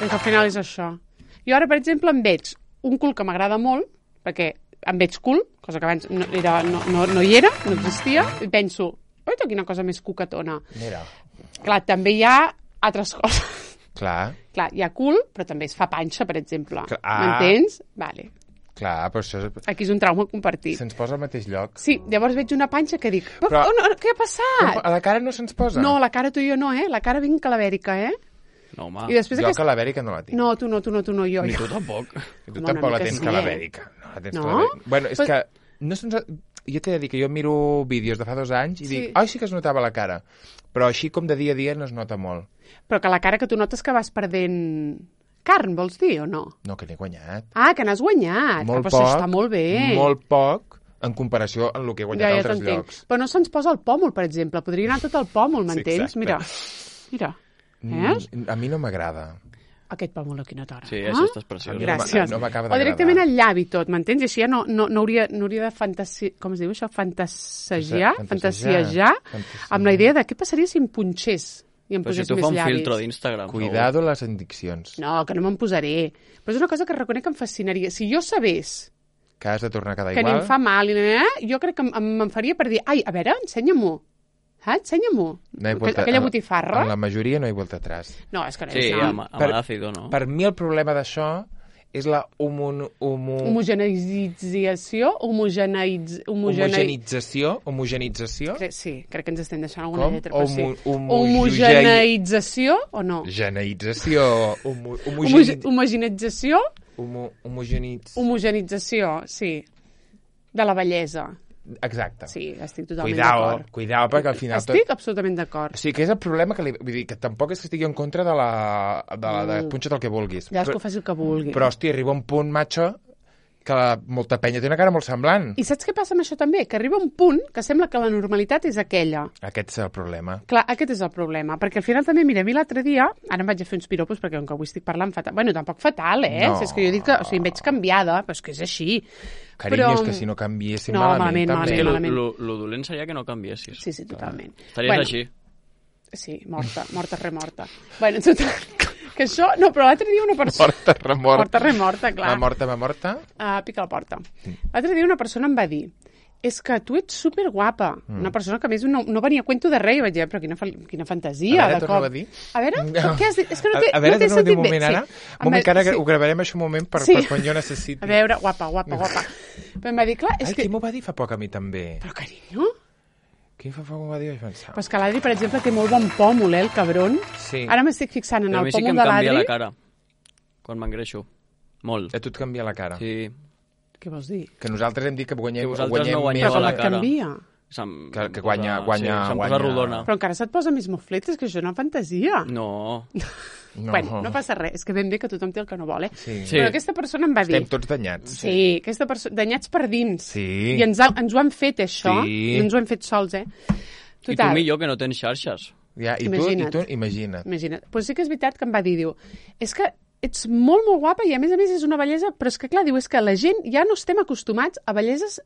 Speaker 1: És que al final és això. Jo ara, per exemple, em veig un cul que m'agrada molt, perquè em veig cul, cosa que abans no, era, no, no, no hi era, no existia, i penso, oita, quina cosa més cucatona.
Speaker 2: Mira,
Speaker 1: Clar, també hi ha altres coses.
Speaker 2: clar,
Speaker 1: Clar, hi ha cul, però també es fa panxa, per exemple.
Speaker 2: Clar. Ah.
Speaker 1: M'entens? Vale.
Speaker 2: clar, però això... és-
Speaker 1: Aquí és un trauma compartit.
Speaker 2: Se'ns posa al mateix lloc.
Speaker 1: Sí, llavors veig una panxa que dic, però,
Speaker 2: Però-
Speaker 1: oh, no, què ha passat?
Speaker 2: A la cara no se'ns posa?
Speaker 1: No, la cara tu i jo no, eh? La cara vinc calabèrica, eh?
Speaker 3: No, home,
Speaker 1: I després
Speaker 2: Jo
Speaker 1: aquest...
Speaker 2: que la Bèrica no la tinc.
Speaker 1: No, tu no, tu no, tu no, jo.
Speaker 3: ni
Speaker 1: jo.
Speaker 3: tu tampoc.
Speaker 2: I tu
Speaker 1: Home,
Speaker 2: tampoc
Speaker 1: una
Speaker 2: la
Speaker 1: mica
Speaker 2: tens
Speaker 1: sí,
Speaker 2: que la
Speaker 1: eh?
Speaker 2: Bèrica. No la tens
Speaker 1: No?
Speaker 2: que la Bèrica. Bueno, és
Speaker 1: Pues-
Speaker 2: que... No se'ns... Jo t'he de dir que jo miro vídeos de fa dos anys i
Speaker 1: Sí.
Speaker 2: dic, ai, sí que es notava la cara. Però així com de dia a dia no es nota molt.
Speaker 1: Però que la cara que tu notes que vas perdent carn, vols dir, o no?
Speaker 2: No, que n'he guanyat.
Speaker 1: Ah, que n'has guanyat.
Speaker 2: Molt
Speaker 1: ah, però
Speaker 2: poc.
Speaker 1: això està molt bé.
Speaker 2: Molt poc en comparació amb el que he guanyat
Speaker 1: ja,
Speaker 2: a
Speaker 1: ja
Speaker 2: altres
Speaker 1: t'entenc.
Speaker 2: llocs.
Speaker 1: Però no se'ns posa el pòmul, per exemple. Podria anar tot el pòmul, m'entens?
Speaker 2: Sí,
Speaker 1: Mira,
Speaker 2: exacte.
Speaker 1: mira. Veus?
Speaker 2: Mm, a mi no m'agrada.
Speaker 1: Aquest pòmul aquí no t'agrada.
Speaker 3: Sí, això està preciós.
Speaker 1: Gràcies.
Speaker 2: No m'acaba
Speaker 1: o
Speaker 2: d'agradar.
Speaker 1: directament al llavi tot, m'entens? I així ja no, no, no, hauria, no hauria de fantasi... Com es diu això? Fantasejar?
Speaker 2: Fantasejar.
Speaker 1: Fantasiejar?
Speaker 2: Fantasejar.
Speaker 1: Amb la idea de què passaria si em punxés i em
Speaker 3: Però si
Speaker 1: posés
Speaker 3: tu
Speaker 1: més
Speaker 3: fa un
Speaker 1: llavis.
Speaker 3: filtro d'Instagram.
Speaker 2: Cuidado les addiccions.
Speaker 1: No, que no me'n posaré. Però és una cosa que reconec que em fascinaria. Si jo sabés
Speaker 2: Que has de tornar a quedar
Speaker 1: que ni
Speaker 2: igual.
Speaker 1: em fa mal, i eh, jo crec que em, em, em faria per dir, ai, a veure, ensenya-m'ho. Ah, ensenya-m'ho.
Speaker 2: No hi ha vuelta-
Speaker 1: Aquella
Speaker 2: en-
Speaker 1: botifarra.
Speaker 2: En la majoria no hi ha vuelta atrás.
Speaker 1: No, és que no
Speaker 3: Sí,
Speaker 1: és
Speaker 3: amb,
Speaker 1: no.
Speaker 3: amb
Speaker 2: Per-
Speaker 3: l'àcido, no?
Speaker 2: Per mi el problema d'això és la homo... homo...
Speaker 1: Homogeneïtzació, homogeneïtz... Homogene...
Speaker 2: homogenització, homogenització,
Speaker 1: Cre- Sí, crec que ens estem deixant alguna
Speaker 2: Com?
Speaker 1: lletra, però sí.
Speaker 2: Homo- homo-
Speaker 1: Homogeneïtzació o no?
Speaker 2: geneïtzació, homo,
Speaker 1: Homoge-
Speaker 2: homogeni...
Speaker 1: Homogenització,
Speaker 2: homo, homogenitz...
Speaker 1: homogenització, sí. De la bellesa.
Speaker 2: Exacte.
Speaker 1: Sí, estic totalment
Speaker 2: Cuidao,
Speaker 1: d'acord.
Speaker 2: cuidao, perquè al final
Speaker 1: Estic absolutament d'acord.
Speaker 2: O sigui, que és el problema que li... Vull dir, que tampoc és que estigui en contra de la... de, la, de
Speaker 1: Mm.
Speaker 2: punxa't el que vulguis.
Speaker 1: Cadascú
Speaker 2: Però,
Speaker 1: faci el que vulgui.
Speaker 2: però, hòstia, arriba un punt, macho, que la, molta penya té una cara molt semblant.
Speaker 1: I saps què passa amb això també? Que arriba un punt que sembla que la normalitat és aquella.
Speaker 2: Aquest és el problema.
Speaker 1: Clar, aquest és el problema, perquè al final també, mira, a mi l'altre dia, ara em vaig a fer uns piropos perquè com que avui estic parlant fatal, bueno, tampoc fatal, eh?
Speaker 2: No.
Speaker 1: Si és que jo dic que, o sigui, em veig canviada, però és que és així.
Speaker 2: Carinyo,
Speaker 1: Però-
Speaker 2: és que si no canviéssim
Speaker 1: No,
Speaker 2: malament,
Speaker 1: malament,
Speaker 2: també.
Speaker 3: És que lo,
Speaker 1: malament.
Speaker 3: lo, lo dolent seria que no canviessis.
Speaker 1: Sí, sí, totalment.
Speaker 3: Estaries així.
Speaker 1: Sí, morta, morta, remorta. Bueno, total, que això... No, però l'altre dia una persona...
Speaker 2: Morta, remorta.
Speaker 1: Morta, remorta, clar.
Speaker 2: Va morta, va morta.
Speaker 1: Uh, pica la porta. L'altre dia una persona em va dir és que tu ets superguapa. Mm. Una persona que a més no, no venia a cuento de res. I vaig dir, però quina, fa- quina fantasia.
Speaker 2: A veure,
Speaker 1: de
Speaker 2: torna-ho
Speaker 1: cop.
Speaker 2: a dir.
Speaker 1: A veure,
Speaker 2: No.
Speaker 1: què has dit? És que no té,
Speaker 2: a, a veure,
Speaker 1: no té
Speaker 2: torna-ho a dir
Speaker 1: sentit
Speaker 2: un
Speaker 1: bé.
Speaker 2: moment ara.
Speaker 1: Sí.
Speaker 2: Un moment que ara
Speaker 1: sí.
Speaker 2: ho gravarem això un moment per,
Speaker 1: Sí.
Speaker 2: per quan jo necessiti.
Speaker 1: A veure, guapa, guapa, guapa. Però em va dir, clar, és
Speaker 2: Ai,
Speaker 1: que...
Speaker 2: qui m'ho va dir fa poc a mi també?
Speaker 1: Però, carinyo,
Speaker 2: Qui fa poc m'ho va dir? Vaig pensar.
Speaker 1: pues que l'Adri, per exemple, té molt bon pòmul, eh, el cabron.
Speaker 2: Sí.
Speaker 1: Ara m'estic fixant en
Speaker 3: Però a
Speaker 1: el
Speaker 3: mi sí que
Speaker 1: pòmul
Speaker 3: em
Speaker 1: de
Speaker 3: canvia
Speaker 1: l'Adri.
Speaker 3: la cara quan m'engreixo. Molt.
Speaker 2: A tu et canvia la cara.
Speaker 3: Sí.
Speaker 1: Què vols dir?
Speaker 2: Que nosaltres hem dit que guanyem,
Speaker 3: Que vosaltres
Speaker 2: guanyem
Speaker 3: no guanyeu
Speaker 2: més...
Speaker 1: Però
Speaker 3: a la
Speaker 1: com et
Speaker 3: cara.
Speaker 1: canvia?
Speaker 3: Se'm,
Speaker 2: Que-
Speaker 3: em
Speaker 2: que guanya- guanya-
Speaker 3: Sí, se'm
Speaker 2: guanya-
Speaker 3: posa rodona.
Speaker 1: Però encara se't posa més mofletes, que això és una fantasia.
Speaker 3: No.
Speaker 2: No.
Speaker 1: Bueno, no passa res, és que ben bé que tothom té el que no vol, eh?
Speaker 2: Sí.
Speaker 3: Sí.
Speaker 1: Però aquesta persona em va dir...
Speaker 2: Estem tots danyats.
Speaker 1: Sí, aquesta persona... Danyats per dins.
Speaker 2: Sí.
Speaker 1: I ens, ha, ens ho han fet, això.
Speaker 2: Sí.
Speaker 1: I ens ho hem fet sols, eh?
Speaker 3: I tu millor que no tens xarxes.
Speaker 2: Ja, i
Speaker 1: Imagina't.
Speaker 2: tu, i tu, imagina't.
Speaker 1: Imagina't. Pues sí que és veritat que em va dir, diu, és que ets molt, molt guapa i a més a més és una bellesa, però és que clar, diu, és que la gent ja no estem acostumats a belleses,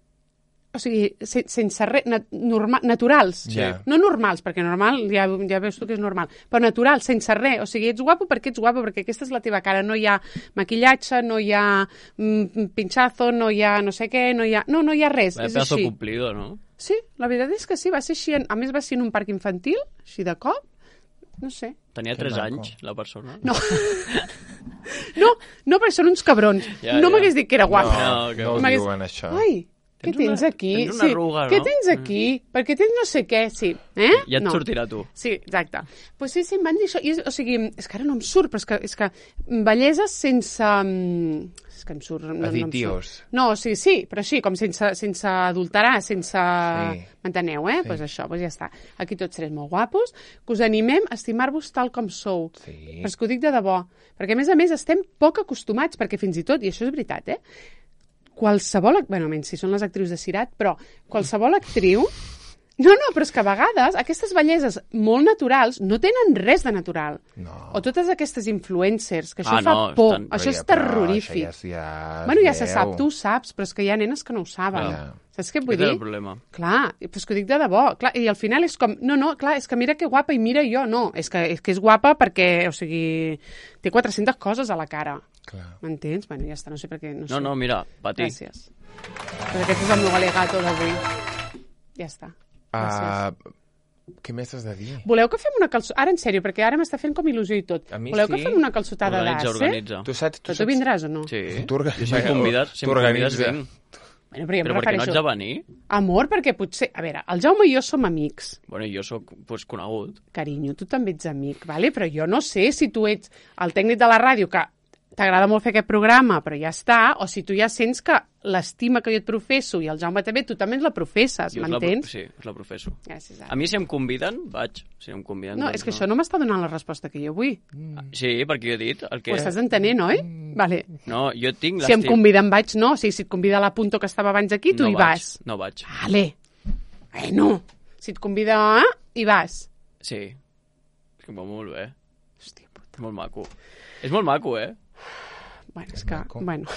Speaker 1: o sigui, se, sense res, nat, norma, naturals.
Speaker 2: Ja.
Speaker 1: No normals, perquè normal ja, ja veus tu que és normal, però naturals, sense res. O sigui, ets guapo perquè ets guapo, perquè aquesta és la teva cara. No hi ha maquillatge, no hi ha mm, pinchazo, no hi ha no sé què, no hi ha... No, no hi ha res,
Speaker 3: Vaya
Speaker 1: és
Speaker 3: pedazo
Speaker 1: així.
Speaker 3: cumplido, no?
Speaker 1: Sí, la veritat és que sí, va ser així. En, a més va ser en un parc infantil, així de cop. No sé.
Speaker 3: Tenia
Speaker 2: Que
Speaker 3: tres
Speaker 2: maco.
Speaker 3: anys, la persona.
Speaker 1: No. no, no, perquè són uns cabrons.
Speaker 3: Ja,
Speaker 1: no
Speaker 3: ja.
Speaker 1: m'hagués dit que era guapa.
Speaker 3: No, que
Speaker 2: no ho
Speaker 1: M'hagués-
Speaker 2: diuen, això.
Speaker 1: Ai, què
Speaker 3: Tens
Speaker 1: tens
Speaker 3: una-
Speaker 1: aquí?
Speaker 3: tens una arruga,
Speaker 1: Què
Speaker 3: no?
Speaker 1: tens aquí? Perquè tens no sé què, sí. Eh?
Speaker 3: Ja et
Speaker 1: no.
Speaker 3: sortirà tu.
Speaker 1: Sí, exacte. Pues sí, sí, em van dir això. I és, o sigui, és que ara no em surt, però és que, és que bellesa sense... mm, És que em surt... No, no, em
Speaker 2: Additius.
Speaker 1: surt. No, o sigui, sí, però sí, com sense, sense adulterar, sense...
Speaker 2: Sí.
Speaker 1: M'enteneu, eh? Doncs
Speaker 2: Sí.
Speaker 1: pues això, pues ja està. Aquí tots serem molt guapos, que us animem a estimar-vos tal com sou.
Speaker 2: Sí.
Speaker 1: Però és que ho dic de debò. Perquè, a més a més, estem poc acostumats, perquè fins i tot, i això és veritat, eh? Qualsevol... Bueno, menys si són les actrius de Cirat, però qualsevol actriu... No, no, però és que a vegades aquestes belleses molt naturals no tenen res de natural.
Speaker 2: No.
Speaker 1: O totes aquestes influencers, que això
Speaker 3: Ah,
Speaker 1: fa
Speaker 3: no,
Speaker 1: por.
Speaker 3: estan-
Speaker 1: Això
Speaker 2: Però
Speaker 1: és
Speaker 2: ja- però
Speaker 1: terrorífic.
Speaker 2: Això ja, ja,
Speaker 1: Bueno, ja
Speaker 2: es
Speaker 1: se
Speaker 2: veu.
Speaker 1: sap, tu ho saps, però és que hi ha nenes que no ho saben.
Speaker 2: Clar.
Speaker 1: Saps què vull
Speaker 3: Aquest és
Speaker 1: dir?
Speaker 3: el problema.
Speaker 1: Clar, però és que ho dic de debò. Clar, i al final és com, no, no, clar, és que mira que guapa i mira jo. No, és que és, que és guapa perquè, o sigui, té quatre-centes coses a la cara.
Speaker 2: Clar.
Speaker 1: M'entens? Bueno, ja està, no sé per què. No, sé.
Speaker 3: No, no, mira, patir.
Speaker 1: Gràcies. Pues aquest és el meu alegato d'avui. Ja està. Gràcies.
Speaker 2: Uh, què més has de dir?
Speaker 1: Voleu que fem una calçotada? Ara, en sèrio, perquè ara m'està fent com il·lusió i tot.
Speaker 2: A mi
Speaker 1: Voleu
Speaker 2: sí.
Speaker 1: que fem una calçotada
Speaker 3: Organitza,
Speaker 1: d'as, eh?
Speaker 3: organitza.
Speaker 2: Tu saps... Tu
Speaker 1: Però tu
Speaker 2: saps...
Speaker 1: vindràs o no?
Speaker 3: Sí.
Speaker 2: Tu orga-
Speaker 3: Jo si em convides, si em convides,
Speaker 2: T'organitza.
Speaker 3: vinc.
Speaker 1: Bueno, però, jo em
Speaker 3: Però per què no
Speaker 1: refereixo...
Speaker 3: ets de venir?
Speaker 1: Amor, perquè potser... A veure, el Jaume i jo som amics.
Speaker 3: Bueno, jo sóc pues, conegut.
Speaker 1: Carinyo, tu també ets amic, vale? Però jo no sé si tu ets el tècnic de la ràdio que t'agrada molt fer aquest programa, però ja està, o si tu ja sents que l'estima que jo et professo i el Jaume també, tu també ens la professes,
Speaker 3: Jo us la pro-
Speaker 1: m'entens?
Speaker 3: Sí, us la professo.
Speaker 1: Gràcies,
Speaker 3: A
Speaker 1: Ara.
Speaker 3: mi si em conviden, vaig. Si em conviden,
Speaker 1: No,
Speaker 3: doncs
Speaker 1: és que això no m'està donant la resposta que jo vull.
Speaker 3: Sí, perquè jo he dit el que...
Speaker 1: Ho estàs entenent, oi? Vale.
Speaker 3: No, jo tinc
Speaker 1: Si em
Speaker 3: l'estim-
Speaker 1: conviden vaig, no. O sigui, si et convida la Punto que estava abans aquí, tu
Speaker 3: no
Speaker 1: hi
Speaker 3: vaig,
Speaker 1: vas.
Speaker 3: No vaig.
Speaker 1: Vale. Bueno, si et convida, eh, hi vas.
Speaker 3: Sí. És que va molt bé.
Speaker 1: Hòstia puta.
Speaker 3: És molt maco. És molt maco, eh?
Speaker 1: Bueno, és que,
Speaker 2: maco.
Speaker 1: bueno.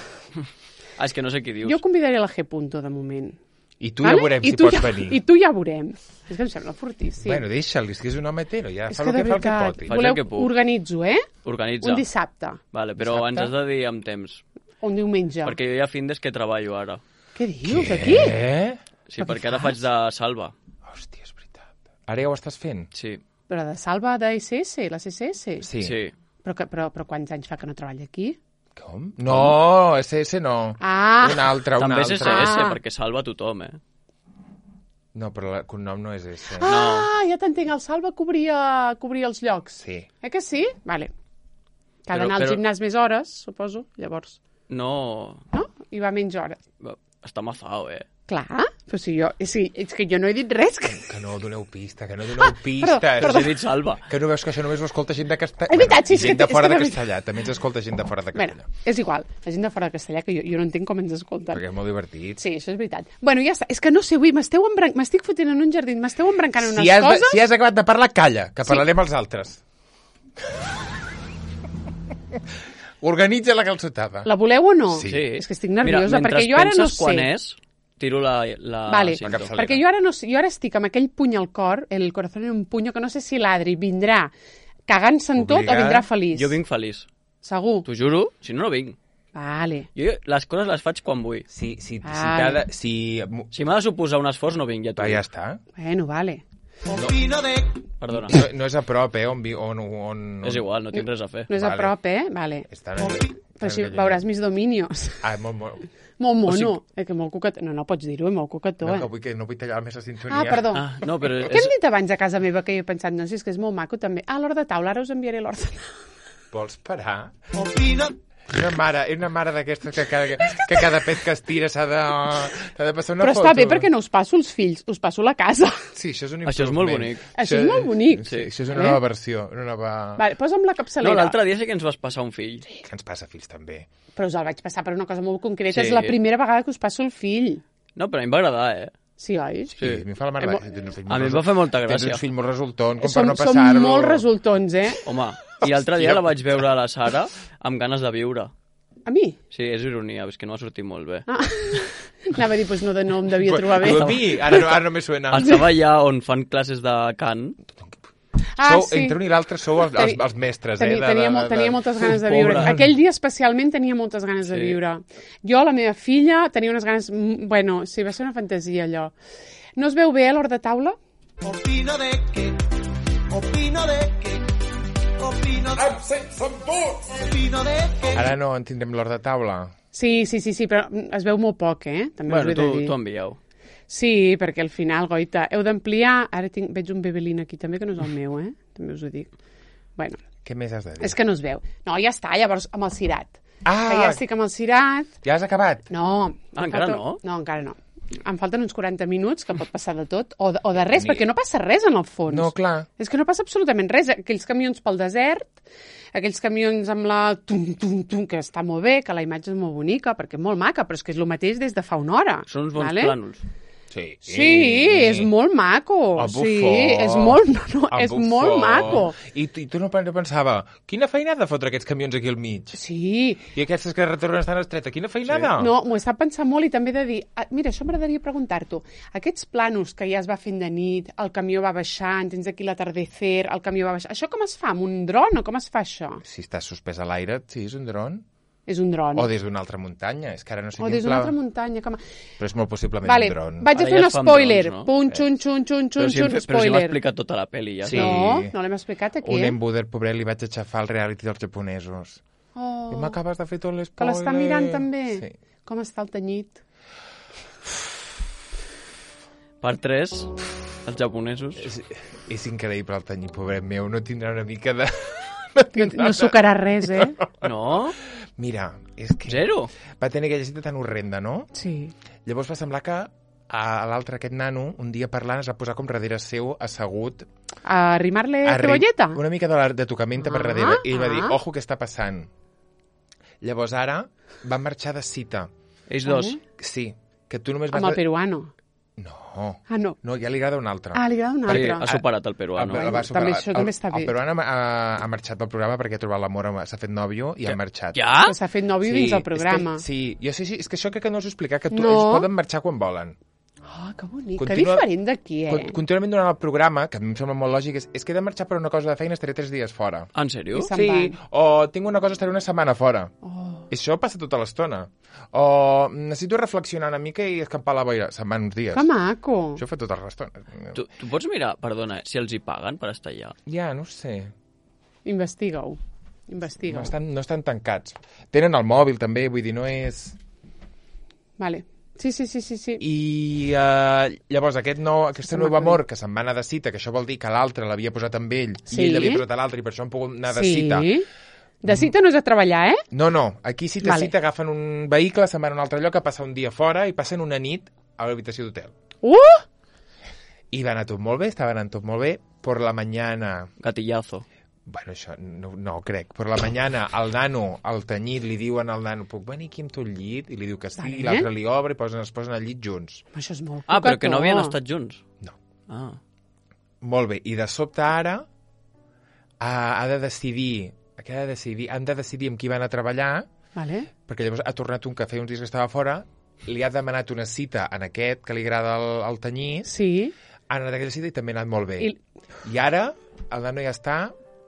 Speaker 3: Ah, és que no sé què dius.
Speaker 1: Jo convidaré la G. Punto, de moment.
Speaker 2: I tu ja veurem si pots venir.
Speaker 1: I tu ja veurem. És que em sembla fortíssim.
Speaker 2: Bueno, deixa'l, és que és un home hetero, ja
Speaker 1: és
Speaker 2: fa
Speaker 1: que
Speaker 2: el
Speaker 1: de
Speaker 2: que fa el que
Speaker 1: veritat,
Speaker 2: pot.
Speaker 3: Faig
Speaker 1: voleu,
Speaker 3: el que puc.
Speaker 1: organitzo, eh?
Speaker 3: Organitza.
Speaker 1: Un dissabte,
Speaker 3: Vale, però
Speaker 2: Dissabte?
Speaker 3: ens has de dir amb temps.
Speaker 1: o un diumenge.
Speaker 3: Perquè jo hi ha findes que treballo ara.
Speaker 1: Què dius, aquí?
Speaker 2: Eh?
Speaker 3: Sí,
Speaker 1: Però què
Speaker 3: perquè ara
Speaker 1: fas?
Speaker 3: faig de salva.
Speaker 2: Hòstia, és veritat. Ara ja ho estàs fent?
Speaker 3: Sí.
Speaker 1: Però de Salva de S S, la C S S?
Speaker 2: Sí.
Speaker 3: Sí.
Speaker 1: Però, que, però, però quants anys fa que no treballa aquí?
Speaker 2: Com? No, S S no.
Speaker 1: Ah!
Speaker 2: Un altre, un
Speaker 3: També és
Speaker 2: altre.
Speaker 3: S S,
Speaker 1: Ah.
Speaker 3: perquè salva tothom, eh?
Speaker 2: No, però el cognom no és S.
Speaker 1: Ah, ja t'entenc, el Salva cobria, cobria els llocs.
Speaker 2: Sí.
Speaker 1: Eh que sí? Vale. Que ha
Speaker 3: Però-
Speaker 1: d'anar al
Speaker 3: però-
Speaker 1: gimnàs més hores, suposo, llavors.
Speaker 3: No...
Speaker 1: No? I va menys hores.
Speaker 3: Està mafao, eh?
Speaker 1: Clar, però si jo... Sí, és que jo no he dit res. Que...
Speaker 2: Que no doneu pista, que no doneu pistes.
Speaker 1: perdó,
Speaker 3: Però si he dit salva.
Speaker 2: Que no veus que això només ho escolta gent de castellà?
Speaker 1: És veritat, sí, és
Speaker 2: gent
Speaker 1: que-
Speaker 2: de fora
Speaker 1: és que
Speaker 2: de
Speaker 1: de
Speaker 2: castellà. També ens escolta gent de fora de
Speaker 1: Bueno,
Speaker 2: castellà.
Speaker 1: és igual, la gent de fora de castellà, que jo, jo no entenc com ens escolten.
Speaker 2: Perquè és molt divertit.
Speaker 1: Sí, això és veritat. Bueno, ja està. És que no sé, avui m'esteu embran... m'estic fotent en un jardí, m'esteu embrancant unes
Speaker 2: Si has, de,
Speaker 1: coses...
Speaker 2: si has acabat de parlar, calla, que parlarem els altres. Organitza la calçotada.
Speaker 1: La voleu o no?
Speaker 2: Sí.
Speaker 1: És que estic nerviosa,
Speaker 3: Mira,
Speaker 1: perquè jo ara no
Speaker 3: penses quan
Speaker 1: sé.
Speaker 3: és, tiro la, la
Speaker 1: Vale,
Speaker 3: cinta.
Speaker 2: capçalera.
Speaker 1: perquè jo ara, no sé, jo ara estic amb aquell puny al cor, el corazón en un puño, que no sé si l'Adri vindrà cagant-se en tot o
Speaker 2: Obligada.
Speaker 1: vindrà feliç.
Speaker 3: Jo vinc feliç.
Speaker 1: Segur?
Speaker 3: T'ho juro, si no, no vinc.
Speaker 1: Vale.
Speaker 3: Jo les coses les faig quan vull.
Speaker 2: Si, si, si,
Speaker 1: Vale.
Speaker 2: t'ha de, si...
Speaker 3: Si m'ha de suposar un esforç, no vinc, ja t'ho
Speaker 2: Va, ja
Speaker 3: dic.
Speaker 2: està.
Speaker 1: Bueno, vale.
Speaker 3: Perdona.
Speaker 2: No, no és a prop, eh? On, vi- on, on, on...
Speaker 3: És igual, no tinc res a fer.
Speaker 1: No és
Speaker 2: Vale.
Speaker 1: a prop, eh? Vale.
Speaker 2: Està
Speaker 1: Però així veuràs mis dominios.
Speaker 2: Ah, molt, molt...
Speaker 1: Molt mono.
Speaker 3: O sigui-
Speaker 1: Eh, que molt coquetó. No, no pots dir-ho, és molt coquetó,
Speaker 2: No,
Speaker 1: eh?
Speaker 2: que vull, que no vull tallar més la sintonia.
Speaker 1: Ah, perdó.
Speaker 3: Ah, no, però
Speaker 1: Què
Speaker 3: és...
Speaker 1: hem dit abans a casa meva que jo he pensat, no, si és que és molt maco també. Ah, l'hora de taula, ara us enviaré l'hora de taula.
Speaker 2: Vols parar? Una mare, és una mare d'aquestes que cada, que cada pet que es tira s'ha de, s'ha de passar una
Speaker 1: Però
Speaker 2: foto.
Speaker 1: està bé perquè no us passo els fills, us passo la casa.
Speaker 2: Sí, això és un
Speaker 3: Això és molt
Speaker 2: improvement.
Speaker 3: bonic.
Speaker 1: Això és molt bonic.
Speaker 2: Sí, això és una
Speaker 1: Eh?
Speaker 2: nova versió, una nova...
Speaker 1: Vale, posa'm la
Speaker 3: No,
Speaker 1: capçalera.
Speaker 3: l'altre dia sí que ens vas passar un fill.
Speaker 2: Que ens passa fills també.
Speaker 1: Però us el vaig passar per una cosa molt concreta.
Speaker 3: Sí.
Speaker 1: És la primera vegada que us passo el fill.
Speaker 3: No, però a mi em va agradar, eh?
Speaker 1: Sí, oi?
Speaker 2: Sí, a mi em fa la mare...
Speaker 1: Mo-
Speaker 3: A mi em va fer molta
Speaker 2: Tens
Speaker 3: gràcia.
Speaker 2: un fill molt resultant, com per
Speaker 1: Som,
Speaker 2: no
Speaker 1: som
Speaker 2: passar-lo...
Speaker 1: molt resultons, eh?
Speaker 3: Home, i l'altre dia
Speaker 2: Hòstia.
Speaker 3: la vaig veure a la Sara amb ganes de viure.
Speaker 1: A mi?
Speaker 3: Sí, és ironia, és que no ha sortit molt bé.
Speaker 1: Ah. Anava a dir, doncs no, de no em devia trobar bé.
Speaker 2: Tu a mi, ara, no- ara no me suena.
Speaker 3: Estava allà on fan classes de cant.
Speaker 1: Ah,
Speaker 2: sou,
Speaker 1: sí.
Speaker 2: Entre un i l'altre sou els, els, els mestres,
Speaker 1: Tenia,
Speaker 2: eh? de-
Speaker 1: tenia,
Speaker 2: de-
Speaker 1: molt,
Speaker 2: de-
Speaker 1: tenia moltes ganes de
Speaker 3: Pobre.
Speaker 1: viure. Aquell dia especialment tenia moltes ganes de
Speaker 3: Sí.
Speaker 1: viure. Jo, la meva filla, tenia unes ganes... mm, Bueno, sí, va ser una fantasia, allò. No es veu bé, a l'hora de taula?
Speaker 4: Opino de que, opino de que, opino de opino de que.
Speaker 2: Ara no en tindrem l'hora de taula.
Speaker 1: Sí, sí, sí, sí, però es veu molt poc, eh? També us ho
Speaker 3: Bueno,
Speaker 1: he
Speaker 3: tu,
Speaker 1: de dir.
Speaker 3: tu envieu.
Speaker 1: Sí, perquè al final, goita, heu d'ampliar... Ara tinc, veig un bebelín aquí també, que no és el meu, eh? També us ho dic. Bueno,
Speaker 2: Què més has de dir?
Speaker 1: és que no es veu. No, ja està, llavors amb el cirat.
Speaker 2: Ah!
Speaker 1: Que ja estic amb el cirat.
Speaker 2: Ja has acabat?
Speaker 1: No.
Speaker 3: Ah,
Speaker 1: em
Speaker 3: encara
Speaker 1: falta-
Speaker 3: no?
Speaker 1: No, encara no. Em falten uns quaranta minuts, que pot passar de tot, o de, o de res,
Speaker 2: Ni-
Speaker 1: perquè no passa res en el fons.
Speaker 2: No, clar.
Speaker 1: És que no passa absolutament res. Aquells camions pel desert, aquells camions amb la tum, tum, tum, que està molt bé, que la imatge és molt bonica, perquè és molt maca, però és que és el mateix des de fa una hora.
Speaker 3: Són uns bons
Speaker 1: vale?
Speaker 3: plànols.
Speaker 2: Sí.
Speaker 1: Sí, és molt maco.
Speaker 2: El bufó.
Speaker 1: Sí, és molt, no, no,
Speaker 2: El
Speaker 1: és
Speaker 2: bufó.
Speaker 1: molt maco.
Speaker 2: I, tu- I tu no pen- no pensava, quina feinada fotre aquests camions aquí al mig?
Speaker 1: Sí,
Speaker 2: I aquestes que retornen estan estretes, quina feinada?
Speaker 1: no, m'ho està pensant molt i també he de dir... ah, Mira, això m'agradaria preguntar-t'ho. Aquests planos que ja es va fent de nit, el camió va baixant, tens aquí l'atardecer, el camió va baixant... Això com es fa? Amb un dron o com es fa això?
Speaker 2: Si estàs suspès a l'aire, sí, és un dron.
Speaker 1: És un dron.
Speaker 2: O des d'una altra muntanya, és que ara no sé
Speaker 1: O
Speaker 2: quin
Speaker 1: des d'una
Speaker 2: pla-
Speaker 1: altra muntanya. Com...
Speaker 2: Però és molt possiblement
Speaker 1: Vale,
Speaker 2: un dron.
Speaker 1: vaig a
Speaker 3: Ara
Speaker 1: fer
Speaker 3: ja
Speaker 1: un
Speaker 3: es fan
Speaker 1: spoiler.
Speaker 3: drons, no?
Speaker 1: Pum, xun, xun, xun,
Speaker 3: Però
Speaker 1: xun,
Speaker 3: si, hem,
Speaker 1: xun,
Speaker 3: fet- però si m'ha
Speaker 1: spoiler.
Speaker 3: explicat tota la pel·li ja.
Speaker 2: Sí.
Speaker 1: No, no l'hem explicat aquí,
Speaker 2: Un
Speaker 1: eh?
Speaker 2: embuder, pobret, li vaig aixafar el reality dels japonesos.
Speaker 1: Oh,
Speaker 2: I m'acabes de fer tot l'espoiler.
Speaker 1: que l'està mirant també?
Speaker 2: Sí.
Speaker 1: Com està el tenyit?
Speaker 3: Per tres, els japonesos.
Speaker 2: És, és increïble el tenyit, pobret meu. No tindrà una mica de...
Speaker 1: No, no sucarà res, eh?
Speaker 3: No?
Speaker 2: Mira, és que...
Speaker 3: Zero?
Speaker 2: Va tenir aquella cita tan horrenda, no?
Speaker 1: Sí.
Speaker 2: Llavors va semblar que a l'altre, aquest nano, un dia parlant, es va posar com darrere seu, assegut...
Speaker 1: A arrimar-le
Speaker 2: a ri-
Speaker 1: cebolleta?
Speaker 2: Una mica de, la, de tocamenta per
Speaker 1: Ah,
Speaker 2: darrere. I ell va dir,
Speaker 1: ah.
Speaker 2: ojo, què està passant? Llavors ara van marxar de cita.
Speaker 3: Ells dos.
Speaker 2: Sí, que tu només vas...
Speaker 1: Amb el peruano.
Speaker 2: No,
Speaker 1: Ah, no.
Speaker 2: no, ja li agrada un altre.
Speaker 1: Ah, li agrada un
Speaker 3: Sí,
Speaker 1: altre.
Speaker 3: ha superat el peruano.
Speaker 2: El- el va
Speaker 1: També
Speaker 2: superar.
Speaker 1: això també està bé.
Speaker 2: El peruano ha, ha marxat del programa perquè ha trobat l'amor, amb- s'ha fet nòvio i ha marxat.
Speaker 3: Ja?
Speaker 1: Que s'ha fet nòvio dins el programa.
Speaker 2: És que, sí, jo sí, sí, és que això crec que no us ho explicar, que tu,
Speaker 1: No.
Speaker 2: ells poden marxar quan volen.
Speaker 1: Oh, que bonic.
Speaker 2: Continua...
Speaker 1: Que diferent d'aquí, eh?
Speaker 2: Con contínuament durant el programa, que a mi em sembla molt lògic, és, és que he de marxar per una cosa de feina, estaré tres dies fora.
Speaker 3: En sèrio?
Speaker 1: I se'n
Speaker 2: Sí,
Speaker 1: van.
Speaker 2: o tinc una cosa, estaré una setmana fora.
Speaker 1: Oh.
Speaker 2: I això passa tota l'estona. O necessito reflexionar una mica i escampar la boira. Se'n van uns dies.
Speaker 1: Que maco.
Speaker 2: Això ho fa tota l'estona.
Speaker 3: Tu, tu pots mirar, perdona, si els hi paguen per estar allà?
Speaker 2: Ja, no ho sé.
Speaker 1: Investiga-ho. Investiga-ho.
Speaker 2: No estan, no estan tancats. Tenen el mòbil, també, vull dir, no és...
Speaker 1: Vale. Sí, sí, sí, sí. sí.
Speaker 2: I uh, llavors aquest nou, aquesta
Speaker 1: Està
Speaker 2: nou
Speaker 1: maco.
Speaker 2: amor que se'n va anar de cita, que això vol dir que l'altre l'havia posat amb ell
Speaker 1: Sí.
Speaker 2: i ell l'havia posat a l'altre i per això han pogut anar de
Speaker 1: sí.
Speaker 2: cita.
Speaker 1: De cita no és a treballar, eh?
Speaker 2: No, no, aquí cita
Speaker 1: Vale.
Speaker 2: cita agafen un vehicle, se'n van a un altre lloc a passar un dia fora i passen una nit a l'habitació d'hotel.
Speaker 1: Uh!
Speaker 2: I va anar tot molt bé, estava anant tot molt bé. Por la mañana...
Speaker 3: Gatillazo.
Speaker 2: Bueno, això no, no crec. Per la mañana, el nano, al tenyit, li diuen al nano, puc venir aquí amb tu al llit? I li diu que sí,
Speaker 1: Vale.
Speaker 2: i l'altre li obre i posen, es posen al llit junts.
Speaker 1: Això és molt
Speaker 3: Ah, però que no
Speaker 1: cocató.
Speaker 3: havien estat junts?
Speaker 2: No.
Speaker 3: Ah.
Speaker 2: Molt bé. I de sobte ara ha, ha de decidir, que ha de decidir, han de decidir amb qui van a treballar,
Speaker 1: Vale.
Speaker 2: perquè llavors ha tornat un que feia uns dies que estava fora, li ha demanat una cita en aquest, que li agrada el, el tenyit,
Speaker 1: Sí.
Speaker 2: ha anat a aquella cita i també ha anat molt bé.
Speaker 1: I-
Speaker 2: I ara el nano ja està,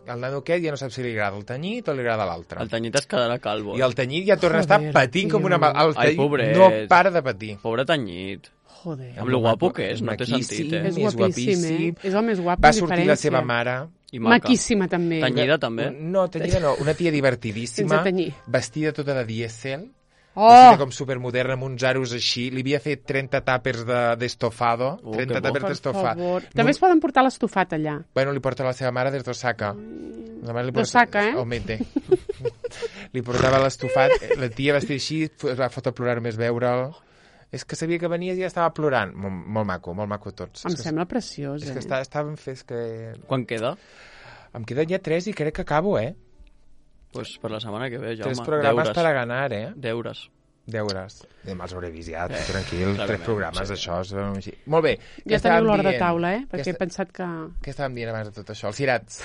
Speaker 2: el nano aquest ja no sap si li agrada el tenyit o li agrada l'altre.
Speaker 3: El tenyit es quedarà calvo.
Speaker 2: I el tenyit ja torna a estar
Speaker 1: Joder,
Speaker 2: patint com una...
Speaker 1: tio.
Speaker 2: mal- El
Speaker 3: Ai,
Speaker 2: tenyit
Speaker 3: pobret.
Speaker 2: no para de patir.
Speaker 3: Pobre tenyit.
Speaker 1: Joder.
Speaker 3: Amb lo guapo que és, no té
Speaker 2: maquíssim,
Speaker 3: sentit, eh?
Speaker 1: És
Speaker 2: És
Speaker 1: guapíssim, eh?
Speaker 2: guapíssim.
Speaker 1: És el més guapo,
Speaker 2: Va
Speaker 1: amb
Speaker 2: sortir la
Speaker 1: diferència.
Speaker 2: seva mare...
Speaker 3: I maca.
Speaker 1: Maquíssima, també.
Speaker 3: Tenyida, també.
Speaker 2: No, tenyida no, una tia divertidíssima,
Speaker 1: Sense tenyir.
Speaker 2: vestida tota de dièsel,
Speaker 1: Oh!
Speaker 2: vestida com supermoderna, amb uns aros així. Li havia fet trenta tàpers d'estofado, de,
Speaker 3: Oh,
Speaker 2: trenta
Speaker 3: que bo.
Speaker 2: tàpers
Speaker 1: Per
Speaker 2: d'estofat.
Speaker 1: favor. També es poden portar l'estofat allà.
Speaker 2: Bueno, li porta la seva mare des d'Osaka. La mare li porta...
Speaker 1: D'Osaka, eh?
Speaker 2: Omete. Li portava l'estofat, la tia vestida així, es va fotre a plorar només veure'l. És que sabia que venies i ja estava plorant. Molt, molt maco, molt maco tots.
Speaker 1: Em
Speaker 2: és que,
Speaker 1: sembla preciós,
Speaker 2: és
Speaker 1: eh?
Speaker 2: que està, està ben fet, és que...
Speaker 3: Quan queda?
Speaker 2: Em queden ja tres i crec que acabo, eh?
Speaker 3: Pues per la setmana que ve, Jaume.
Speaker 2: Tres programes
Speaker 3: Deures.
Speaker 2: per a ganar, eh?
Speaker 3: Deures.
Speaker 2: Deures. Demà els hauré vist ja,
Speaker 3: Eh,
Speaker 2: tranquil,
Speaker 3: clarament,
Speaker 2: tres programes
Speaker 3: sí.
Speaker 2: d'això. són així. Molt bé.
Speaker 1: Ja
Speaker 2: estàvem
Speaker 1: teniu l'hora de
Speaker 2: dient?
Speaker 1: taula, eh?
Speaker 2: Què
Speaker 1: Perquè he
Speaker 2: esta-
Speaker 1: pensat que...
Speaker 2: Què estàvem dient abans de tot això? Els cirats,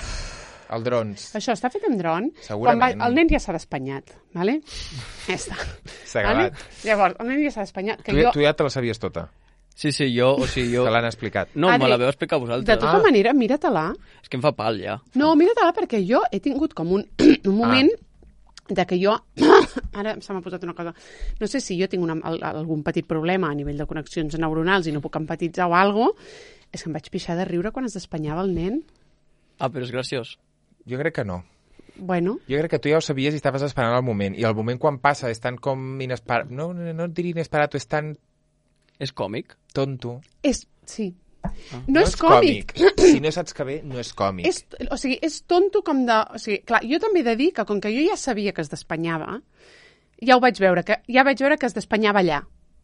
Speaker 2: els drons.
Speaker 1: Això està fet amb dron.
Speaker 2: Segurament.
Speaker 1: Quan va... El nen ja s'ha despanyat, vale? Ja està.
Speaker 2: S'ha
Speaker 1: Vale?
Speaker 2: acabat.
Speaker 1: Llavors, el nen ja s'ha despanyat. Que
Speaker 2: Tu,
Speaker 1: jo...
Speaker 2: tu ja te la sabies tota,
Speaker 3: Sí, sí, jo, o sigui, jo...
Speaker 2: te l'han explicat.
Speaker 3: No,
Speaker 1: Adri,
Speaker 3: me la veu explicar
Speaker 1: De
Speaker 3: vosaltres.
Speaker 1: tota
Speaker 2: Ah.
Speaker 1: manera, mira-te-la.
Speaker 3: És que em fa pal, ja.
Speaker 1: No, mira-te-la perquè jo he tingut com un, un moment de que jo... Ara se m'ha posat una cosa. No sé si jo tinc una, al- algun petit problema a nivell de connexions neuronals i no puc empatitzar o alguna cosa. És que em vaig pixar de riure quan es despanyava el nen.
Speaker 3: Ah, però és graciós.
Speaker 2: Jo crec que no.
Speaker 1: Bueno,
Speaker 2: Jo crec que tu ja ho sabies i estaves esperant el moment. I el moment quan passa és tan com inesperat... No, no, no et diria inesperat, és tan
Speaker 3: És còmic?
Speaker 2: tonto.
Speaker 1: és... Sí. No, és còmic.
Speaker 2: Si no saps que bé, no és còmic.
Speaker 1: És, o sigui, és tonto com de... O sigui, clar, jo també he de dir que com que jo ja sabia que es despanyava, ja ho vaig veure, que ja vaig veure que es despanyava allà.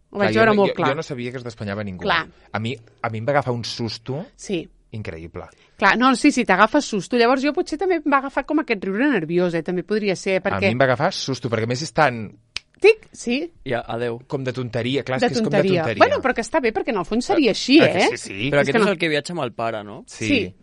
Speaker 1: Ho vaig
Speaker 2: jo,
Speaker 1: veure
Speaker 2: no-
Speaker 1: molt
Speaker 2: jo,
Speaker 1: clar.
Speaker 2: Jo no sabia que es despanyava ningú.
Speaker 1: Clar.
Speaker 2: A mi, a mi em va agafar un susto
Speaker 1: Sí.
Speaker 2: increïble.
Speaker 1: Clar, no, sí, sí, t'agafes susto. Llavors jo potser també em va agafar com aquest riure nerviós, eh? També podria ser,
Speaker 2: A
Speaker 1: perquè...
Speaker 2: mi em va agafar susto, perquè a més és tan
Speaker 1: Tic, sí,
Speaker 3: Ja, adeu.
Speaker 2: com de tonteria. Clar, és
Speaker 1: de
Speaker 2: que és com de
Speaker 1: tonteria.
Speaker 2: tonteria.
Speaker 1: Bueno, però que està bé, perquè en el fons seria així,
Speaker 2: Ah, que
Speaker 1: eh?
Speaker 2: sí, sí.
Speaker 3: Però
Speaker 1: És
Speaker 3: aquest
Speaker 1: que
Speaker 3: és
Speaker 1: no-
Speaker 3: el que viatja amb el pare, no?
Speaker 2: Sí.
Speaker 1: Sí.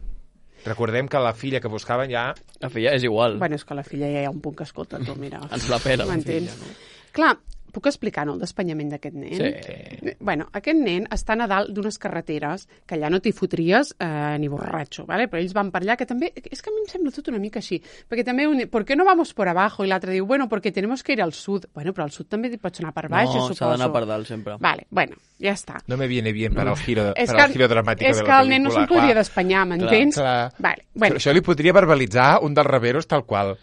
Speaker 2: Recordem que la filla que buscaven ja...
Speaker 3: La filla és igual.
Speaker 1: Bueno, és que la filla ja hi ha un punt que escolta, tu, mira.
Speaker 3: Ens la pela, la
Speaker 1: M'entens?
Speaker 3: filla, no?
Speaker 1: Clar, puc explicar, no, el despanyament d'aquest nen?
Speaker 3: Sí.
Speaker 1: Bueno, aquest nen està a dalt d'unes carreteres que allà no t'hi fotries eh, ni borratxo, ¿vale? Però ells van per allà, que també... És que a mi em sembla tot una mica així. Perquè també, un, ¿por qué no vamos por abajo? I l'altre diu, bueno, porque tenemos que ir al sud. Bueno, però al sud també pots anar per baix,
Speaker 3: No,
Speaker 1: suposo.
Speaker 3: s'ha d'anar per dalt, sempre.
Speaker 1: Vale, bueno, ja està.
Speaker 2: No me viene bien para el giro,
Speaker 1: És
Speaker 2: para
Speaker 1: que,
Speaker 2: el giro dramático
Speaker 1: és
Speaker 2: de
Speaker 1: que
Speaker 2: la
Speaker 1: el nen no
Speaker 2: pel·lícula.
Speaker 1: se'n podria
Speaker 2: Clar,
Speaker 1: despanyar, m'entens?
Speaker 2: clar.
Speaker 1: Vale,
Speaker 2: Però
Speaker 1: bueno,
Speaker 2: això li podria verbalitzar un dels reveros tal qual.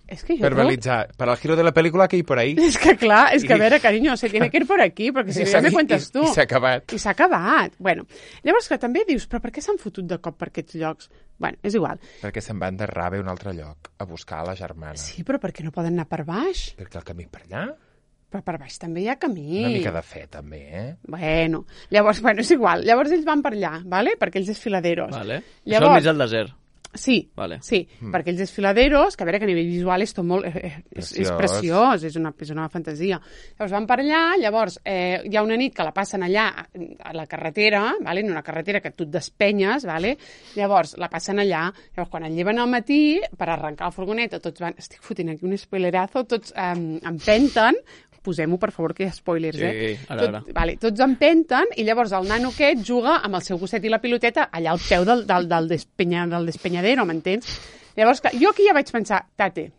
Speaker 1: és que jo...
Speaker 2: Verbalitzar. Para el giro de la película que hay por ahí.
Speaker 1: És que clar, és que a veure, cariño, se tiene que ir por aquí, perquè si no ja me cuentes tu.
Speaker 2: I, i s'ha acabat.
Speaker 1: I s'ha acabat. Bueno, llavors que també dius, però per què s'han fotut de cop per aquests llocs? Bueno, és igual.
Speaker 2: Perquè se'n van de rave a un altre lloc, a buscar la germana.
Speaker 1: Sí, però per què no poden anar per baix?
Speaker 2: Perquè el camí per allà,
Speaker 1: Però per baix també hi ha camí.
Speaker 2: una mica de fe, també, eh?
Speaker 1: Bueno, llavors, bueno, és igual. Llavors ells van per allà, ¿vale? Perquè ells desfiladeros.
Speaker 3: Vale. Llavors...
Speaker 1: Llavors-
Speaker 3: Això al mig del desert.
Speaker 1: Sí,
Speaker 3: Vale.
Speaker 1: sí, mm. perquè els desfiladeros, que a veure que a nivell visual és tot molt... Eh, eh, és, és
Speaker 2: Preciós.
Speaker 1: preciós, és una, és una fantasia. Llavors van per allà, llavors eh, hi ha una nit que la passen allà a la carretera, vale? En una carretera que tu et despenyes, vale? Llavors la passen allà, llavors quan el lleven al matí, per arrencar la furgoneta, tots van... Estic fotent aquí un spoilerazo, tots eh, empenten, posem-ho, per favor, que hi ha spoilers,
Speaker 3: Sí,
Speaker 1: eh?
Speaker 3: ara, ara.
Speaker 1: Tot, vale, tots empenten i llavors el nano aquest juga amb el seu gosset i la piloteta allà al peu del, del, del, despenya, del despenyadero, m'entens? Llavors, clar, jo aquí ja vaig pensar, tate,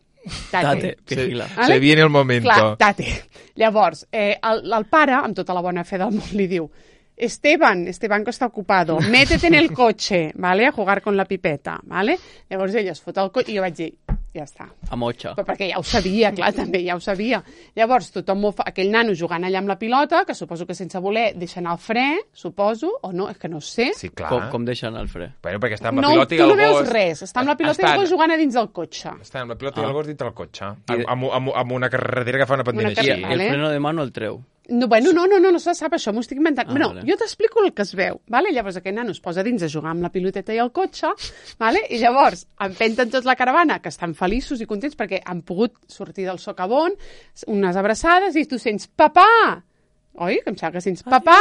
Speaker 1: tate.
Speaker 3: Tate, vigila.
Speaker 1: Vale?
Speaker 2: Se viene el momento.
Speaker 1: Clar, tate. Llavors, eh, el, el pare, amb tota la bona fe del món, li diu Esteban, Esteban que està ocupado, métete en el coche, ¿vale? A jugar con la pipeta, ¿vale? Llavors ell es fot el cotxe i jo vaig dir, ja està.
Speaker 3: A motxa.
Speaker 1: Però perquè ja ho sabia, clar, també ja ho sabia. Llavors, tothom ho fa, aquell nano jugant allà amb la pilota, que suposo que sense voler deixa anar el fre, suposo, o no, és que no ho sé.
Speaker 2: Sí, clar.
Speaker 3: Com, com deixen el fre?
Speaker 2: Bueno, perquè està amb la
Speaker 1: No,
Speaker 2: pilota i
Speaker 1: tu
Speaker 2: el
Speaker 1: no veus
Speaker 2: gos...
Speaker 1: res, està amb la pilota i el gos jugant a dins del cotxe.
Speaker 2: Està amb la pilota i
Speaker 3: Ah.
Speaker 2: el gos dintre el cotxe.
Speaker 3: I
Speaker 2: Amb,
Speaker 3: de-
Speaker 2: amb, amb, amb una carretera que fa una pendent
Speaker 1: Una
Speaker 2: així.
Speaker 3: I,
Speaker 1: carretera.
Speaker 3: i el
Speaker 1: Vale.
Speaker 3: freno de mano el treu.
Speaker 1: No, bueno, no, no, no, no se sap això, m'ho estic inventant.
Speaker 3: Ah,
Speaker 1: no,
Speaker 3: vale.
Speaker 1: jo t'explico el que es veu, vale? Llavors aquest nano es posa dins a jugar amb la piloteta i el cotxe, vale? I llavors empenten tots la caravana, que estan feliços i contents perquè han pogut sortir del socavón, unes abraçades, i tu sents papà! Oi? Que em sembla que sents papà!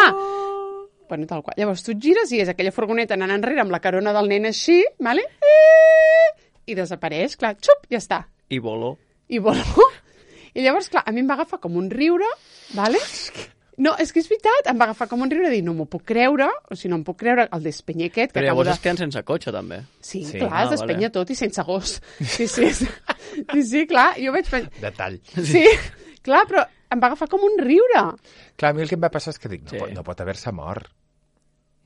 Speaker 1: Bueno, tal qual. Llavors tu et gires i és aquella furgoneta anant enrere amb la carona del nen així, vale? I desapareix, clar, xup, ja està.
Speaker 3: I volo.
Speaker 1: I voló. I llavors, clar, a mi em va agafar com un riure, vale? No, és que és veritat, em va agafar com un riure de dir, no m'ho puc creure, o si no em puc creure el despenyer aquest. Que
Speaker 3: Però
Speaker 1: acabo
Speaker 3: llavors
Speaker 1: de...
Speaker 3: es queden sense cotxe, també.
Speaker 1: Sí,
Speaker 2: Sí.
Speaker 1: clar,
Speaker 3: Ah,
Speaker 1: es despenya
Speaker 3: vale.
Speaker 1: tot i sense gos. Sí, sí, sí, sí, clar, jo vaig pensar...
Speaker 2: Detall.
Speaker 1: Sí, clar, però em va agafar com un riure.
Speaker 2: Clar, a mi el que em va passar és que dic, no,
Speaker 3: Sí.
Speaker 2: pot, no pot haver-se mort.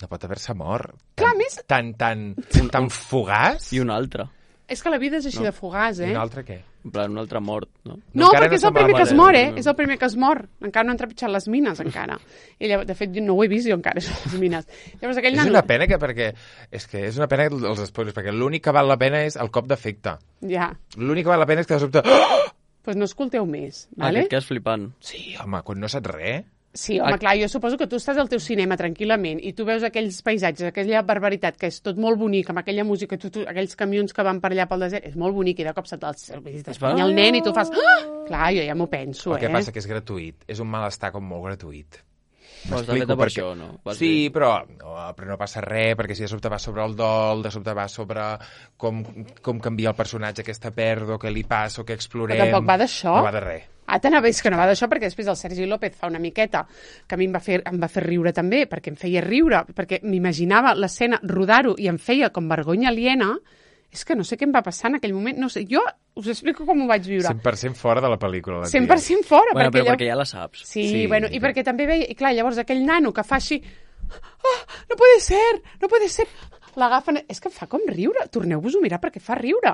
Speaker 2: No pot haver-se mort.
Speaker 1: Clar,
Speaker 2: Tan,
Speaker 1: a més-
Speaker 2: Tan, tan, tan fugaç.
Speaker 3: I un altre.
Speaker 1: És que la vida és així de fugaç,
Speaker 2: I
Speaker 1: eh?
Speaker 2: un altre què?
Speaker 3: En plan, un altre mort, no?
Speaker 1: No,
Speaker 2: encara
Speaker 1: perquè
Speaker 2: no
Speaker 1: és el
Speaker 2: se'n va,
Speaker 1: primer que es
Speaker 3: vale.
Speaker 1: mor, eh? És el primer que es mor. Encara no han trepitjat les mines, encara. I llavors, de fet, jo no ho he vist jo encara, això, les mines. Llavors, aquell
Speaker 2: És
Speaker 1: nano...
Speaker 2: una pena que perquè... És que és una pena els spoilers, perquè l'únic que val la pena és el cop d'efecte.
Speaker 1: Ja,
Speaker 2: L'únic que val la pena és que de sobte... Oh!
Speaker 1: doncs no escolteu més,
Speaker 3: Ah,
Speaker 1: vale?
Speaker 3: Aquest que és flipant.
Speaker 2: Sí, home, quan no saps res...
Speaker 1: Sí, home, clar, jo suposo que tu estàs al teu cinema tranquil·lament i tu veus aquells paisatges, aquella barbaritat, que és tot molt bonic, amb aquella música, tu, tu, aquells camions que van per allà pel desert, és molt bonic, i de cop se't t'espanya el nen i tu fas... Ah! Clar, jo ja m'ho penso,
Speaker 2: El que
Speaker 1: eh?
Speaker 2: passa que és gratuït. És un malestar com molt gratuït.
Speaker 3: Però està
Speaker 2: M'explico
Speaker 3: feta per
Speaker 2: perquè-
Speaker 3: això, no? Vas
Speaker 2: Sí,
Speaker 3: dir.
Speaker 2: però no, però no passa res, perquè si de sobte va sobre el dol, de sobte va sobre com, com canvia el personatge, aquesta pèrdua, què li passa, o què explorem...
Speaker 1: Però tampoc va d'això.
Speaker 2: No va de res.
Speaker 1: Ah, t'anava a dir que no va d'això, perquè després el Sergi López fa una miqueta que a mi em va fer, em va fer riure també, perquè em feia riure, perquè m'imaginava l'escena, rodar-ho, i em feia com vergonya aliena. És que no sé què em va passar en aquell moment. No sé, jo us explico com ho vaig viure.
Speaker 2: cent per cent fora de la pel·lícula. La tia.
Speaker 1: cent per cent fora.
Speaker 3: Bueno,
Speaker 1: perquè
Speaker 3: però
Speaker 1: allò-
Speaker 3: perquè ja la saps.
Speaker 1: Sí,
Speaker 2: Sí,
Speaker 1: bueno, i
Speaker 2: sí.
Speaker 1: perquè també veia... I clar, llavors aquell nano que fa així... Oh, no puede ser, no puede ser... L'agafen... És que em fa com riure. Torneu-vos-ho a mirar perquè fa riure.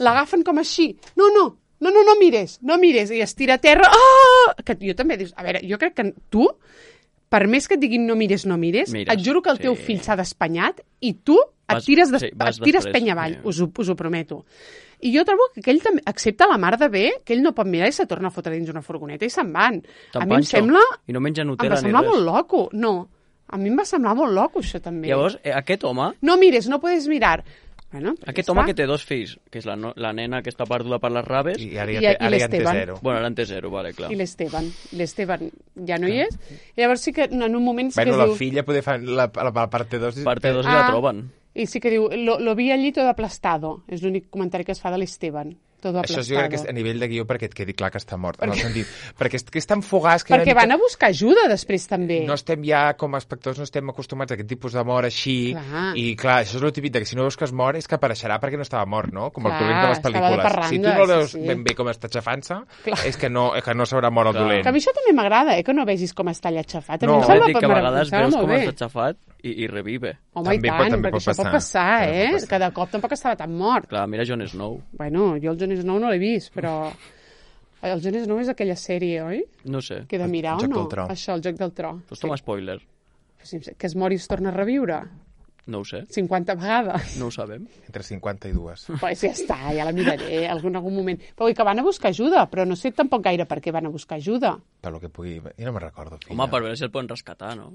Speaker 1: L'agafen com així. No, no, no, no, no mires, no mires. I es tira a terra. Oh! Que jo també dius... A veure, jo crec que tu, per més que et diguin no mires, no mires,
Speaker 3: Mires,
Speaker 1: et juro que el teu
Speaker 3: sí.
Speaker 1: fill s'ha d'espanyat i tu et
Speaker 3: Vas-
Speaker 1: tires, des...
Speaker 3: sí, vas
Speaker 1: et tires
Speaker 3: després,
Speaker 1: penya avall.
Speaker 3: sí.
Speaker 1: Us, ho, us ho prometo. I jo trobo que aquell també accepta la mar de bé, que ell no pot mirar i se torna a fotre dins una furgoneta i se'n van. A mi em
Speaker 3: Panxo.
Speaker 1: sembla...
Speaker 3: I no menja
Speaker 1: Em
Speaker 3: Nutella
Speaker 1: va
Speaker 3: ni
Speaker 1: semblar
Speaker 3: res.
Speaker 1: molt loco. No, a mi em va semblar molt loco, això també.
Speaker 3: Llavors, eh, aquest home,
Speaker 1: No mires, no puedes mirar. Bueno, pues
Speaker 3: aquest
Speaker 1: ja
Speaker 3: home
Speaker 1: està.
Speaker 3: que té dos fills, que és la, no, la nena que està perduda per les raves,
Speaker 2: I
Speaker 3: i,
Speaker 2: ara
Speaker 1: I-
Speaker 2: ja, té,
Speaker 1: i
Speaker 2: ara ja en té
Speaker 1: l'Esteban.
Speaker 2: zero.
Speaker 3: bueno, ara en té zero, vale, clar.
Speaker 1: I l'Esteban. L'Esteban ja no hi és. I llavors sí que en un moment sí
Speaker 2: Bueno,
Speaker 1: que
Speaker 2: la
Speaker 1: diu...
Speaker 2: filla poder fer la, la, la parte dos...
Speaker 3: Parte dos i
Speaker 1: Ah.
Speaker 3: la troben.
Speaker 1: I sí que diu, lo, lo vi allí todo aplastado. És l'únic comentari que es fa de l'Esteban. Todo
Speaker 2: Això
Speaker 1: aplastado.
Speaker 2: jo crec que és a nivell de guió perquè et quedi clar que està mort. En el sentit, perquè és, que és tan fugaç que...
Speaker 1: Perquè van a buscar ajuda després també.
Speaker 2: No estem ja, com a espectadors, no estem acostumats a aquest tipus de mort així.
Speaker 1: Clar.
Speaker 2: I clar, això és el típic de que si no veus que es mor és que apareixerà perquè no estava mort, no? Com el
Speaker 1: Clar,
Speaker 2: dolent de les
Speaker 1: estava de
Speaker 2: pel·lícules.
Speaker 1: parranda,
Speaker 2: Si tu no el veus
Speaker 1: sí, sí.
Speaker 2: ben bé com està aixafant-se,
Speaker 1: Clar.
Speaker 2: és que no, que no s'haurà mort el
Speaker 3: Clar.
Speaker 2: dolent.
Speaker 1: Que a mi això també m'agrada, eh? Que no vegis com està allà aixafat. A mi
Speaker 2: No.
Speaker 1: em
Speaker 3: També
Speaker 1: sembla
Speaker 3: et dic que a
Speaker 1: em
Speaker 3: vegades
Speaker 1: sembla
Speaker 3: veus
Speaker 1: molt
Speaker 3: com
Speaker 1: bé.
Speaker 3: està aixafat i, i revive.
Speaker 1: Home,
Speaker 2: També
Speaker 1: i
Speaker 2: pot-
Speaker 1: tant,
Speaker 2: també
Speaker 1: perquè
Speaker 2: pot
Speaker 1: això pot
Speaker 2: passar.
Speaker 1: passar,
Speaker 2: També
Speaker 1: eh?
Speaker 2: pot passar.
Speaker 1: Que de cop tampoc estava tan mort.
Speaker 3: Clar, mira Jon Snow.
Speaker 1: Bueno, jo el Jon Snow no l'he vist, però... El Jon Snow és aquella sèrie, oi?
Speaker 3: No sé.
Speaker 1: Que he de mirar
Speaker 2: El
Speaker 1: o
Speaker 2: Joc
Speaker 1: no?
Speaker 2: del Tro.
Speaker 1: Això, el Joc del Tro.
Speaker 3: Pues toma spoiler.
Speaker 1: Sí, que es mori i es torna a reviure
Speaker 3: No ho sé.
Speaker 1: cinquanta vegades.
Speaker 3: No ho sabem.
Speaker 2: Entre cinquanta i dues.
Speaker 1: Pues ja està, ja la miraré en algun, algun moment. Però vull dir que van a buscar ajuda, però no sé tampoc gaire per què van a buscar ajuda.
Speaker 2: Per lo que pugui... Jo no me'n recordo, filla.
Speaker 3: Home, per veure si el poden rescatar, no?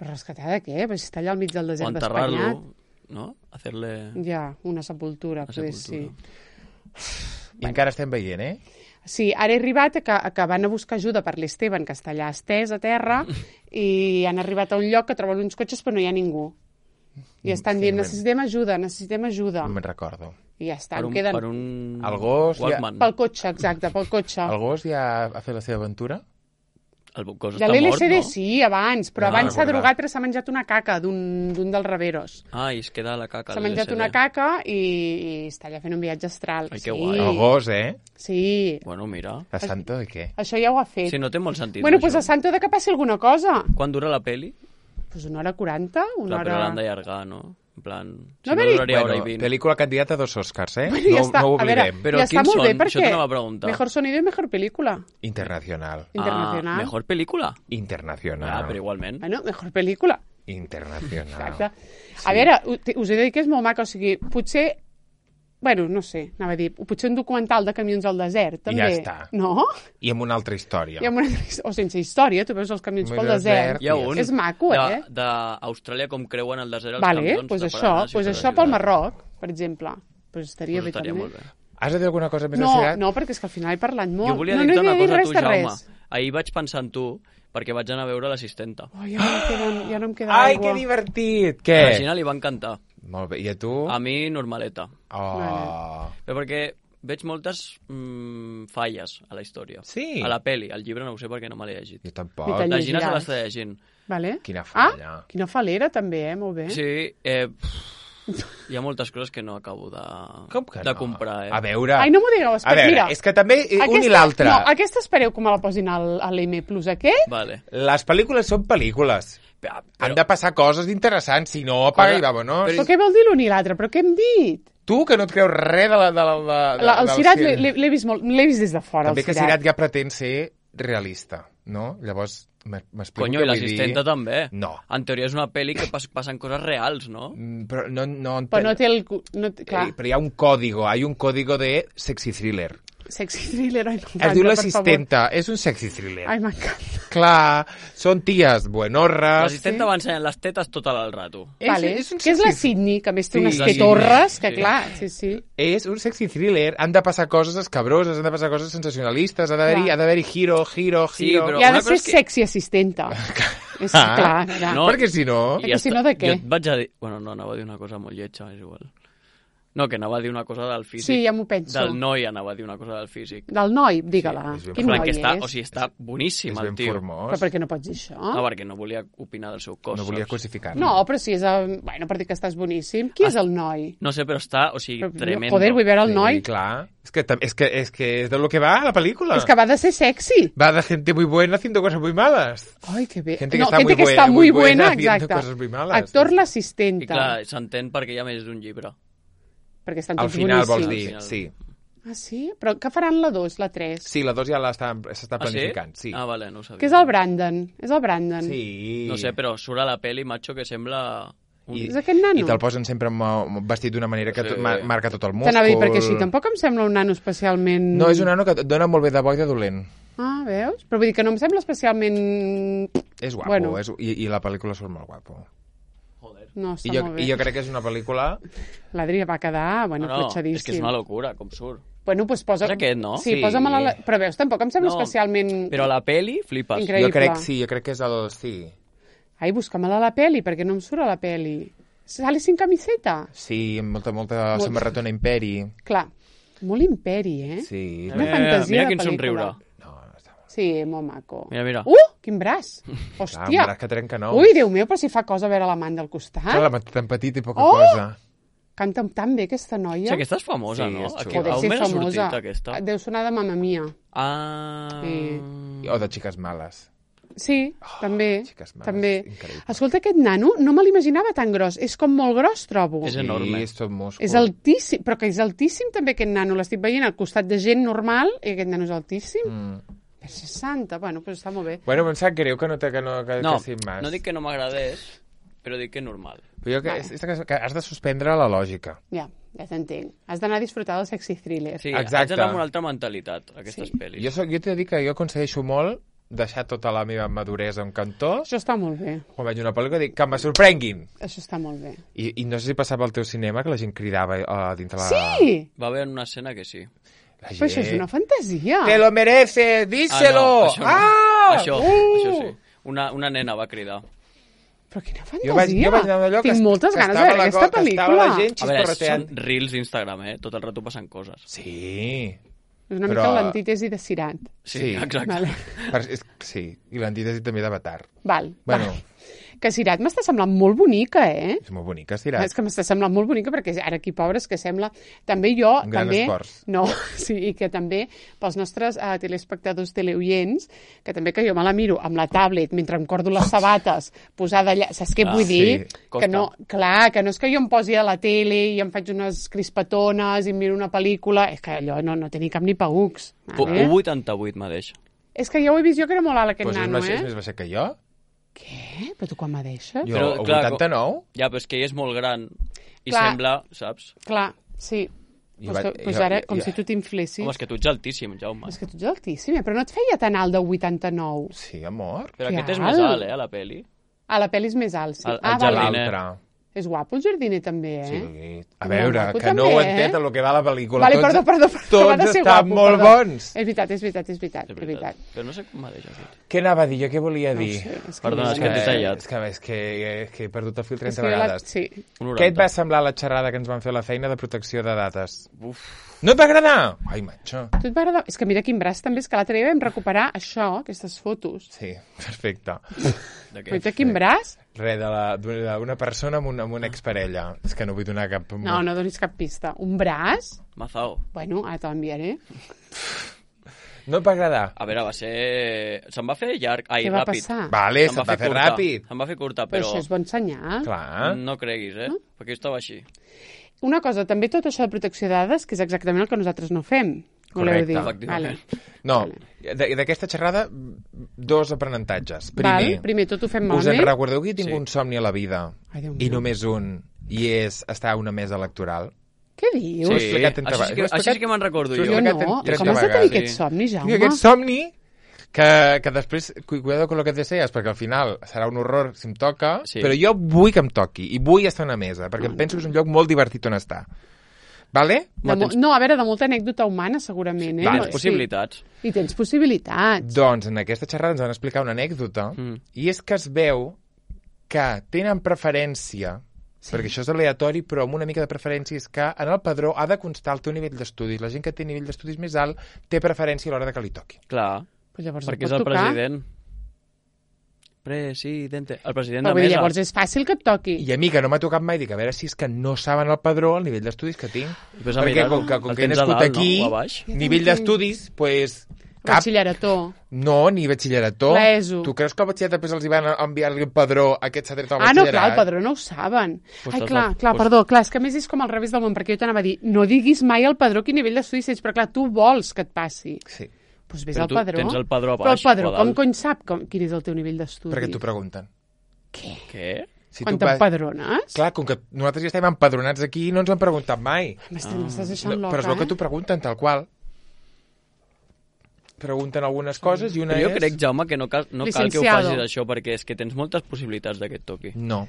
Speaker 1: Però rescatar de què? Pues si està allà al mig del
Speaker 3: O
Speaker 1: desert
Speaker 3: enterrar-lo,
Speaker 1: d'Espanyat.
Speaker 3: no? Hacerle...
Speaker 1: Ja, una sepultura,
Speaker 3: Una
Speaker 1: poder
Speaker 3: sepultura.
Speaker 1: sí.
Speaker 2: I encara estem veient, eh?
Speaker 1: Sí, ara he arribat a que, a que van a buscar ajuda per l'Esteban, que està allà estès a terra, i han arribat a un lloc que troben uns cotxes però no hi ha ningú. I estan dient, necessitem ajuda, necessitem ajuda.
Speaker 2: No me'n recordo.
Speaker 1: I ja està,
Speaker 3: Per
Speaker 1: em
Speaker 3: un,
Speaker 1: queden...
Speaker 3: per un...
Speaker 2: El gos ja-
Speaker 3: Walkman.
Speaker 1: Pel cotxe, exacte, pel cotxe.
Speaker 2: El gos ja ha fet la seva aventura?
Speaker 3: El gos
Speaker 1: De
Speaker 3: està
Speaker 1: l'L
Speaker 3: mort,
Speaker 1: S D
Speaker 3: no?
Speaker 1: sí, abans, però
Speaker 2: No,
Speaker 1: abans s'ha
Speaker 2: recordat.
Speaker 1: drogat perquè s'ha menjat una caca d'un d'un dels reveros.
Speaker 3: Ah, i es queda la caca.
Speaker 1: S'ha
Speaker 3: a l'L S D.
Speaker 1: menjat una caca i, i està allà fent un viatge astral.
Speaker 3: Ai,
Speaker 1: sí.
Speaker 3: que guai.
Speaker 2: El gos, eh?
Speaker 1: Sí,
Speaker 3: Bueno, mira.
Speaker 2: La Santo, i què?
Speaker 1: això ja ho ha fet.
Speaker 3: Sí, no té molt sentit.
Speaker 1: bueno,
Speaker 3: això.
Speaker 1: doncs a Santo de que passi alguna cosa.
Speaker 3: Quan dura la peli?
Speaker 1: Pues una hora quaranta, una
Speaker 3: Clar, però
Speaker 1: hora...
Speaker 3: l'han d'allargar, no? En plan... Si
Speaker 1: No,
Speaker 3: no,
Speaker 1: a veure,
Speaker 3: duraria hora i
Speaker 2: Bueno,
Speaker 3: vint.
Speaker 2: pel·lícula candidata a dos Oscars, eh?
Speaker 1: Bueno, ja
Speaker 2: no,
Speaker 1: està.
Speaker 2: no ho
Speaker 1: A veure,
Speaker 2: oblidem.
Speaker 3: Però
Speaker 1: ja està
Speaker 3: quins
Speaker 1: molt bé
Speaker 3: són?
Speaker 1: perquè...
Speaker 3: Això t'anava a preguntar.
Speaker 1: Mejor sonido i mejor película.
Speaker 2: Internacional.
Speaker 1: Internacional.
Speaker 3: Ah, mejor pel·lícula?
Speaker 2: Internacional.
Speaker 3: Ah, però igualment.
Speaker 1: Bueno, mejor pel·lícula.
Speaker 2: Internacional.
Speaker 1: Exacte. A veure, u- us he de dir que és molt maca, o sigui, potser... Bueno, no sé, anava a dir, potser un documental de camions al desert, també.
Speaker 2: ja està.
Speaker 1: No?
Speaker 2: I amb una altra història.
Speaker 1: I amb una... O sense història, tu veus els camions
Speaker 2: Amb
Speaker 1: pel
Speaker 2: el
Speaker 1: desert.
Speaker 2: desert,
Speaker 3: Hi ha un
Speaker 1: És maco,
Speaker 3: de-
Speaker 1: eh?
Speaker 3: d'Austràlia com creuen el desert els
Speaker 1: Vale,
Speaker 3: camions.
Speaker 1: pues
Speaker 3: de
Speaker 1: això,
Speaker 3: Paraná,
Speaker 1: pues
Speaker 3: sí,
Speaker 1: això
Speaker 3: sí,
Speaker 1: pel
Speaker 3: sí.
Speaker 1: Marroc, per exemple. Pues estaria
Speaker 3: Pues
Speaker 1: bé
Speaker 3: estaria
Speaker 1: també.
Speaker 3: molt bé.
Speaker 2: Has de dir alguna cosa més
Speaker 1: No,
Speaker 2: de Seat?
Speaker 1: no, perquè és que al final he parlat molt.
Speaker 3: Jo volia
Speaker 1: no,
Speaker 3: dir-te
Speaker 1: no
Speaker 3: una
Speaker 1: he dit
Speaker 3: cosa a
Speaker 1: res
Speaker 3: tu,
Speaker 1: de
Speaker 3: Jaume.
Speaker 1: res.
Speaker 3: Ahir vaig pensar en tu perquè vaig anar a veure l'assistenta.
Speaker 1: Oh, ja, no em queda, ja no em queda
Speaker 2: Ai,
Speaker 1: aigua.
Speaker 2: que divertit!
Speaker 3: A
Speaker 2: Què?
Speaker 3: la Gina li va encantar.
Speaker 2: Molt bé. I a tu?
Speaker 3: A mi, normaleta.
Speaker 2: Oh.
Speaker 3: Però perquè veig moltes mm, falles a la història.
Speaker 2: Sí?
Speaker 3: A la peli. Al llibre no ho sé perquè no me l'he llegit.
Speaker 2: Jo tampoc.
Speaker 1: Ni te'n
Speaker 3: La Gina se
Speaker 1: llegiràs.
Speaker 3: l'està llegint.
Speaker 1: Vale.
Speaker 2: Quina falla.
Speaker 1: Ah, quina falera, també, eh? Molt bé.
Speaker 3: Sí, eh, hi ha moltes coses que no acabo de,
Speaker 2: Com que
Speaker 3: de
Speaker 2: no?
Speaker 3: comprar, eh?
Speaker 2: A veure...
Speaker 1: Ai, no m'ho digueu,
Speaker 2: a
Speaker 1: espera,
Speaker 2: veure,
Speaker 1: mira.
Speaker 2: és que també eh, un i l'altre.
Speaker 1: No, aquesta espereu que me la posin al, a l'M plus, a què?
Speaker 3: Vale.
Speaker 2: Les pel·lícules són pel·lícules.
Speaker 3: Però,
Speaker 2: Han de passar coses interessants, si no, apaga i vámonos.
Speaker 1: Però què vol dir l'un i l'altre? Però què hem dit?
Speaker 2: Tu, que no et creus res de la... De la, de,
Speaker 1: La, el
Speaker 2: del
Speaker 1: Cirat
Speaker 2: cine.
Speaker 1: l'he- l'he l'he vist, molt- l'he vist des de fora,
Speaker 2: També
Speaker 1: el
Speaker 2: que
Speaker 1: Cirat.
Speaker 2: Cirat ja pretén ser realista, no? Llavors, m- m'explico
Speaker 3: Conyo,
Speaker 2: què
Speaker 3: i
Speaker 2: vull dir.
Speaker 3: l'assistenta també.
Speaker 2: No.
Speaker 3: En teoria és una pel·li que pas, passen coses reals, no?
Speaker 2: Mm, Però no... no
Speaker 1: Però no té el... cu- No té, clar,
Speaker 2: Eh, Però hi ha un código, hay un código de sexy thriller.
Speaker 1: sexy thriller, ai, m'encanta,
Speaker 2: Es diu
Speaker 1: per
Speaker 2: l'assistenta, és un sexy thriller.
Speaker 1: favor. Ai, m'encanta.
Speaker 2: Clar, són ties buenorres.
Speaker 3: L'assistenta va ensenyant les tetes tot el rato.
Speaker 2: És-
Speaker 1: Vale.
Speaker 2: és un
Speaker 1: Que és la
Speaker 2: sexy-
Speaker 1: Sydney, que a més té
Speaker 2: Sí,
Speaker 1: unes
Speaker 2: la
Speaker 1: tetorres,
Speaker 3: Sydney,
Speaker 1: que
Speaker 3: sí.
Speaker 1: clar, sí, sí.
Speaker 2: És un sexy thriller, han de passar coses escabroses, han de passar coses sensacionalistes, ha d'haver-hi
Speaker 1: Clar.
Speaker 2: ha d'haver-hi giro, giro,
Speaker 3: Sí,
Speaker 2: giro...
Speaker 3: però-
Speaker 1: I ha
Speaker 3: una
Speaker 1: de
Speaker 3: cosa
Speaker 1: ser
Speaker 3: és que-
Speaker 1: sexy assistenta. És
Speaker 2: Ah.
Speaker 1: clar, era.
Speaker 3: No.
Speaker 2: Perquè si no...
Speaker 1: I que si no, de què?
Speaker 3: Jo et vaig a dir... Bueno, no, anava a dir una cosa molt lletja, és igual. No, que anava a dir una cosa del físic.
Speaker 1: Sí, ja m'ho penso.
Speaker 3: Del noi anava a dir una cosa del físic.
Speaker 1: Del noi, digue-la.
Speaker 2: Sí, és ben
Speaker 1: Quin
Speaker 3: En plan,
Speaker 1: noi
Speaker 3: que està,
Speaker 1: és?
Speaker 3: o sigui, està boníssim,
Speaker 2: És
Speaker 3: el
Speaker 2: ben
Speaker 3: tio.
Speaker 2: formós.
Speaker 1: Però per què no pots dir això?
Speaker 3: No, perquè no volia opinar del seu cos.
Speaker 2: No volia
Speaker 3: saps?
Speaker 2: cosificar.
Speaker 1: No, però si és... El... Bueno, per dir que estàs boníssim. Qui és el noi?
Speaker 3: No sé, però està, o sigui,
Speaker 1: Però,
Speaker 3: tremendo.
Speaker 1: Joder, vull veure el noi.
Speaker 2: Sí, clar. És que, tam- és, que, és que és de lo que va la pel·lícula.
Speaker 1: És que va de ser sexy.
Speaker 2: Va de gente muy buena haciendo cosas muy malas.
Speaker 1: Ai, que bé.
Speaker 2: Gente que
Speaker 1: no,
Speaker 2: està
Speaker 1: gente
Speaker 2: muy
Speaker 1: que
Speaker 2: buena,
Speaker 1: està
Speaker 2: muy
Speaker 1: muy
Speaker 2: buena
Speaker 1: buena,
Speaker 2: haciendo
Speaker 1: exacte.
Speaker 2: cosas muy malas.
Speaker 1: Actor
Speaker 3: I
Speaker 1: l'assistenta.
Speaker 3: clar, s'entén perquè hi ha més d'un llibre.
Speaker 1: Perquè estan
Speaker 2: Al
Speaker 1: tots
Speaker 2: final vols
Speaker 1: boníssims.
Speaker 2: dir,
Speaker 3: Al final.
Speaker 2: sí.
Speaker 1: Ah, sí? Però què faran la dos, la tres?
Speaker 2: Sí, la dos ja l'està- s'està
Speaker 3: Ah, sí?
Speaker 2: planificant, sí.
Speaker 3: Ah, vale, no ho sabia.
Speaker 1: Que és el Brandon. És el Brandon.
Speaker 2: Sí.
Speaker 3: No sé, però surt a la peli, macho, que sembla... Un...
Speaker 2: I,
Speaker 1: És aquest nano?
Speaker 2: I te'l posen sempre amb, amb vestit d'una manera que
Speaker 3: Sí.
Speaker 2: tot, ma- marca tot el múscul.
Speaker 1: T'anava a dir, perquè així tampoc em sembla un nano especialment...
Speaker 2: No, és un nano que et dona molt bé de bo i de dolent.
Speaker 1: Ah, veus? Però vull dir que no em sembla especialment...
Speaker 2: És guapo,
Speaker 1: Bueno.
Speaker 2: és, i, i la pel·lícula surt molt guapo.
Speaker 3: Joder.
Speaker 1: No,
Speaker 2: I
Speaker 1: està
Speaker 2: jo,
Speaker 1: molt bé.
Speaker 2: I jo crec que és una pel·lícula...
Speaker 1: L'Adri va quedar, bueno,
Speaker 3: No, no,
Speaker 1: cotxadíssim.
Speaker 3: és que és una locura, com surt.
Speaker 1: Bueno, doncs posa...
Speaker 3: És aquest, no?
Speaker 1: Sí,
Speaker 2: Sí.
Speaker 1: posa-me la... Però veus, tampoc em sembla
Speaker 3: No,
Speaker 1: especialment...
Speaker 3: Però a la peli, flipes.
Speaker 1: Increïble.
Speaker 2: Jo crec, sí, jo crec que és el... Sí,
Speaker 1: Ai, busca-me-la a la peli, perquè no em surt a la peli. Sale sin camiseta?
Speaker 2: sí amb molta, molta
Speaker 1: Molt-
Speaker 2: samarretona imperi.
Speaker 1: Clar, molt imperi, eh?
Speaker 2: Sí.
Speaker 1: Una
Speaker 3: Mira,
Speaker 1: fantasia
Speaker 3: mira
Speaker 1: de
Speaker 3: quin
Speaker 1: pel·lícula.
Speaker 3: somriure.
Speaker 2: No, no està molt...
Speaker 1: Sí, molt maco.
Speaker 3: Mira, mira.
Speaker 1: Uh, quin braç!
Speaker 2: Clar,
Speaker 1: Hòstia!
Speaker 2: un braç que trenca nous.
Speaker 1: Ui, Déu meu, però si fa cosa a veure la man del costat.
Speaker 2: Clar, la mat tan petit i poca
Speaker 1: Oh!
Speaker 2: cosa.
Speaker 1: Canta tan bé aquesta
Speaker 3: O
Speaker 1: noia.
Speaker 3: sigui, aquesta és famosa,
Speaker 2: Sí,
Speaker 3: no?
Speaker 2: és
Speaker 3: Aquí,
Speaker 2: xula.
Speaker 1: Poder
Speaker 3: a on
Speaker 1: ser
Speaker 3: m'ha
Speaker 1: famosa.
Speaker 3: sortit, aquesta?
Speaker 1: Deu sonar de Mamma Mia.
Speaker 3: Ah...
Speaker 1: Sí.
Speaker 2: O de xiques males.
Speaker 1: Sí, també.
Speaker 2: xiques males,
Speaker 1: també.
Speaker 2: increïble.
Speaker 1: Escolta, aquest nano no me l'imaginava tan gros. És com molt gros, trobo.
Speaker 3: És enorme.
Speaker 2: Sí, és tot múscul.
Speaker 1: És altíssim, però que és altíssim també aquest nano. L'estic veient al costat de gent normal i aquest nano és altíssim.
Speaker 2: Mm.
Speaker 1: Per seixanta, bueno, doncs està molt bé.
Speaker 2: Bueno, em sap greu que no, te, que no, que,
Speaker 3: No,
Speaker 2: que sin más.
Speaker 3: no dic que no m'agradés, però dic que és normal.
Speaker 2: Però jo que, és, és que, que has de suspendre la lògica.
Speaker 1: Ja, ja t'entenc. Has d'anar a disfrutar del sexy thriller.
Speaker 3: Sí,
Speaker 2: Exacte.
Speaker 3: haig d'anar amb una altra mentalitat, aquestes
Speaker 1: Sí.
Speaker 3: pel·lis.
Speaker 2: Jo, soc, jo t'he de dir que jo aconsegueixo molt deixar tota la meva maduresa en cantó.
Speaker 1: Això està molt bé.
Speaker 2: Quan veig una pel·lícula dic que me sorprenguin.
Speaker 1: Això està molt bé.
Speaker 2: I, I no sé si passava al teu cinema que la gent cridava uh, dintre la...
Speaker 1: Sí!
Speaker 3: Va haver una escena que sí.
Speaker 2: La
Speaker 1: Però això és una fantasia.
Speaker 2: Te lo mereces, díselo!
Speaker 3: Ah, no, això, no.
Speaker 2: Ah!
Speaker 3: això,
Speaker 2: Uh!
Speaker 3: això sí. Una, una nena va cridar.
Speaker 1: Però quina fantasia.
Speaker 2: Jo vaig, jo vaig anar d'allò que,
Speaker 1: Tinc moltes
Speaker 2: que
Speaker 1: ganes de
Speaker 2: estava
Speaker 1: veure
Speaker 2: la,
Speaker 1: aquesta
Speaker 2: co- que estava
Speaker 1: pel·lícula.
Speaker 2: la gent
Speaker 3: A veure,
Speaker 2: xiscorreteant.
Speaker 3: són reels d'Instagram, eh? Tot el rato passen coses.
Speaker 2: Sí.
Speaker 1: És una
Speaker 2: Però-
Speaker 1: mica l'antítesi de Cirat.
Speaker 3: Sí,
Speaker 2: Sí.
Speaker 3: exacte.
Speaker 1: Vale.
Speaker 2: Per, és, sí, i l'antítesi també d'Avatar.
Speaker 1: Val,
Speaker 2: Bueno.
Speaker 1: val. Que Cirat m'està semblant molt bonica, eh?
Speaker 2: És molt bonica, estirat.
Speaker 1: És que m'està semblant molt bonica perquè ara aquí, pobres, que sembla... També jo...
Speaker 2: Un gran
Speaker 1: també,
Speaker 2: esforç.
Speaker 1: No, sí, i que també pels nostres uh, telespectadors teleoients, que també que jo me la miro amb la tablet mentre em cordo les sabates posada allà... Saps què
Speaker 3: Ah,
Speaker 1: vull dir?
Speaker 2: sí,
Speaker 3: costa.
Speaker 1: Que no, clar, que no és que jo em posi a la tele i em faig unes crispatones i em miro una pel·lícula... És que allò no, no té ni cap ni paucs.
Speaker 3: U
Speaker 1: Vale?
Speaker 3: un vuitanta-vuit mateix.
Speaker 1: És que ja ho he vist jo que era molt alt aquest
Speaker 2: Pues és,
Speaker 1: nano,
Speaker 2: més, és
Speaker 1: eh?
Speaker 2: més baixet que jo?
Speaker 1: Què? Però tu quan me deixes?
Speaker 2: Jo,
Speaker 3: Però,
Speaker 2: a
Speaker 3: clar,
Speaker 2: vuitanta-nou?
Speaker 3: Ja, però és que ell és molt gran i
Speaker 1: Clar.
Speaker 3: sembla, saps?
Speaker 1: Clar, sí.
Speaker 2: Jo
Speaker 1: Pues,
Speaker 2: vaig-
Speaker 1: pues
Speaker 2: jo-
Speaker 1: ara,
Speaker 2: jo-
Speaker 1: com
Speaker 2: jo-
Speaker 1: si tu t'inflessis.
Speaker 3: Home, és que tu ets altíssim, Jaume.
Speaker 1: És que tu ets altíssim, eh? Però no et feia tan alt de vuitanta-nou.
Speaker 2: Sí, amor.
Speaker 3: Però
Speaker 1: Que
Speaker 3: aquest és
Speaker 1: alt.
Speaker 3: més alt, eh, a la peli.
Speaker 1: A la pel·li és més alt, sí.
Speaker 3: El- el
Speaker 1: ah, vale.
Speaker 3: jardiner.
Speaker 2: L'altre.
Speaker 1: És guapo el jardiner també, eh?
Speaker 2: Sí. A
Speaker 1: Molt
Speaker 2: veure,
Speaker 1: guapo
Speaker 2: que no
Speaker 1: també,
Speaker 2: ho
Speaker 1: eh?
Speaker 2: entén el que va a la pel·lícula.
Speaker 1: Vale,
Speaker 2: tots,
Speaker 1: perdó, perdó, perdó. va de
Speaker 2: Tots
Speaker 1: ser
Speaker 2: estan
Speaker 1: guapo,
Speaker 2: molt
Speaker 1: perdó.
Speaker 2: bons.
Speaker 1: És veritat, és veritat, és veritat, és veritat.
Speaker 3: Però no sé com mateix aquest.
Speaker 2: Què anava a dir? Jo què volia dir?
Speaker 1: No ho sé, és que
Speaker 3: Perdona,
Speaker 1: no-
Speaker 3: és que t'he tallat.
Speaker 2: És que, és que, és que he perdut el fil
Speaker 1: És
Speaker 2: trenta
Speaker 1: que jo la-
Speaker 2: vegades.
Speaker 1: Sí.
Speaker 3: Un
Speaker 2: Què et va
Speaker 3: noranta.
Speaker 2: semblar la xerrada que ens van fer a la feina de protecció de dates?
Speaker 3: Uf.
Speaker 2: No et va agradar? Ai, matxo.
Speaker 1: Tu et va agradar? És que mira quin braç també, és que l'altre dia vam recuperar això, aquestes fotos.
Speaker 2: Sí, perfecte.
Speaker 3: De què?
Speaker 1: Mira quin braç?
Speaker 2: Res de la- d'una persona amb una, amb una exparella. És que no vull donar cap...
Speaker 1: No, no donis cap pista. Un braç?
Speaker 3: Mazao.
Speaker 1: Bueno, ara te l'enviaré.
Speaker 2: No et va agradar?
Speaker 3: A veure, va ser... Se'n va fer llarg. Ai,
Speaker 1: Què va
Speaker 3: ràpid.
Speaker 1: passar?
Speaker 2: Vale,
Speaker 3: Se'n
Speaker 2: se't va fer
Speaker 3: curta.
Speaker 2: ràpid.
Speaker 3: Se'n va fer curta,
Speaker 1: Però
Speaker 3: però...
Speaker 1: això és bon senyal.
Speaker 2: Clar.
Speaker 3: No creguis, eh? Perquè jo estava així.
Speaker 1: Una cosa, també tot això de protecció de dades, que és exactament el que nosaltres no fem. Voleu
Speaker 2: Correcte.
Speaker 1: dir?
Speaker 3: Efectivament.
Speaker 1: Vale.
Speaker 2: No, de- d'aquesta xerrada, dos aprenentatges. Primer,
Speaker 1: Val? Primer tot ho fem
Speaker 2: us en
Speaker 1: malament.
Speaker 2: recordeu que tinc
Speaker 3: Sí.
Speaker 2: un somni a la vida?
Speaker 1: Ai, Déu
Speaker 2: I
Speaker 1: meu.
Speaker 2: només un, i és estar a una mesa electoral.
Speaker 1: Què dius?
Speaker 2: Ho he explicat trenta
Speaker 3: Això sí que,
Speaker 2: vegades. Ho he
Speaker 3: això sí que me'n recordo
Speaker 2: T'ho he
Speaker 3: jo.
Speaker 1: Jo
Speaker 2: explicat
Speaker 1: no.
Speaker 2: trenta
Speaker 1: Com has de tenir
Speaker 2: vegades.
Speaker 1: aquest somni, Jaume?
Speaker 2: Tinc aquest somni que, que després, cu- cuidado con lo que deseas, perquè al final serà un horror si em toca,
Speaker 3: Sí.
Speaker 2: però jo vull que em toqui, i vull estar a una mesa, perquè em penso que és un lloc molt divertit on estar. Vale?
Speaker 1: De mo- no, a veure, de molta anècdota humana, segurament, eh?
Speaker 2: Vale.
Speaker 1: No,
Speaker 3: Tens possibilitats.
Speaker 1: Sí. I tens possibilitats.
Speaker 2: Doncs en aquesta xerrada ens van explicar una anècdota,
Speaker 3: Mm.
Speaker 2: i és que es veu que tenen preferència, sí. perquè això és aleatori, però amb una mica de preferència és que en el padró ha de constar el teu nivell d'estudis. La gent que té nivell d'estudis més alt té preferència a l'hora de que li toqui.
Speaker 3: Clar,
Speaker 1: Pues llavors
Speaker 3: perquè
Speaker 1: et
Speaker 3: és
Speaker 1: pot
Speaker 3: el
Speaker 1: tocar.
Speaker 3: president. Presidente. El president
Speaker 1: Però
Speaker 3: de
Speaker 1: vull dir,
Speaker 3: mesa.
Speaker 1: llavors és fàcil que et toqui.
Speaker 2: I a mi, que no m'ha tocat mai, dic, a veure si és que no saben el padró el nivell d'estudis que tinc.
Speaker 3: Ves a
Speaker 2: Perquè
Speaker 3: mirar-ho.
Speaker 2: com que, com
Speaker 3: El
Speaker 2: que he
Speaker 3: tens a
Speaker 2: nascut
Speaker 3: dalt,
Speaker 2: aquí,
Speaker 3: no? O a baix?
Speaker 2: nivell d'estudis, pues, cap.
Speaker 1: Batxillerató.
Speaker 2: No, ni batxillerató.
Speaker 1: L'ESO.
Speaker 2: Tu creus que el batxillerat després els hi van enviar-li un padró aquest s'ha tret al
Speaker 1: Ah, no,
Speaker 2: batxillerat?
Speaker 1: clar, el padró no ho saben.
Speaker 3: Pues
Speaker 1: Ai,
Speaker 3: t'has
Speaker 1: clar,
Speaker 3: de-
Speaker 1: clar,
Speaker 3: pues-
Speaker 1: perdó, clar, és que a més és com al revés del món, perquè jo t'anava a dir, no diguis mai al padró quin nivell d'estudis tens, però clar, tu vols que et passi.
Speaker 2: Sí,
Speaker 1: Doncs ves
Speaker 3: Però
Speaker 1: al
Speaker 3: tu
Speaker 1: padró.
Speaker 3: tens el padró a
Speaker 1: Però el
Speaker 3: baix
Speaker 1: padró,
Speaker 3: o a
Speaker 1: com
Speaker 3: dalt?
Speaker 1: cony sap com, quin és el teu nivell d'estudis?
Speaker 2: perquè t'ho pregunten.
Speaker 1: Què?
Speaker 3: Què?
Speaker 2: Si
Speaker 1: Quan
Speaker 2: tu vas-
Speaker 1: t'empadrones?
Speaker 2: Clar, com que nosaltres ja estem empadronats aquí, no ens han preguntat mai.
Speaker 1: M'estàs m'estàs deixant
Speaker 2: No,
Speaker 1: loca,
Speaker 2: però és el que
Speaker 1: eh?
Speaker 2: t'ho pregunten, tal qual. Pregunten algunes coses i una
Speaker 3: Però jo
Speaker 2: és...
Speaker 3: crec, Jaume, que no cal, no cal que ho
Speaker 1: Licenciado.
Speaker 3: facis això, perquè és que tens moltes possibilitats de que et toqui.
Speaker 2: No,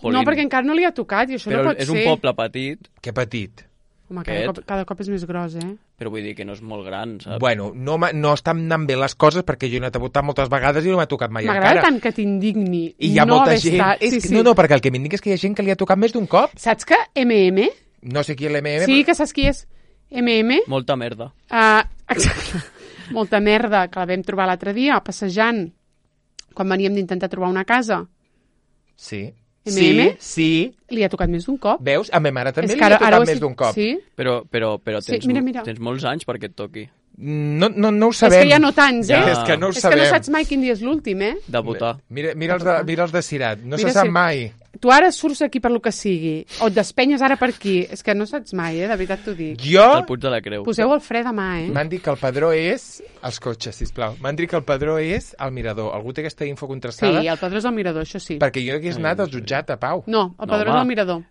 Speaker 1: No, perquè encara no li ha tocat i això
Speaker 3: Però
Speaker 1: no pot
Speaker 3: és
Speaker 1: ser.
Speaker 3: un poble petit,
Speaker 2: que petit.
Speaker 1: Home, cada
Speaker 3: Aquest.
Speaker 1: cop, cada cop és més gros, eh?
Speaker 3: però vull dir que no és molt gran, saps?
Speaker 2: Bueno, no, m'ha- no estan anant bé les coses perquè jo he anat a votar moltes vegades i no m'ha tocat mai
Speaker 1: M'agrada
Speaker 2: encara.
Speaker 1: tant que t'indigni
Speaker 2: I hi ha
Speaker 1: no
Speaker 2: molta
Speaker 1: haver
Speaker 2: gent...
Speaker 1: estat...
Speaker 2: És
Speaker 1: Sí,
Speaker 2: que,
Speaker 1: sí.
Speaker 2: No, no, perquè el que m'indica és que hi ha gent que li ha tocat més d'un cop.
Speaker 1: Saps que M M?
Speaker 2: No sé qui és l'M M,
Speaker 1: Sí, que saps qui és M M?
Speaker 3: Molta merda.
Speaker 1: Uh, exacte. Molta merda, que la vam trobar l'altre dia, passejant, quan veníem d'intentar trobar una casa.
Speaker 2: Sí.
Speaker 1: M
Speaker 2: Sí,
Speaker 1: M?
Speaker 2: sí.
Speaker 1: Li ha tocat més d'un cop.
Speaker 2: Veus? A ma mare també
Speaker 1: És
Speaker 2: li
Speaker 1: que
Speaker 2: ha
Speaker 1: ara-
Speaker 2: tocat
Speaker 1: ara ho
Speaker 2: més
Speaker 1: estic-
Speaker 2: d'un cop.
Speaker 1: Sí?
Speaker 3: Però, però, però
Speaker 1: Sí,
Speaker 3: tens,
Speaker 1: mira, mira.
Speaker 3: tens molts anys perquè et toqui
Speaker 2: No, no, no ho
Speaker 1: És
Speaker 2: sabem.
Speaker 1: que ja no tants, eh?
Speaker 3: Ja.
Speaker 2: És que no ho
Speaker 1: és
Speaker 2: sabem.
Speaker 1: que no saps mai quin dia és l'últim, eh?
Speaker 3: de votar.
Speaker 2: Mira, mira, els de, mira els de Cirat. No
Speaker 1: Mira
Speaker 2: se sap
Speaker 1: si-
Speaker 2: mai.
Speaker 1: Tu ara surts aquí per lo que sigui, o et despenyes ara per aquí. És que no saps mai, eh? De veritat t'ho dic.
Speaker 2: Jo...
Speaker 3: El Puig de la Creu.
Speaker 1: Poseu el fre demà, eh?
Speaker 2: M'han dit que el padró és... Els cotxes, sisplau. M'han dit que el padró és el mirador. Algú té aquesta info
Speaker 1: Sí,
Speaker 2: contrastada?
Speaker 1: el padró és el mirador, això sí.
Speaker 2: Perquè jo hagués anat al jutjat a Pau.
Speaker 1: No, el
Speaker 3: No,
Speaker 1: padró
Speaker 3: home.
Speaker 1: és el mirador.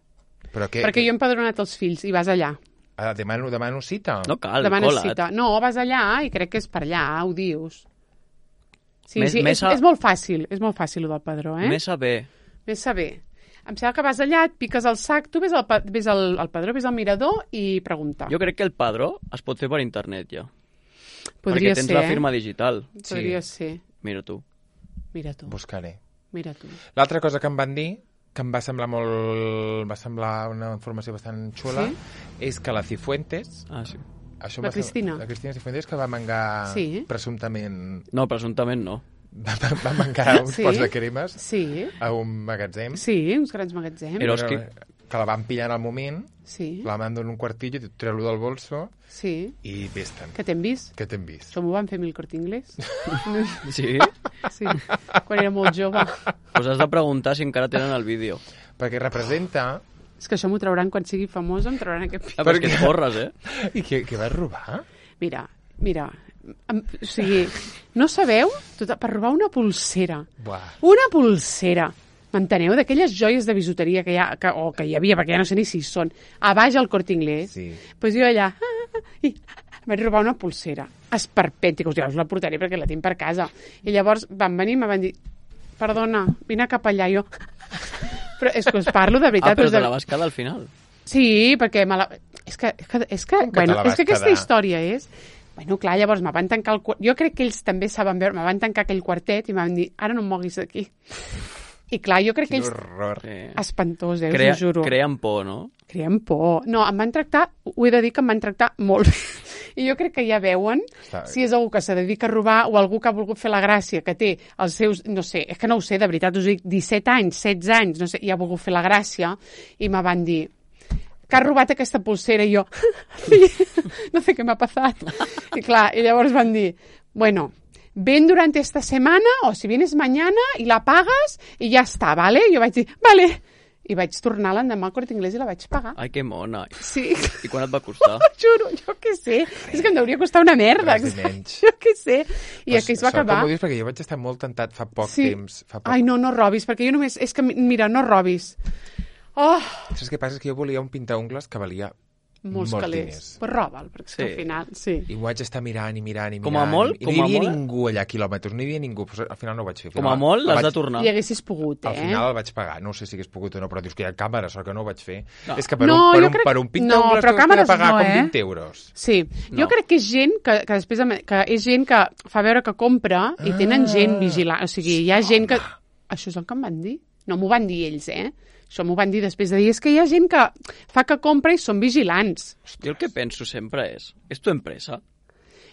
Speaker 2: Però què?
Speaker 1: Perquè jo he empadronat els fills i vas allà.
Speaker 2: Ah, demano, demano cita.
Speaker 3: No cal,
Speaker 1: Demanes
Speaker 3: cola't.
Speaker 1: cita. No, vas allà i crec que és per allà, ho dius. Sí,
Speaker 3: Més-
Speaker 1: sí,
Speaker 3: més
Speaker 1: és,
Speaker 3: a-
Speaker 1: és molt fàcil, és molt fàcil, el del padró, eh?
Speaker 3: Més saber.
Speaker 1: Més saber. Em sembla que vas allà, et piques el sac, tu ves al, pa- ves al, al padró, ves al mirador i pregunta.
Speaker 3: Jo crec que el padró es pot fer per internet, ja.
Speaker 1: Podria
Speaker 3: perquè tens
Speaker 1: ser,
Speaker 3: la
Speaker 1: eh?
Speaker 3: firma digital.
Speaker 1: Podria
Speaker 2: Sí.
Speaker 1: ser.
Speaker 3: Mira tu.
Speaker 1: Mira tu,
Speaker 2: Buscaré.
Speaker 1: mira tu.
Speaker 2: L'altra cosa que em van dir, que em va semblar molt... va semblar una informació bastant xula,
Speaker 1: Sí?
Speaker 2: és que la Cifuentes
Speaker 3: Ah, sí.
Speaker 2: Això
Speaker 1: La
Speaker 2: va ser-
Speaker 1: Cristina.
Speaker 2: La Cristina Cifuentes, que va mangar
Speaker 1: Sí.
Speaker 2: presumptament...
Speaker 3: No, presumptament no.
Speaker 2: Va, va, va mangar uns
Speaker 1: Sí.
Speaker 2: pots de cremes
Speaker 1: Sí,
Speaker 2: a un magatzem.
Speaker 1: sí, uns grans magatzems.
Speaker 3: Era- Eroski.
Speaker 2: Que la van pillar en el moment,
Speaker 1: Sí,
Speaker 2: la mando en un quartillo, treu-lo del bolso
Speaker 1: sí.
Speaker 2: i vés-te'n.
Speaker 1: Que t'hem vist?
Speaker 2: Que t'hem vist.
Speaker 1: Això m'ho van fer a mi el Corte Inglés.
Speaker 3: Sí?
Speaker 1: Sí, quan era molt jove.
Speaker 3: Pues has de preguntar si encara tenen el vídeo.
Speaker 2: Perquè representa...
Speaker 1: És que això m'ho trauran quan sigui famosa, em trauran aquest vídeo.
Speaker 3: Ah, però és
Speaker 2: Per
Speaker 3: que
Speaker 2: què?
Speaker 3: et forres, eh?
Speaker 2: I què, què vas robar?
Speaker 1: Mira, mira, em- o sigui, no sabeu? Tot, per robar una pulsera.
Speaker 2: Buah.
Speaker 1: Una pulsera. M'enteneu? D'aquelles joies de bisuteria que hi ha, que, o que hi havia, perquè ja no sé ni si hi són, a baix al Corte Inglés.
Speaker 2: Sí.
Speaker 1: Pues jo allà, ah, i vaig robar una pulsera esperpèntica. Hòstia, us la portaré perquè la tinc per casa. I llavors van venir i me van dir, perdona, vine cap allà. Jo, però és que us parlo de veritat.
Speaker 3: Ah, però
Speaker 1: us
Speaker 3: te
Speaker 1: de...
Speaker 3: la vas quedar al final.
Speaker 1: Sí, perquè me la... És que, és que, és que,
Speaker 2: Com que te
Speaker 1: bueno,
Speaker 2: la
Speaker 1: és
Speaker 2: vas
Speaker 1: que aquesta
Speaker 2: quedar?
Speaker 1: història és... Bueno, clar, llavors me van tancar el... quar- Jo crec que ells també saben veure, me van tancar aquell quartet i me van dir, ara no em moguis d'aquí. I clar, jo crec que
Speaker 2: Quin
Speaker 1: ells...
Speaker 2: horror.
Speaker 3: Sí.
Speaker 1: Espantós, eh,
Speaker 3: Crea,
Speaker 1: us ho juro.
Speaker 3: creen por, no?
Speaker 1: Creen por. No, em van tractar, ho he de dir que em van tractar molt bé. I jo crec que ja veuen
Speaker 2: Està bé.
Speaker 1: si és algú que se dedica a robar o algú que ha volgut fer la gràcia, que té els seus, no sé, és que no ho sé, de veritat, us dic, disset anys, setze anys, no sé, i ha volgut fer la gràcia, i me van dir, que has robat aquesta pulsera, i jo, no sé què m'ha passat. I clar, i llavors van dir, bueno, ven durante esta semana, o si vienes mañana, i la pagas, i ja està, ¿vale? I jo vaig dir, vale. I vaig tornar l'endemà al Corte Inglés i la vaig pagar.
Speaker 3: Ai, que mona.
Speaker 1: Sí.
Speaker 3: I quan et va costar?
Speaker 1: Juro, jo què sé. És que em hauria costar una merda.
Speaker 2: Res i menys.
Speaker 1: Jo què sé. I
Speaker 2: Pues
Speaker 1: aquí es va
Speaker 2: sort
Speaker 1: acabar.
Speaker 2: Que m'ho dius, perquè jo vaig estar molt tentat fa poc
Speaker 1: Sí.
Speaker 2: temps. Fa poc...
Speaker 1: Ai, no, no robis, perquè jo només... És que, mira, no robis. Oh,
Speaker 2: Saps què passa? És que jo volia un pintaungles que valia
Speaker 1: molts,
Speaker 2: molts
Speaker 1: calés.
Speaker 2: diners.
Speaker 1: Pues roba'l, perquè
Speaker 3: Sí.
Speaker 1: al final, sí.
Speaker 2: I ho vaig estar mirant i mirant i mirant.
Speaker 3: Com a molt,
Speaker 2: I
Speaker 3: com
Speaker 2: no
Speaker 3: a
Speaker 2: hi havia
Speaker 3: molt-
Speaker 2: ningú allà a quilòmetres, no hi havia ningú. Però al final no ho vaig fer. Al
Speaker 3: Com a
Speaker 2: final
Speaker 3: molt
Speaker 2: el
Speaker 3: l'has
Speaker 2: vaig-
Speaker 3: de tornar.
Speaker 1: I haguessis pogut, eh?
Speaker 2: Al final el vaig pagar. No sé si hagués pogut o no, però dius que hi ha càmeres, sort que no ho vaig fer.
Speaker 3: No.
Speaker 2: És que per
Speaker 1: No,
Speaker 2: un, per
Speaker 1: jo
Speaker 2: un,
Speaker 1: crec-
Speaker 2: per un
Speaker 1: no,
Speaker 2: pintaungles
Speaker 1: però
Speaker 2: tu has de
Speaker 1: càmeres
Speaker 2: pagar
Speaker 1: no,
Speaker 2: com
Speaker 1: eh?
Speaker 2: vint euros.
Speaker 1: Sí,
Speaker 3: No.
Speaker 1: jo crec que és gent que, que després em- que és gent que fa veure que compra i tenen gent vigilant, o sigui, hi ha gent que... Això és el que em van dir? No m'ho van dir ells, eh? Això m'ho van dir després de dir, és que hi ha gent que fa que compra i són vigilants.
Speaker 3: Jo el que penso sempre és, és tu empresa?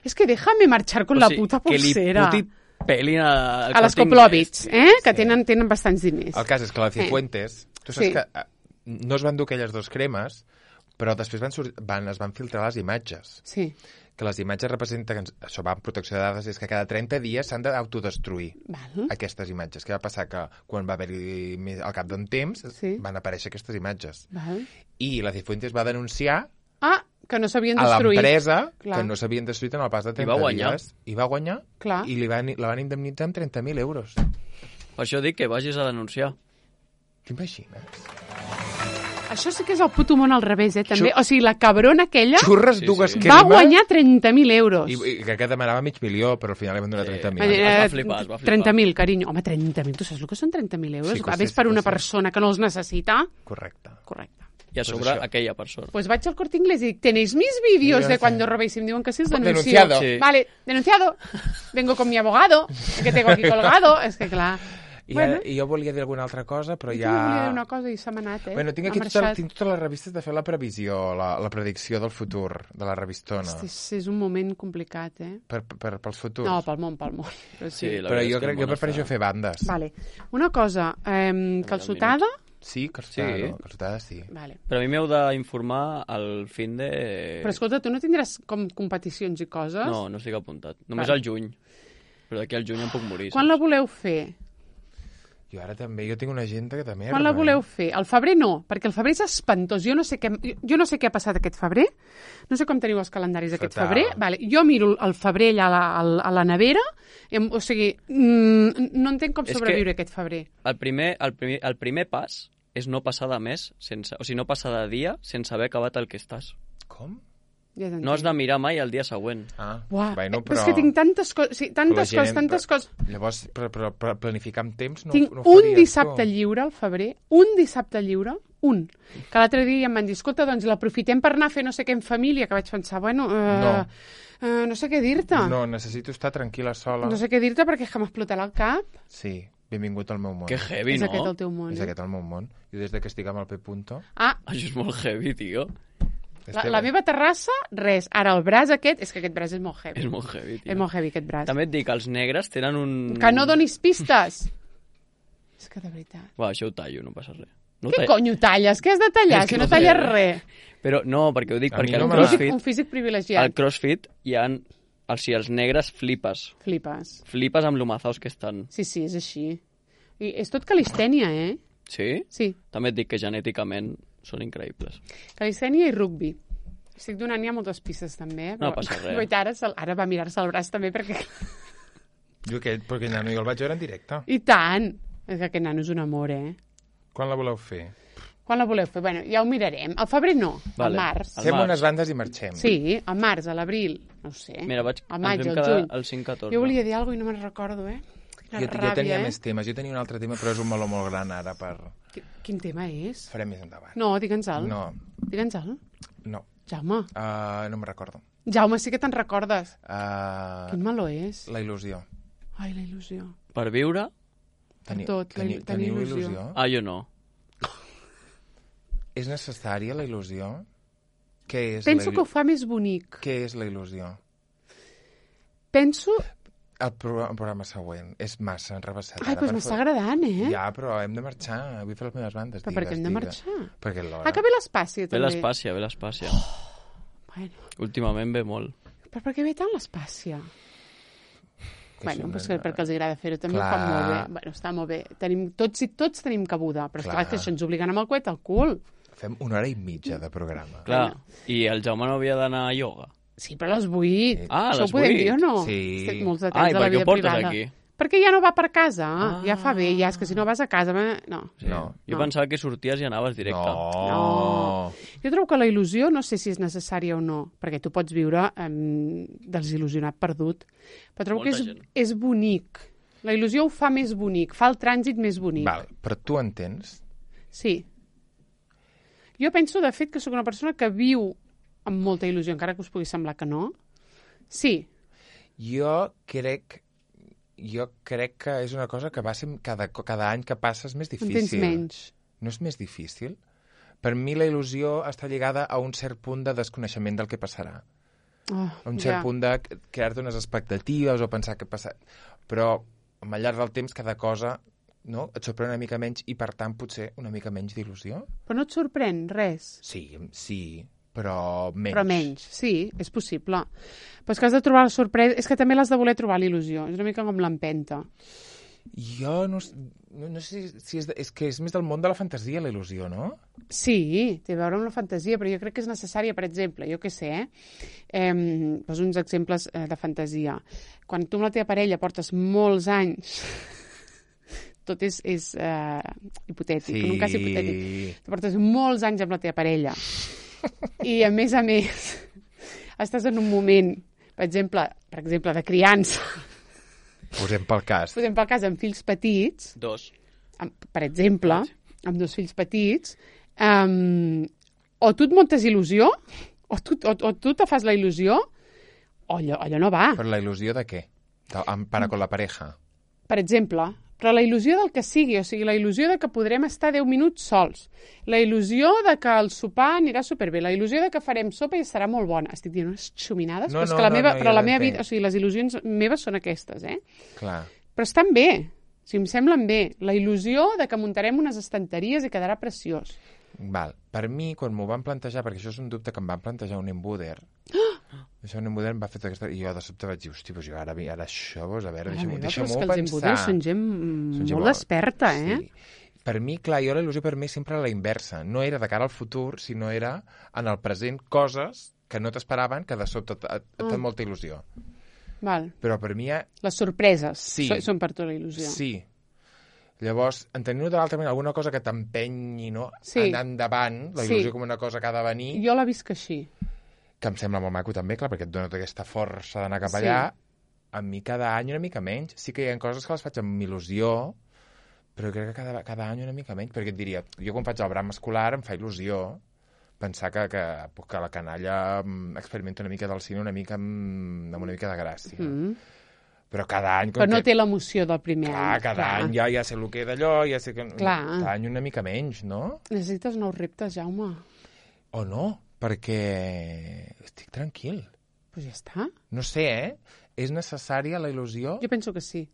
Speaker 1: És que déjame marxar con
Speaker 3: O
Speaker 1: la
Speaker 3: sigui,
Speaker 1: puta
Speaker 3: que li
Speaker 1: pulsera.
Speaker 3: puti pelin a,
Speaker 1: A les Koplovits, eh? Que tenen, tenen bastants diners.
Speaker 2: El cas és que la Cifuentes, tu saps
Speaker 1: Sí.
Speaker 2: que eh, no es van dur aquelles dos cremes, però després van, sort- van, es van filtrar les imatges.
Speaker 1: Sí,
Speaker 2: Que les imatges representen, que això va en protecció de dades, és que cada trenta dies s'han d'autodestruir
Speaker 1: val.
Speaker 2: aquestes imatges. Què va passar? Que quan va haver-hi, més- al cap d'un temps,
Speaker 1: Sí.
Speaker 2: van aparèixer aquestes imatges.
Speaker 1: val.
Speaker 2: I la Cifuentes va denunciar
Speaker 1: Ah, que no s'havien
Speaker 2: a
Speaker 1: destruït.
Speaker 2: l'empresa
Speaker 1: Clar.
Speaker 2: que no s'havien destruït en el pas de
Speaker 3: I
Speaker 2: trenta
Speaker 3: va guanyar.
Speaker 2: dies. I va guanyar.
Speaker 1: Clar.
Speaker 2: I li van, la van indemnitzar amb trenta mil euros.
Speaker 3: Per això dic que vagis a denunciar.
Speaker 2: T'imagines?
Speaker 1: Això sí que és el puto món al revés, eh? També. O sigui, la cabrona aquella
Speaker 2: Xurres
Speaker 3: Sí,
Speaker 2: dues
Speaker 3: sí.
Speaker 2: cremes
Speaker 1: va guanyar trenta mil euros.
Speaker 2: i, i que demanava mig milió, però al final li van donar
Speaker 3: Sí.
Speaker 2: trenta mil.
Speaker 3: Eh,
Speaker 1: Eh,
Speaker 3: Es va flipar, es va flipar.
Speaker 1: trenta mil, carinyo. Home, trenta mil. Tu saps el que són trenta mil euros?
Speaker 2: Sí,
Speaker 1: Sí,
Speaker 2: que
Speaker 1: ves
Speaker 2: sí,
Speaker 1: per
Speaker 2: sí,
Speaker 1: una
Speaker 2: que sí.
Speaker 1: persona que no els necessita?
Speaker 2: Correcte.
Speaker 1: Correcte.
Speaker 3: I a
Speaker 2: Pues
Speaker 3: sobre
Speaker 2: això.
Speaker 3: aquella persona.
Speaker 1: Pues vaig al Corte Inglés i dic, ¿tenéis mis vídeos
Speaker 2: Sí,
Speaker 1: de
Speaker 2: sí.
Speaker 1: cuando robéis? Y me diuen que sí, els denuncio.
Speaker 2: Denunciado.
Speaker 3: Sí.
Speaker 1: Vale, denunciado. Vengo con mi abogado, que tengo aquí colgado. És que clar.
Speaker 2: I,
Speaker 1: Bueno.
Speaker 2: bueno. I jo volia dir alguna altra cosa, però
Speaker 1: Jo
Speaker 2: ja...
Speaker 1: també volia dir una cosa i s'ha anat, eh?
Speaker 2: Bueno, tinc
Speaker 1: Ha
Speaker 2: aquí tota,
Speaker 1: marxat.
Speaker 2: tinc totes les revistes de fer la previsió, la, la predicció del futur, de la revistona,
Speaker 1: Hosti, és, és un moment complicat, eh?
Speaker 2: per, per, pels futurs.
Speaker 1: No, pel món, pel món. Però sí.
Speaker 3: Sí, la
Speaker 2: però
Speaker 3: veritat és
Speaker 2: jo
Speaker 3: que
Speaker 2: crec
Speaker 3: el
Speaker 2: que jo
Speaker 3: món
Speaker 2: prefereixo
Speaker 3: està-
Speaker 2: fer bandes.
Speaker 1: Vale. Una cosa, eh, calçotada...
Speaker 2: Sí, calçotada,
Speaker 3: Sí.
Speaker 2: no? Calçotada sí.
Speaker 1: Vale.
Speaker 3: Però a mi m'heu d'informar al fin de...
Speaker 1: Però escolta, tu no tindràs com competicions i coses?
Speaker 3: No, no estic apuntat. Només
Speaker 1: Vale.
Speaker 3: al juny. Però d'aquí al juny em puc morir.
Speaker 1: Quan
Speaker 3: saps?
Speaker 1: la voleu fer?
Speaker 2: Jo ara també, jo tinc una agenda que també...
Speaker 1: Quan la voleu fer? El febrer no, perquè el febrer és espantós. Jo no sé què, jo no sé què ha passat aquest febrer, no sé com teniu els calendaris d'aquest
Speaker 2: Fatal.
Speaker 1: febrer. Vale, jo miro el febrer allà a la, a la- a la nevera, em, o sigui, mm, no entenc com
Speaker 3: És
Speaker 1: sobreviure
Speaker 3: que-
Speaker 1: aquest febrer.
Speaker 3: El primer, el, primer, el primer pas és no passar de mes, sense, o sigui, no passar de dia sense haver acabat el que estàs.
Speaker 2: Com?
Speaker 1: Ja t'entenc.
Speaker 3: No has de mirar mai el dia següent.
Speaker 2: Ah,
Speaker 1: Uah,
Speaker 2: bueno,
Speaker 1: eh,
Speaker 2: però...
Speaker 1: és que tinc tantes coses, sí,
Speaker 2: però la
Speaker 1: tantes
Speaker 2: gent-
Speaker 1: coses, tantes
Speaker 2: però-
Speaker 1: coses.
Speaker 2: Llavors, per, per, per planificar amb temps no,
Speaker 1: Tinc
Speaker 2: no ho
Speaker 1: un
Speaker 2: faries,
Speaker 1: dissabte
Speaker 2: tu?
Speaker 1: lliure al febrer, un dissabte lliure, un. Que l'altre dia em van dir, escolta, doncs l'aprofitem per anar a fer no sé què en família, que vaig pensar, bueno, eh,
Speaker 2: No.
Speaker 1: eh, no sé què dir-te.
Speaker 2: No, necessito estar tranquil·la sola.
Speaker 1: No sé què dir-te perquè és que m'explotarà el cap.
Speaker 2: Sí, benvingut al meu món.
Speaker 3: Que heavy,
Speaker 1: És
Speaker 3: no?
Speaker 1: aquest el teu món.
Speaker 2: És
Speaker 1: Eh?
Speaker 2: aquest el meu món. Jo des de que estic amb el P. Punto...
Speaker 1: Ah,
Speaker 3: Això és molt heavy, tio.
Speaker 1: La, la meva terrassa, res. Ara, el braç aquest... És que aquest braç és molt heavy.
Speaker 3: És molt heavy, tio.
Speaker 1: És molt heavy, aquest braç.
Speaker 3: També et dic, els negres tenen un...
Speaker 1: Que no donis pistes! És que de veritat...
Speaker 3: Bueno, això ho tallo, no passa res. No
Speaker 1: Què
Speaker 3: tall...
Speaker 1: conyo talles? Què has de tallar?
Speaker 3: És que
Speaker 1: Si no
Speaker 3: no
Speaker 1: talles
Speaker 3: sé.
Speaker 1: res.
Speaker 3: Però no, perquè ho dic,
Speaker 2: A mi
Speaker 3: perquè
Speaker 2: no
Speaker 3: al
Speaker 2: me la-
Speaker 3: CrossFit,
Speaker 1: Un físic privilegiat.
Speaker 3: al CrossFit hi ha... O sigui, els negres flipes.
Speaker 1: Flipes.
Speaker 3: Flipes amb lo mazaos que estan.
Speaker 1: Sí, sí, és així. I és tot calistènia, eh?
Speaker 3: Sí?
Speaker 1: Sí,
Speaker 3: També et dic que genèticament són increïbles.
Speaker 1: calistènia i rugby. Estic donant ja moltes pistes, també.
Speaker 3: No passa res.
Speaker 1: Guaita, ara, se'l- ara va mirar-se el braç, també, perquè...
Speaker 2: Jo aquell, però aquell nano jo el vaig veure en directe.
Speaker 1: I tant! És que aquest nano és un amor, eh?
Speaker 2: Quan la voleu fer?
Speaker 1: Quan la voleu fer? Bueno, ja ho mirarem. Al febrer no,
Speaker 3: Vale.
Speaker 1: al març.
Speaker 3: Al
Speaker 2: Fem
Speaker 3: març.
Speaker 2: unes bandes i marxem.
Speaker 1: Sí, al març, a l'abril, no ho sé.
Speaker 3: Mira, vaig...
Speaker 1: Al maig,
Speaker 3: ens vam
Speaker 1: al
Speaker 3: quedar
Speaker 1: juny.
Speaker 3: el cinc catorze.
Speaker 1: Jo volia dir alguna cosa i no me'n recordo, eh? Quina
Speaker 2: Jo, jo
Speaker 1: ràbia,
Speaker 2: tenia
Speaker 1: eh?
Speaker 2: més temes. Jo tenia un altre tema, però és un meló molt gran ara per...
Speaker 1: Qui- Quin tema és?
Speaker 2: Farem més endavant.
Speaker 1: No, digue'ns-el.
Speaker 2: No,
Speaker 1: Digue'ns-el.
Speaker 2: no.
Speaker 1: Jaume.
Speaker 2: Uh, no me'n recordo.
Speaker 1: Jaume, sí que te'n recordes.
Speaker 2: Uh,
Speaker 1: Quin meló és?
Speaker 2: la il·lusió.
Speaker 1: Ai, la il·lusió.
Speaker 3: Per viure...
Speaker 2: Teni,
Speaker 1: tot, la il- tenir
Speaker 2: teniu
Speaker 1: il·lusió.
Speaker 2: il·lusió?
Speaker 3: Ah, jo no.
Speaker 2: És necessària la il·lusió? Què és
Speaker 1: Penso
Speaker 2: la
Speaker 1: que ho fa més bonic.
Speaker 2: Què és la il·lusió?
Speaker 1: Penso...
Speaker 2: El programa, el programa següent és massa enrevessat.
Speaker 1: Ai,
Speaker 2: ara
Speaker 1: doncs
Speaker 2: per
Speaker 1: m'està
Speaker 2: fa-
Speaker 1: agradant, eh?
Speaker 2: Ja, però hem de marxar. Vull fer les meves bandes.
Speaker 1: Però per què
Speaker 2: digues,
Speaker 1: hem de
Speaker 2: digues.
Speaker 1: marxar?
Speaker 2: Perquè l'hora...
Speaker 1: Ah, que ve l'Espàcia,
Speaker 3: Ve
Speaker 1: també.
Speaker 3: l'Espàcia, ve l'Espàcia.
Speaker 1: Bueno,
Speaker 3: Últimament ve molt.
Speaker 1: però per què ve tant l'Espàcia?
Speaker 2: Que
Speaker 1: Bueno,
Speaker 2: això
Speaker 1: pues
Speaker 2: no-
Speaker 1: que, perquè els agrada fer-ho. També
Speaker 2: Clar.
Speaker 1: ho fan molt bé. Bueno, està molt bé. Tenim, tots i tots tenim cabuda, però esclar,
Speaker 2: Clar.
Speaker 1: que això ens obliguen amb el coet al cul.
Speaker 2: Fem una hora i mitja de programa.
Speaker 3: Clar, i el Jaume no havia d'anar a ioga.
Speaker 1: Sí, però a les vuit.
Speaker 3: Ah, a
Speaker 1: Això
Speaker 3: les
Speaker 1: ho podem
Speaker 3: vuit.
Speaker 1: dir o no?
Speaker 2: Sí.
Speaker 1: Té molts detalls
Speaker 3: Ah, i
Speaker 1: de
Speaker 3: per
Speaker 1: la
Speaker 3: què
Speaker 1: vida
Speaker 3: ho portes
Speaker 1: privada.
Speaker 3: aquí?
Speaker 1: Perquè ja no va per casa.
Speaker 3: Ah.
Speaker 1: Ja fa bé, ja és que si no vas a casa... me- No.
Speaker 3: Sí.
Speaker 2: No.
Speaker 3: Jo
Speaker 1: No.
Speaker 3: pensava que sorties i anaves directe.
Speaker 2: No.
Speaker 1: No. Jo trobo que la il·lusió, no sé si és necessària o no, perquè tu pots viure um, desil·lusionat perdut, però trobo
Speaker 3: Molta
Speaker 1: que és,
Speaker 3: gent.
Speaker 1: és bonic. La il·lusió ho fa més bonic, fa el trànsit més bonic.
Speaker 2: Val, però tu entens?
Speaker 1: Sí. Jo penso, de fet, que sóc una persona que viu amb molta il·lusió, encara que us pugui semblar que no. Sí.
Speaker 2: Jo crec... Jo crec que és una cosa que va ser cada, cada any que passa és més
Speaker 1: En
Speaker 2: difícil.
Speaker 1: tens menys.
Speaker 2: No és més difícil? Per mi la il·lusió està lligada a un cert punt de desconeixement del que passarà.
Speaker 1: Oh,
Speaker 2: A un cert
Speaker 1: ja.
Speaker 2: punt de crear-te unes expectatives o pensar què passa... Però al llarg del temps cada cosa no, et sorprèn una mica menys i, per tant, potser una mica menys d'il·lusió.
Speaker 1: Però no et sorprèn res.
Speaker 2: Sí, sí, però menys.
Speaker 1: Però menys, sí, és possible. Però és que has de trobar la sorpresa... És que també l'has de voler trobar, l'il·lusió. És una mica com l'empenta.
Speaker 2: Jo no, no, no sé si és, de, és que és més del món de la fantasia, la il·lusió, no?
Speaker 1: Sí, té a veure amb la fantasia, però jo crec que és necessària, per exemple, jo què sé, eh? eh poso uns exemples eh, de fantasia. Quan tu amb la teva parella portes molts anys... Tot és, és eh, hipotètic,
Speaker 2: Sí.
Speaker 1: en un cas hipotètic. Tu portes molts anys amb la teva parella i, a més a més, estàs en un moment, per exemple, per exemple de criança,
Speaker 2: Posem pel cas.
Speaker 1: posem pel cas amb fills petits,
Speaker 3: Dos.
Speaker 1: amb, per exemple, amb dos fills petits, um, o tu et muntes il·lusió, o tu, o, o tu te fas la il·lusió, o allò, allò no va.
Speaker 2: Per la il·lusió de què? De, amb, para con la pareja.
Speaker 1: Per exemple, però la il·lusió del que sigui, o sigui, la il·lusió de que podrem estar deu minuts sols, la il·lusió de que el sopar anirà superbé, la il·lusió de que farem sopa i estarà molt bona. Estic dient unes xuminades,
Speaker 2: No,
Speaker 1: però, és
Speaker 2: no,
Speaker 1: que la
Speaker 2: no,
Speaker 1: meva,
Speaker 2: no,
Speaker 1: però
Speaker 2: ja
Speaker 1: la meva
Speaker 2: t'entenc.
Speaker 1: vida, o sigui, les il·lusions meves són aquestes, eh?
Speaker 2: Clar.
Speaker 1: Però estan bé, o sigui, em semblen bé. La il·lusió de que muntarem unes estanteries i quedarà preciós.
Speaker 2: Val. Per mi, quan m'ho van plantejar, perquè això és un dubte que em van plantejar un embuder, això un embuder em va fer tota aquesta... I jo de sobte vaig dir, hosti, doncs jo ara, ara això, doncs a veure,
Speaker 1: Mare
Speaker 2: deixa'm-ho
Speaker 1: meva, però és
Speaker 2: deixa'm
Speaker 1: que els
Speaker 2: pensar.
Speaker 1: embuders són gent
Speaker 2: Són gent
Speaker 1: molt desperta, eh?
Speaker 2: Sí. Per mi, clar, jo la il·lusió per mi sempre era la inversa. No era de cara al futur, sinó era en el present coses que no t'esperaven, que de sobte et, et, et fan
Speaker 1: Ah.
Speaker 2: molta il·lusió.
Speaker 1: Val.
Speaker 2: Però per mi, ja,
Speaker 1: Les sorpreses
Speaker 2: Sí.
Speaker 1: so- són per tu la il·lusió.
Speaker 2: sí. Llavors, entenent-ho de l'altra manera, alguna cosa que t'empenyi, no?
Speaker 1: Sí.
Speaker 2: Anar endavant, la
Speaker 1: Sí.
Speaker 2: il·lusió com una cosa que ha de venir,
Speaker 1: Jo la visc així.
Speaker 2: que em sembla molt maco també, clar, perquè et dona tota aquesta força d'anar cap
Speaker 1: Sí.
Speaker 2: allà. A mi cada any una mica menys. Sí que hi ha coses que les faig amb il·lusió, però crec que cada, cada any una mica menys, perquè et diria, jo quan faig el bram escolar em fa il·lusió pensar que, que, que la canalla mm, experimenta una mica del cine una mica amb, amb una mica de gràcia.
Speaker 1: Mm.
Speaker 2: Però cada any... Com
Speaker 1: Però no
Speaker 2: que,
Speaker 1: té l'emoció del primer
Speaker 2: clar,
Speaker 1: any.
Speaker 2: cada any ja, ja sé el que d'allò, ja sé que...
Speaker 1: Clar.
Speaker 2: Cada any una mica menys, no?
Speaker 1: Necessites nous reptes, Jaume.
Speaker 2: O no? perquè estic tranquil.
Speaker 1: Pues ja està.
Speaker 2: No sé, eh? És necessària la il·lusió?
Speaker 1: Jo penso que sí.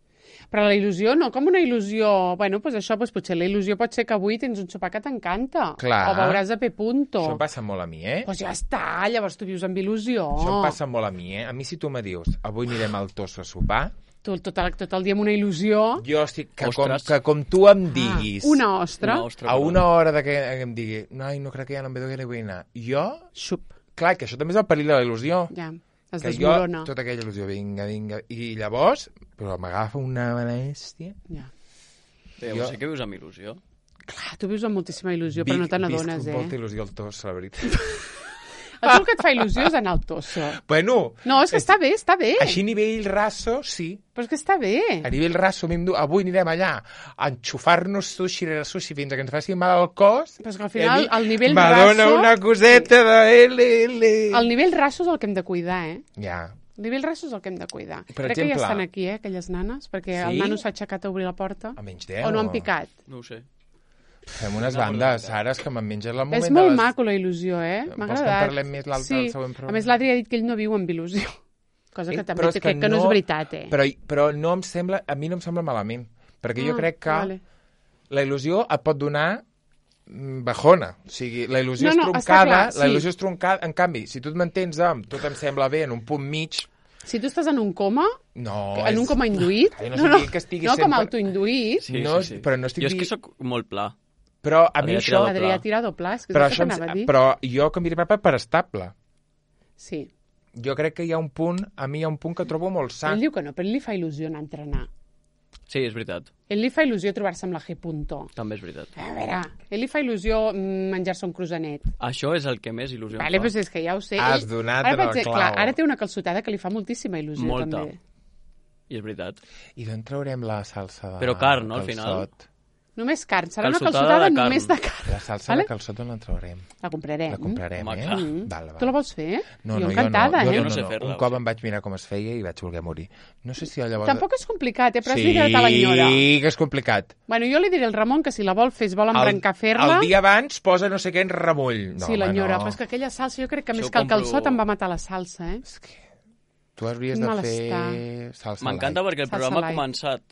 Speaker 1: Però la il·lusió no, com una il·lusió... Bueno, pues això, pues potser la il·lusió pot ser que avui tens un sopar que t'encanta.
Speaker 2: Clar.
Speaker 1: O veuràs a P. Punto.
Speaker 2: Això em passa molt a mi, eh?
Speaker 1: Pues ja està, llavors tu vius amb il·lusió.
Speaker 2: Això em passa molt a mi, eh? A mi si tu me dius, avui anirem al Tosso a sopar...
Speaker 1: Tu tot el, tot el dia amb una il·lusió...
Speaker 2: Jo estic... Que com,
Speaker 3: Ostres.
Speaker 2: que com tu em diguis...
Speaker 1: Ah, una ostra.
Speaker 3: Una ostra,
Speaker 2: a
Speaker 3: perdó.
Speaker 2: una hora de que em digui ai, no crec que ja no em ve que vull anar. Jo...
Speaker 1: Xup.
Speaker 2: Clar, que això també és el perill de la il·lusió.
Speaker 1: Ja, es
Speaker 2: Que jo,
Speaker 1: desmorona.
Speaker 2: tota aquella il·lusió, vinga, vinga... I llavors, però m'agafa una bèstia...
Speaker 1: Ja.
Speaker 3: Bé,
Speaker 2: Jo-
Speaker 3: sí que vius amb il·lusió.
Speaker 1: Clar, tu vius amb moltíssima il·lusió, però no te n'adones,
Speaker 2: Visc
Speaker 1: eh?
Speaker 2: molta il·lusió al Tosso, la veritat.
Speaker 1: A tu el que et fa il·lusió és anar al Tosso.
Speaker 2: Bueno...
Speaker 1: No, és que està bé, està bé.
Speaker 2: Així a nivell raso, sí.
Speaker 1: Però és que està bé.
Speaker 2: A nivell raso, a mi em du... avui anirem allà a enxufar-nos sushi rere sushi fins que ens faci mal al cos.
Speaker 1: Però és que al
Speaker 2: I a
Speaker 1: final
Speaker 2: mi
Speaker 1: el nivell
Speaker 2: m'adona
Speaker 1: raso...
Speaker 2: una coseta de L L.
Speaker 1: El nivell raso és el que hem de cuidar, eh?
Speaker 2: Ja.
Speaker 1: El nivell raso és el que hem de cuidar.
Speaker 2: Per
Speaker 1: Crec que ja
Speaker 2: exemple-
Speaker 1: estan aquí, eh, aquelles nanes, perquè
Speaker 2: Sí?
Speaker 1: el nano s'ha aixecat a obrir la porta.
Speaker 2: A menys deu.
Speaker 1: O no han picat.
Speaker 3: No ho sé.
Speaker 2: Fem unes
Speaker 3: No,
Speaker 2: bandes,
Speaker 3: però-
Speaker 2: ara, és que me'n menges el moment
Speaker 1: És
Speaker 2: de
Speaker 1: molt
Speaker 2: les...
Speaker 1: maco, la il·lusió, eh? M'ha
Speaker 2: Vols que en
Speaker 1: agradat.
Speaker 2: parlem més l'altre-
Speaker 1: sí.
Speaker 2: el següent programa?
Speaker 1: A més, l'Adri ha dit que ell no viu amb il·lusió. Cosa que
Speaker 2: Eh,
Speaker 1: també
Speaker 2: però és
Speaker 1: té, crec que no és veritat, eh?
Speaker 2: Però, però no em sembla, a mi no em sembla malament, perquè jo
Speaker 1: Ah,
Speaker 2: crec que
Speaker 1: vale.
Speaker 2: la il·lusió et pot donar mm, bajona. O sigui, la il·lusió
Speaker 1: No,
Speaker 2: és
Speaker 1: no, està
Speaker 2: troncada,
Speaker 1: clar,
Speaker 2: la
Speaker 1: sí.
Speaker 2: il·lusió és troncada. En canvi, si tu et mantens amb tot em sembla bé en un punt mig,
Speaker 1: Si tu estàs en un coma,
Speaker 2: no...
Speaker 1: en un
Speaker 2: és-
Speaker 1: coma induït...
Speaker 2: Ai, no estic dient que estigui
Speaker 1: no com
Speaker 2: sempre-
Speaker 1: autoinduït,
Speaker 3: Sí,
Speaker 2: No,
Speaker 3: sí, sí.
Speaker 2: però no estic
Speaker 3: Jo és que
Speaker 2: di-
Speaker 3: sóc molt pla.
Speaker 2: Però a mi
Speaker 3: Adrià
Speaker 2: això...
Speaker 3: Tirado.
Speaker 1: Adrià Tirado Plas, que
Speaker 2: Però,
Speaker 1: és el
Speaker 2: això
Speaker 1: que
Speaker 2: em-
Speaker 1: anava a dir.
Speaker 2: però jo canviaré papa per estable.
Speaker 1: Sí.
Speaker 2: Jo crec que hi ha un punt, a mi hi ha un punt que trobo molt sa.
Speaker 1: Ell diu que no, però ell li fa il·lusió anar a entrenar.
Speaker 3: Sí, és veritat.
Speaker 1: Ell li fa il·lusió trobar-se amb la G. Punto.
Speaker 3: També és veritat.
Speaker 1: A veure, ell li fa il·lusió mm, menjar-se un cruzanet.
Speaker 3: Això és el que més il·lusió
Speaker 1: Vale,
Speaker 3: em
Speaker 1: però
Speaker 3: fa.
Speaker 1: és que ja ho sé.
Speaker 2: Has
Speaker 1: Ell-
Speaker 2: donat
Speaker 1: ara,
Speaker 2: en
Speaker 1: per
Speaker 2: el
Speaker 1: exemple,
Speaker 2: clau.
Speaker 1: Clar, ara té una calçotada que li fa moltíssima il·lusió,
Speaker 3: Molta.
Speaker 1: també.
Speaker 3: I és veritat.
Speaker 2: I d'on traurem la salsa de
Speaker 3: Però carn, no, al final?
Speaker 2: calçot?
Speaker 1: Només carn. Serà una
Speaker 3: Calçotada
Speaker 1: calçotada
Speaker 3: de carn.
Speaker 1: només de carn.
Speaker 2: La salsa
Speaker 1: Vale?
Speaker 2: de calçot on la traurem?
Speaker 1: La comprarem.
Speaker 2: La comprarem,
Speaker 3: Home,
Speaker 2: eh?
Speaker 3: clar.
Speaker 1: Mm.
Speaker 2: Val, val.
Speaker 1: Tu la vols fer?
Speaker 2: No,
Speaker 1: jo
Speaker 2: no,
Speaker 1: encantada,
Speaker 2: jo no,
Speaker 1: eh?
Speaker 2: jo
Speaker 3: no
Speaker 2: no,
Speaker 3: sé
Speaker 2: no.
Speaker 3: fer-la,
Speaker 2: Un
Speaker 3: o
Speaker 2: cop
Speaker 3: sigui.
Speaker 2: em vaig mirar com es feia i vaig voler morir. No sé si llavors...
Speaker 1: Tampoc és complicat, eh? Però has
Speaker 2: sí,
Speaker 1: d'hidratar l'enyora.
Speaker 2: que és complicat.
Speaker 1: Bueno, jo li diré al Ramon que si la vol fer, es vol embrancar a fer-la.
Speaker 2: El dia abans posa no sé què en remull. No,
Speaker 1: sí,
Speaker 2: home,
Speaker 1: l'enyora.
Speaker 2: no.
Speaker 1: Però és que aquella salsa, jo crec que més
Speaker 3: Això
Speaker 1: que el
Speaker 3: compro-
Speaker 1: calçot em va matar la salsa, eh?
Speaker 2: És que tu hauries de
Speaker 1: Malestar.
Speaker 2: fer salsa
Speaker 3: M'encanta
Speaker 2: light.
Speaker 3: perquè el
Speaker 1: Salsa
Speaker 3: programa ha
Speaker 1: light.
Speaker 3: començat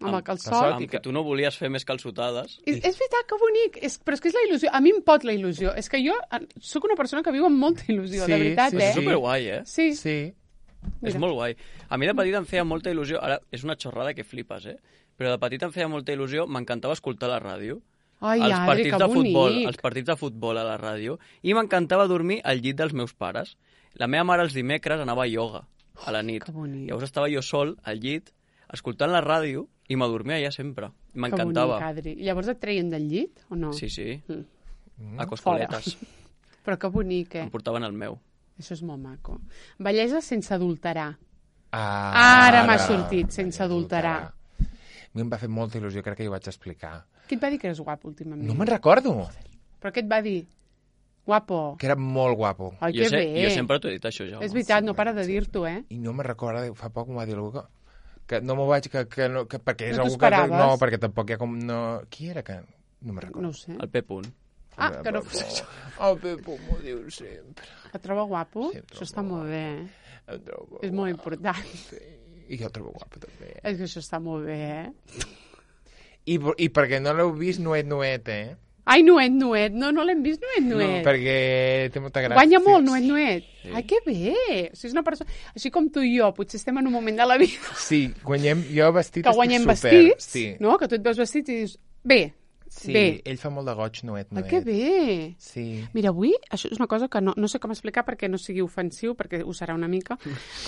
Speaker 1: Amb el calçot.
Speaker 2: calçot.
Speaker 3: amb que tu no volies fer més calçotades.
Speaker 1: És, és veritat, que bonic. És, però és que és la il·lusió. A mi em pot la il·lusió. És que jo eh, sóc una persona que viu amb molta il·lusió,
Speaker 2: Sí,
Speaker 1: de veritat,
Speaker 2: sí,
Speaker 1: eh?
Speaker 3: És superguai, eh?
Speaker 1: Sí, sí.
Speaker 2: Sí.
Speaker 3: És molt guai. A mi de petit em feia molta il·lusió, ara és una xorrada que flipes, eh? Però de petit em feia molta il·lusió, m'encantava escoltar la ràdio.
Speaker 1: Ai,
Speaker 3: els
Speaker 1: Adri,
Speaker 3: partits
Speaker 1: que
Speaker 3: de futbol,
Speaker 1: bonic.
Speaker 3: els partits de futbol a la ràdio, i m'encantava dormir al llit dels meus pares. La meva mare els dimecres anava a ioga a la nit.
Speaker 1: Que bonic.
Speaker 3: Llavors estava jo sol al llit, escoltant la ràdio, i m'adormia allà sempre.
Speaker 1: Que
Speaker 3: M'encantava.
Speaker 1: bonic, Adri. I llavors et treien del llit, o no?
Speaker 3: Sí, sí.
Speaker 1: Mm.
Speaker 3: A coscoletes.
Speaker 1: Però que bonic, eh?
Speaker 3: Em portaven el meu.
Speaker 1: Això és molt maco. Bellesa sense adulterar.
Speaker 2: Ah,
Speaker 1: Ara m'ha sortit, sense adulterar.
Speaker 2: A mi em va fer molta il·lusió, crec que jo vaig explicar.
Speaker 1: Qui et va dir que eres guapo últimament?
Speaker 2: No me'n recordo.
Speaker 1: Però què et va dir? Guapo.
Speaker 2: Que era molt guapo.
Speaker 1: Ai,
Speaker 3: Jo,
Speaker 1: que
Speaker 3: sé,
Speaker 1: bé.
Speaker 3: jo sempre t'ho he dit això, ja.
Speaker 1: És veritat, no para de dir-t'ho, eh?
Speaker 2: I no me'n recordo, fa poc m'ho va dir algú que, que no m'ho vaig... Que, que no, que, perquè és
Speaker 1: No t'ho
Speaker 2: algú que...
Speaker 1: esperaves?
Speaker 2: No, perquè tampoc hi ha com... No, qui era que... No me'n recordo.
Speaker 1: No ho sé.
Speaker 3: El P. Punt.
Speaker 1: Ah, que no fos això.
Speaker 2: El Pepo m'ho diu sempre.
Speaker 1: Et troba guapo?
Speaker 2: Sí, em trobo
Speaker 1: Això està molt bé, eh?
Speaker 2: Em trobo
Speaker 1: És molt
Speaker 2: guapo,
Speaker 1: important.
Speaker 2: sí. I jo el trobo guapo, també.
Speaker 1: És que això està molt bé, eh?
Speaker 2: I, I perquè no l'heu vist nuet, nuet, eh?
Speaker 1: Ai, Nuet, Nuet. No, no l'hem vist, Nuet, Nuet.
Speaker 2: No, perquè té molta gràcia.
Speaker 1: Guanya molt, Nuet, Nuet. Ai, que bé. O sigui, és una persona... Així com tu i jo, potser estem en un moment de la vida
Speaker 2: Sí, guanyem... Jo vestit
Speaker 1: que guanyem
Speaker 2: estic super...
Speaker 1: vestits,
Speaker 2: Sí.
Speaker 1: no? Que tu et veus vestit i dius, bé,
Speaker 2: Sí,
Speaker 1: bé.
Speaker 2: ell fa molt de goig, nuet,
Speaker 1: Ai,
Speaker 2: nuet.
Speaker 1: que bé.
Speaker 2: Sí.
Speaker 1: Mira, avui, això és una cosa que no, no sé com explicar perquè no sigui ofensiu, perquè ho serà una mica.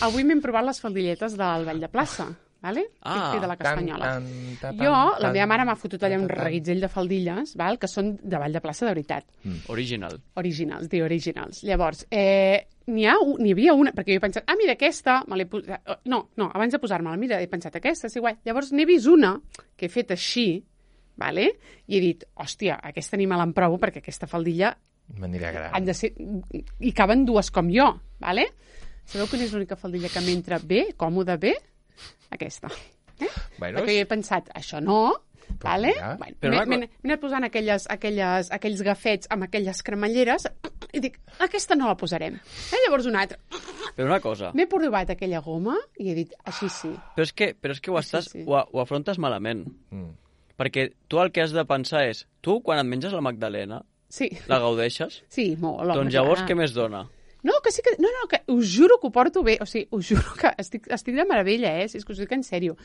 Speaker 1: Avui m'hem provat les faldilletes del Ball de Plaça, vale?
Speaker 3: Ah,
Speaker 1: Típic de la Castanyola.
Speaker 2: Tan, tan, tan,
Speaker 1: Jo,
Speaker 2: tan,
Speaker 1: la meva mare m'ha fotut allà un
Speaker 2: tan, tan.
Speaker 1: reguitzell de faldilles, val? Que són de Ball de Plaça de veritat.
Speaker 3: Original.
Speaker 1: Originals, the originals. Llavors, eh, n'hi ha, un- n'hi havia una, perquè jo he pensat, ah, mira, aquesta, me l'he posat... No, no, abans de posar-me-la, mira, he pensat, aquesta és igual. Llavors n'he vist una que he fet així, vale? I he dit, hòstia, aquesta ni me l'emprovo perquè aquesta faldilla
Speaker 2: M'anirà gran.
Speaker 1: han de ser... hi caben dues com jo, vale? Sabeu quina és l'única faldilla que m'entra bé, còmoda bé? Aquesta. Eh?
Speaker 2: Bueno,
Speaker 1: Perquè jo he pensat, això no, vale?
Speaker 2: mira.
Speaker 1: Bueno,
Speaker 3: Però
Speaker 1: m'he
Speaker 3: una co-
Speaker 1: m'he- m'he anat posant aquelles, aquelles, aquells gafets amb aquelles cremalleres i dic, aquesta no la posarem. Eh, llavors una altra.
Speaker 3: Però una cosa,
Speaker 1: M'he provat aquella goma i he dit, així sí.
Speaker 3: però és que, però és que ho,
Speaker 1: Sí,
Speaker 3: estàs,
Speaker 1: sí.
Speaker 3: ho, ho afrontes malament.
Speaker 2: Mm.
Speaker 3: Perquè tu el que has de pensar és, tu quan et menges la Magdalena,
Speaker 1: Sí,
Speaker 3: la gaudeixes?
Speaker 1: sí, molt. Home,
Speaker 3: Doncs llavors
Speaker 1: clar.
Speaker 3: què més dona?
Speaker 1: No, que sí que... No, no, que us juro que ho porto bé. O sigui, us juro que estic, estic de meravella, eh? Si és que us dic en sèrio.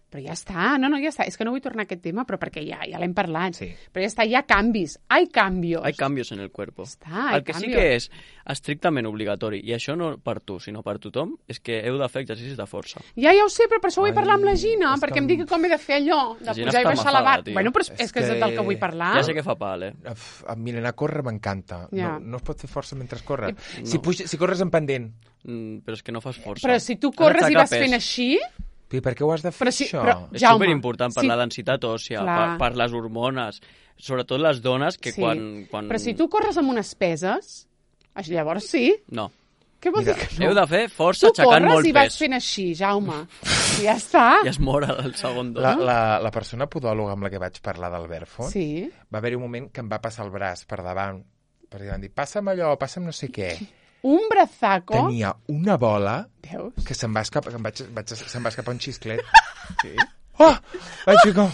Speaker 1: Però ja està, no, no, ja està. És que no vull tornar a aquest tema, però perquè ja, ja l'hem parlat.
Speaker 2: Sí.
Speaker 1: Però ja està, hi ha canvis. Hay cambios.
Speaker 3: Hay cambios en el cuerpo.
Speaker 1: Està, hay
Speaker 3: el que sí
Speaker 1: cambios.
Speaker 3: que és estrictament obligatori, i això no per tu, sinó per tothom, és que heu de fer exercicis de força.
Speaker 1: Ja, ja ho sé, però per això vull
Speaker 2: Ai,
Speaker 1: parlar amb la Gina,
Speaker 2: és
Speaker 1: perquè
Speaker 2: que
Speaker 1: em
Speaker 2: em-
Speaker 1: digui com he de fer allò, de
Speaker 3: La Gina
Speaker 1: pujar i
Speaker 3: està
Speaker 1: baixar la
Speaker 3: mafada,
Speaker 1: bar.
Speaker 3: tio.
Speaker 1: Bueno, però és,
Speaker 2: És
Speaker 1: és que és
Speaker 2: que-
Speaker 1: del que vull parlar.
Speaker 3: Ja sé que fa pal, eh?
Speaker 2: Uf, Miren, a córrer m'encanta.
Speaker 1: Ja.
Speaker 2: No, no es pot fer força mentre corre.
Speaker 3: No.
Speaker 2: Si, puja, si corres en pendent,
Speaker 3: Mm, però és que no fas força.
Speaker 1: Però si tu
Speaker 3: Has
Speaker 1: corres i
Speaker 3: d'aixecar
Speaker 1: vas
Speaker 3: pes.
Speaker 1: fent així...
Speaker 2: i per què ho has de fer,
Speaker 1: Però si-
Speaker 2: això?
Speaker 1: però-
Speaker 3: És
Speaker 1: Jaume,
Speaker 3: superimportant per
Speaker 1: sí.
Speaker 3: la densitat òssia, per,
Speaker 1: Clar.
Speaker 3: per les hormones, sobretot les dones que
Speaker 1: Sí.
Speaker 3: quan, quan...
Speaker 1: Però si tu corres amb unes peses, això llavors sí.
Speaker 3: No.
Speaker 1: Què vol
Speaker 2: Mira,
Speaker 1: dir que
Speaker 3: Heu
Speaker 1: no?
Speaker 3: de fer força
Speaker 1: Tu
Speaker 3: aixecant
Speaker 1: corres
Speaker 3: molt
Speaker 1: i vas
Speaker 3: pes.
Speaker 1: fent així, Jaume. I ja està.
Speaker 3: I es mor el segon dos.
Speaker 2: La, la, la persona podòloga amb la que vaig parlar del Verfont,
Speaker 1: Sí.
Speaker 2: va haver-hi un moment que em va passar el braç per davant, perquè van dir, passa'm allò, passa'm no sé què.
Speaker 1: Un brazaco.
Speaker 2: Tenia una bola
Speaker 1: Veus?
Speaker 2: que se'm va escapar, que em vaig, vaig, se'm va escapar un xisclet. Sí. Oh! Vaig dir com...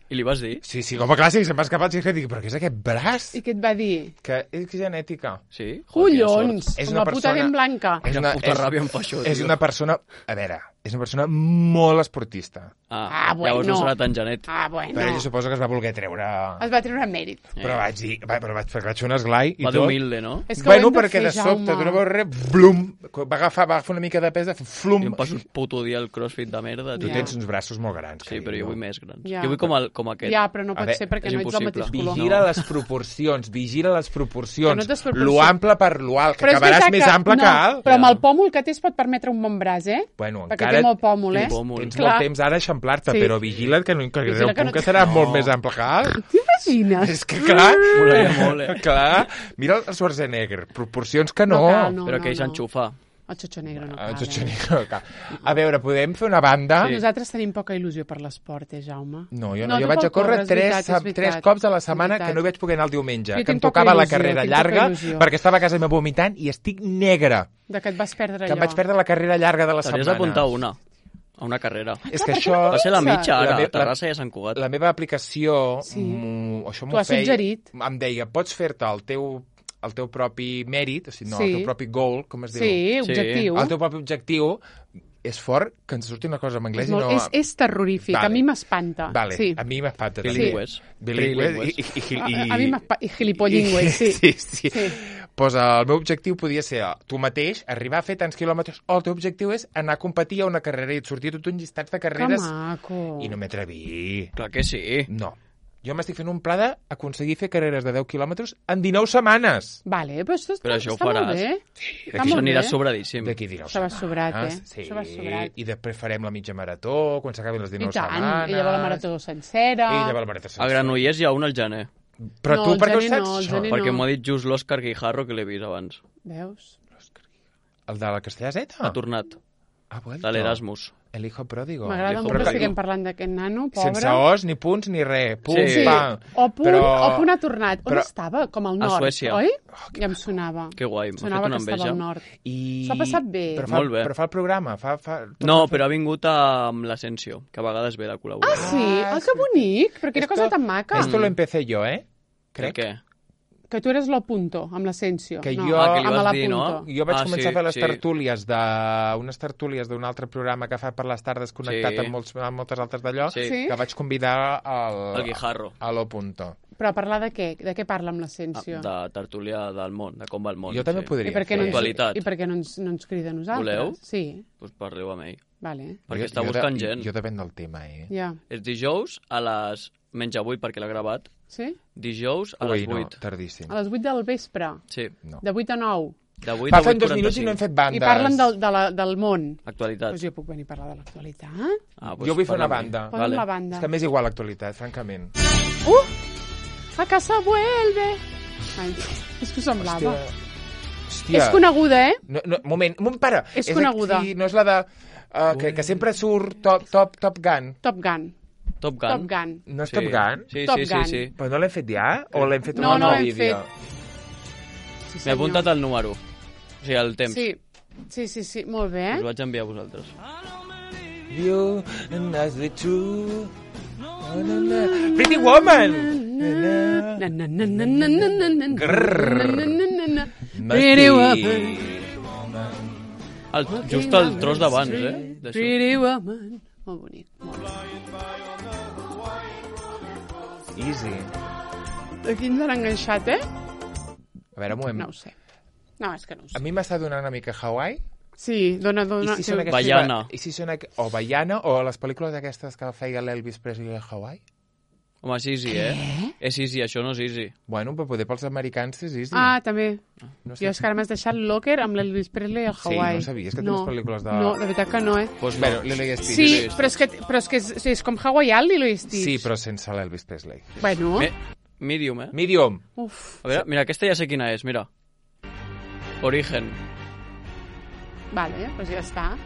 Speaker 3: I li vas dir?
Speaker 2: Sí, sí, com a clàssic, se'm va escapar el xisclet. Dic, però què és aquest braç?
Speaker 1: I què et va dir?
Speaker 2: Que és genètica.
Speaker 3: Sí? Joder, quina
Speaker 1: Collons,
Speaker 3: sort.
Speaker 2: És
Speaker 1: com
Speaker 2: una
Speaker 1: la puta
Speaker 2: persona-
Speaker 1: dent blanca.
Speaker 2: És
Speaker 3: Quina puta ràbia em fa això,
Speaker 2: és
Speaker 3: tio.
Speaker 2: una persona... A veure, és una persona molt esportista.
Speaker 3: Ah,
Speaker 1: Ah, bueno.
Speaker 3: Llavors no serà tan genètic.
Speaker 1: Ah, bueno.
Speaker 2: Però ella suposo que es va voler treure...
Speaker 1: Es va treure mèrit.
Speaker 2: Però vaig dir... Va, però vaig, perquè vaig fer un esglai i
Speaker 3: Va
Speaker 2: tot.
Speaker 3: d'humilde, no?
Speaker 1: És que
Speaker 2: Bueno,
Speaker 1: ho hem de
Speaker 2: perquè
Speaker 1: fer,
Speaker 2: de sobte,
Speaker 1: Jaume.
Speaker 2: d'una vegada, blum, va agafar, va agafar una mica de pes, de fer
Speaker 3: I
Speaker 2: flum.
Speaker 3: em passo un puto dia el crossfit de merda.
Speaker 2: Tu
Speaker 3: tio.
Speaker 2: tens uns braços molt grans.
Speaker 3: Sí, però jo vull més grans.
Speaker 1: Ja.
Speaker 3: Jo vull com, el, com aquest.
Speaker 1: Ja, però no
Speaker 2: A
Speaker 1: pot
Speaker 2: veure,
Speaker 1: ser perquè
Speaker 3: és
Speaker 1: no ets del
Speaker 3: impossible.
Speaker 1: mateix color.
Speaker 2: Vigila
Speaker 3: No.
Speaker 2: les proporcions, vigila les
Speaker 1: Que
Speaker 2: proporcions.
Speaker 1: no t'esproporci-
Speaker 2: Lo ample per lo alt, que
Speaker 1: Però és
Speaker 2: acabaràs
Speaker 1: veritat
Speaker 2: més
Speaker 1: que-
Speaker 2: ample
Speaker 1: no,
Speaker 2: que alt.
Speaker 1: Però amb
Speaker 3: Ja.
Speaker 1: el pòmul que té es pot permetre un bon braç, eh?
Speaker 2: Bueno,
Speaker 1: Perquè
Speaker 2: encara
Speaker 1: té molt pòmul, eh?
Speaker 3: Té pòmul.
Speaker 2: tens
Speaker 1: Clar.
Speaker 2: molt temps ara d'eixamplar-te,
Speaker 1: Sí.
Speaker 2: però vigila't que, no, que
Speaker 1: Vigila
Speaker 2: arribarà un
Speaker 1: que
Speaker 2: punt
Speaker 1: no
Speaker 2: que
Speaker 1: te-
Speaker 2: serà
Speaker 3: No.
Speaker 2: molt més ample que alt.
Speaker 1: T'imagines?
Speaker 2: És que, clar,
Speaker 3: Molaria molt, eh?
Speaker 2: clar, mira el Schwarzenegger, proporcions que no.
Speaker 1: No cal, no.
Speaker 3: Però aquell s'enxufa.
Speaker 1: El xotxo negre no
Speaker 2: Ah,
Speaker 1: cal,
Speaker 2: Schwarzenegger, clar. A veure, podem fer una banda?
Speaker 1: eh? Nosaltres tenim poca il·lusió per l'esport, eh, Jaume?
Speaker 2: No, jo no.
Speaker 1: No,
Speaker 2: jo
Speaker 1: tu
Speaker 2: vaig
Speaker 1: pel
Speaker 2: a córrer
Speaker 1: córrer, és
Speaker 2: tres,
Speaker 1: veritat, és veritat.
Speaker 2: tres cops a la
Speaker 1: És
Speaker 2: setmana
Speaker 1: veritat.
Speaker 2: que no hi vaig poder anar el diumenge,
Speaker 1: Jo
Speaker 2: que em
Speaker 1: tinc poca
Speaker 2: tocava la
Speaker 1: il·lusió,
Speaker 2: carrera
Speaker 1: tinc poca
Speaker 2: llarga,
Speaker 1: il·lusió.
Speaker 2: perquè estava a casa meva vomitant i estic negre,
Speaker 1: De que et vas perdre
Speaker 2: que
Speaker 1: allò.
Speaker 2: em vaig perdre la carrera llarga de la
Speaker 3: T'hauries
Speaker 2: setmana.
Speaker 3: d'apuntar una. A una carrera.
Speaker 2: És que
Speaker 1: Clar,
Speaker 2: això...
Speaker 1: perquè
Speaker 3: Va ser la
Speaker 1: pensa.
Speaker 3: mitja, ara,
Speaker 2: La me-
Speaker 3: a Terrassa i a Sant Cugat.
Speaker 2: La meva aplicació,
Speaker 1: Sí.
Speaker 2: mm, això
Speaker 1: T'ho
Speaker 2: m'ho
Speaker 1: ha
Speaker 2: feia,
Speaker 1: suggerit.
Speaker 2: em deia, pots fer-te el teu, el teu propi mèrit, o sigui, no,
Speaker 1: Sí.
Speaker 2: el teu propi goal, com es diu?
Speaker 1: Sí,
Speaker 3: Sí.
Speaker 1: objectiu.
Speaker 2: El teu propi objectiu és fort que ens surti una cosa en anglès
Speaker 1: És,
Speaker 2: i
Speaker 1: molt,
Speaker 2: no...
Speaker 1: és, és terrorífic,
Speaker 2: Vale.
Speaker 1: a mi m'espanta.
Speaker 2: Vale,
Speaker 1: Sí.
Speaker 2: a mi m'espanta. també.
Speaker 3: Bilingües.
Speaker 2: Bilingües.
Speaker 3: Trilingües.
Speaker 2: I, i, i,
Speaker 1: A,
Speaker 2: i,
Speaker 1: a mi m'espanta. I gilipollingües, sí.
Speaker 2: sí, sí.
Speaker 1: Sí.
Speaker 2: Pues el meu objectiu podia ser tu mateix, arribar a fer tants quilòmetres, o el teu objectiu és anar a competir a una carrera i et sortir tot un llistat de
Speaker 1: Que
Speaker 2: carreres
Speaker 1: maco.
Speaker 2: i no m'atreví.
Speaker 3: Clar que sí.
Speaker 2: No. Jo m'estic fent un pla d'aconseguir fer carreres de deu quilòmetres en dinou setmanes.
Speaker 1: Vale, però això està,
Speaker 3: Però això ho
Speaker 1: està molt
Speaker 3: faràs.
Speaker 1: bé.
Speaker 2: Sí,
Speaker 1: Està
Speaker 3: Això
Speaker 1: molt
Speaker 3: anirà
Speaker 1: bé.
Speaker 3: sobradíssim.
Speaker 2: D'aquí dinou
Speaker 1: Això va sobrat, eh?
Speaker 2: setmanes. Sí.
Speaker 1: Això va sobrat.
Speaker 2: I després farem la mitja marató, quan s'acabin les
Speaker 1: I
Speaker 2: dinou
Speaker 1: tant,
Speaker 2: setmanes.
Speaker 1: i llavors la marató sencera.
Speaker 2: I llavors la marató
Speaker 3: A
Speaker 2: sencera.
Speaker 3: Granollers hi ha un al gener.
Speaker 2: Però
Speaker 1: No,
Speaker 2: tu
Speaker 1: el
Speaker 2: per què ho
Speaker 1: gener
Speaker 2: saps,
Speaker 1: no, el
Speaker 2: això?
Speaker 1: gener
Speaker 3: Perquè
Speaker 1: no.
Speaker 3: m'ho ha dit just l'Òscar Guijarro, que l'he vist abans.
Speaker 1: Veus?
Speaker 2: El de la Castellà Z?
Speaker 3: Ha tornat,
Speaker 2: Ha vuelto.
Speaker 3: de l'Erasmus.
Speaker 2: El hijo pródigo.
Speaker 1: M'agrada
Speaker 3: Hijo
Speaker 1: molt que
Speaker 3: pródigo.
Speaker 1: estiguem parlant d'aquest nano, pobre.
Speaker 2: Sense os, ni punts, ni res. Pum,
Speaker 3: Sí.
Speaker 2: pam.
Speaker 1: O punt,
Speaker 2: Però-
Speaker 1: o punt ha tornat. On
Speaker 2: però-
Speaker 1: estava? Com al
Speaker 3: A
Speaker 1: nord,
Speaker 3: Suècia.
Speaker 1: oi? Ja em sonava.
Speaker 3: Que guai, m'ha fet
Speaker 1: Sonava
Speaker 3: una
Speaker 1: que estava
Speaker 3: enveja.
Speaker 1: al nord.
Speaker 2: I...
Speaker 1: S'ho ha passat bé.
Speaker 2: Però fa,
Speaker 3: Molt bé.
Speaker 2: Però fa el programa. Fa, fa... tot
Speaker 3: No,
Speaker 2: fa-
Speaker 3: però ha vingut amb l'Asensio, que a vegades ve de col·laborar.
Speaker 1: Ah, sí? Ah, que bonic! Però quina
Speaker 2: Esto-
Speaker 1: cosa tan maca.
Speaker 2: Esto lo empecé yo, ¿eh?
Speaker 3: Crec
Speaker 2: Crec.
Speaker 3: que...
Speaker 1: Que tu eres lo punto, amb l'Asensio.
Speaker 2: Que
Speaker 1: no,
Speaker 2: jo-
Speaker 3: Ah, que li
Speaker 1: amb
Speaker 3: vas
Speaker 1: la
Speaker 3: dir, no?
Speaker 1: punto.
Speaker 2: Jo vaig
Speaker 3: Ah,
Speaker 2: començar
Speaker 3: sí,
Speaker 2: a fer les
Speaker 3: sí.
Speaker 2: tertúlies de... unes tertúlies d'un altre programa que fa per les tardes connectat
Speaker 3: Sí.
Speaker 2: amb, molts, amb moltes altres d'allò,
Speaker 3: Sí.
Speaker 1: Sí.
Speaker 2: que vaig convidar al...
Speaker 3: El Guijarro.
Speaker 2: a lo punto.
Speaker 1: Però a parlar de què? De què parla amb
Speaker 3: Ah,
Speaker 1: l'Asensio?
Speaker 3: de tertúlia del món, de com va el món.
Speaker 2: Jo també
Speaker 3: sí.
Speaker 2: podria
Speaker 1: I per què no
Speaker 2: fer.
Speaker 1: ens,
Speaker 3: Actualitat.
Speaker 1: i per què no ens, no ens crida a nosaltres?
Speaker 3: Voleu?
Speaker 1: Sí,
Speaker 3: Pues parleu amb ell.
Speaker 1: vale.
Speaker 3: Perquè
Speaker 2: Jo-
Speaker 3: està
Speaker 2: jo de-
Speaker 3: buscant gent.
Speaker 2: Jo depèn del tema, eh?
Speaker 1: Ja.
Speaker 3: És dijous a les... Menys avui perquè l'ha gravat.
Speaker 1: Sí?
Speaker 3: Dijous a
Speaker 2: Ui,
Speaker 3: les
Speaker 2: no,
Speaker 3: vuit.
Speaker 2: tardíssim.
Speaker 1: A les vuit del vespre.
Speaker 3: Sí,
Speaker 2: No.
Speaker 1: De vuit a nou.
Speaker 3: de vuit a
Speaker 2: Passen
Speaker 3: vuit
Speaker 2: dos minuts i no hem fet bandes.
Speaker 1: I parlen del, de la, del món.
Speaker 3: Actualitat.
Speaker 1: Doncs jo puc venir a parlar de l'actualitat?
Speaker 3: Ah,
Speaker 2: Jo vull fer una
Speaker 3: parla amb
Speaker 2: banda.
Speaker 3: ell.
Speaker 1: Posa'm la banda.
Speaker 2: És que m'és igual l'actualitat, francament.
Speaker 1: ¡Uh! ¡A casa vuelve! Ai, és que ho semblava.
Speaker 2: Hòstia.
Speaker 1: És coneguda, eh?
Speaker 2: No, no, moment, un moment, para.
Speaker 1: És coneguda.
Speaker 2: Aquí, no és la de... Uh, que, que sempre surt Top, top, top Gun.
Speaker 1: Top Gun.
Speaker 3: Top Gun.
Speaker 1: Top Gun.
Speaker 2: No és
Speaker 3: Sí.
Speaker 2: Top Gun?
Speaker 3: Sí,
Speaker 1: Top
Speaker 3: sí, sí,
Speaker 1: Gun.
Speaker 3: sí.
Speaker 2: Però no l'hem fet ja? O l'hem fet
Speaker 1: No,
Speaker 2: un
Speaker 1: no
Speaker 2: nou
Speaker 1: l'hem
Speaker 2: vídeo?
Speaker 1: Sí,
Speaker 3: M'he apuntat el número. O sigui, el temps.
Speaker 1: Sí, sí, sí, sí. molt bé.
Speaker 3: Us vaig enviar a vosaltres.
Speaker 2: You and as the true... Pretty Woman!
Speaker 1: Na, na, na, na, na, na, na, na,
Speaker 2: Grrr.
Speaker 1: na, na, na, na.
Speaker 2: Must
Speaker 1: Pretty
Speaker 2: be-
Speaker 1: woman.
Speaker 3: El, just el tros d'abans, eh? D'això.
Speaker 1: Pretty woman. Molt bonic, molt bonic.
Speaker 2: Easy.
Speaker 1: Aquí ens han enganxat, eh?
Speaker 2: A veure, un moment.
Speaker 1: No ho sé. No, és que no ho
Speaker 2: A
Speaker 1: sé.
Speaker 2: mi m'està donant una mica Hawaii.
Speaker 1: Sí, dona, dona.
Speaker 2: I si són
Speaker 1: que-
Speaker 2: aquestes...
Speaker 3: Baiana.
Speaker 2: I si són... aqu- O Baiana, o les pel·lícules aquestes que feia l'Elvis Presley a Hawaii.
Speaker 3: Home, sí, sí, eh? És sí, sí, això no és easy.
Speaker 2: Bueno, però poder pels americans és easy.
Speaker 1: Ah, també.
Speaker 2: no
Speaker 1: Jo és que ara m'has deixat Locker amb l'Elvis Presley al
Speaker 2: Sí,
Speaker 1: Hawaii.
Speaker 2: no sabies que tens pel·lícules de-
Speaker 1: No, de veritat que no, eh?
Speaker 3: Pues
Speaker 2: Bueno,
Speaker 3: no.
Speaker 2: Lilo i Stitch.
Speaker 1: Sí, però és que, però és, que és, és com hawaiià, Lilo i Stitch.
Speaker 2: Sí, però sense l'Elvis Presley.
Speaker 1: Bueno,
Speaker 3: Me, medium, eh?
Speaker 2: Medium.
Speaker 1: uf,
Speaker 3: A veure, mira, aquesta ja sé quina és, mira. Origen.
Speaker 1: vale, doncs ja està.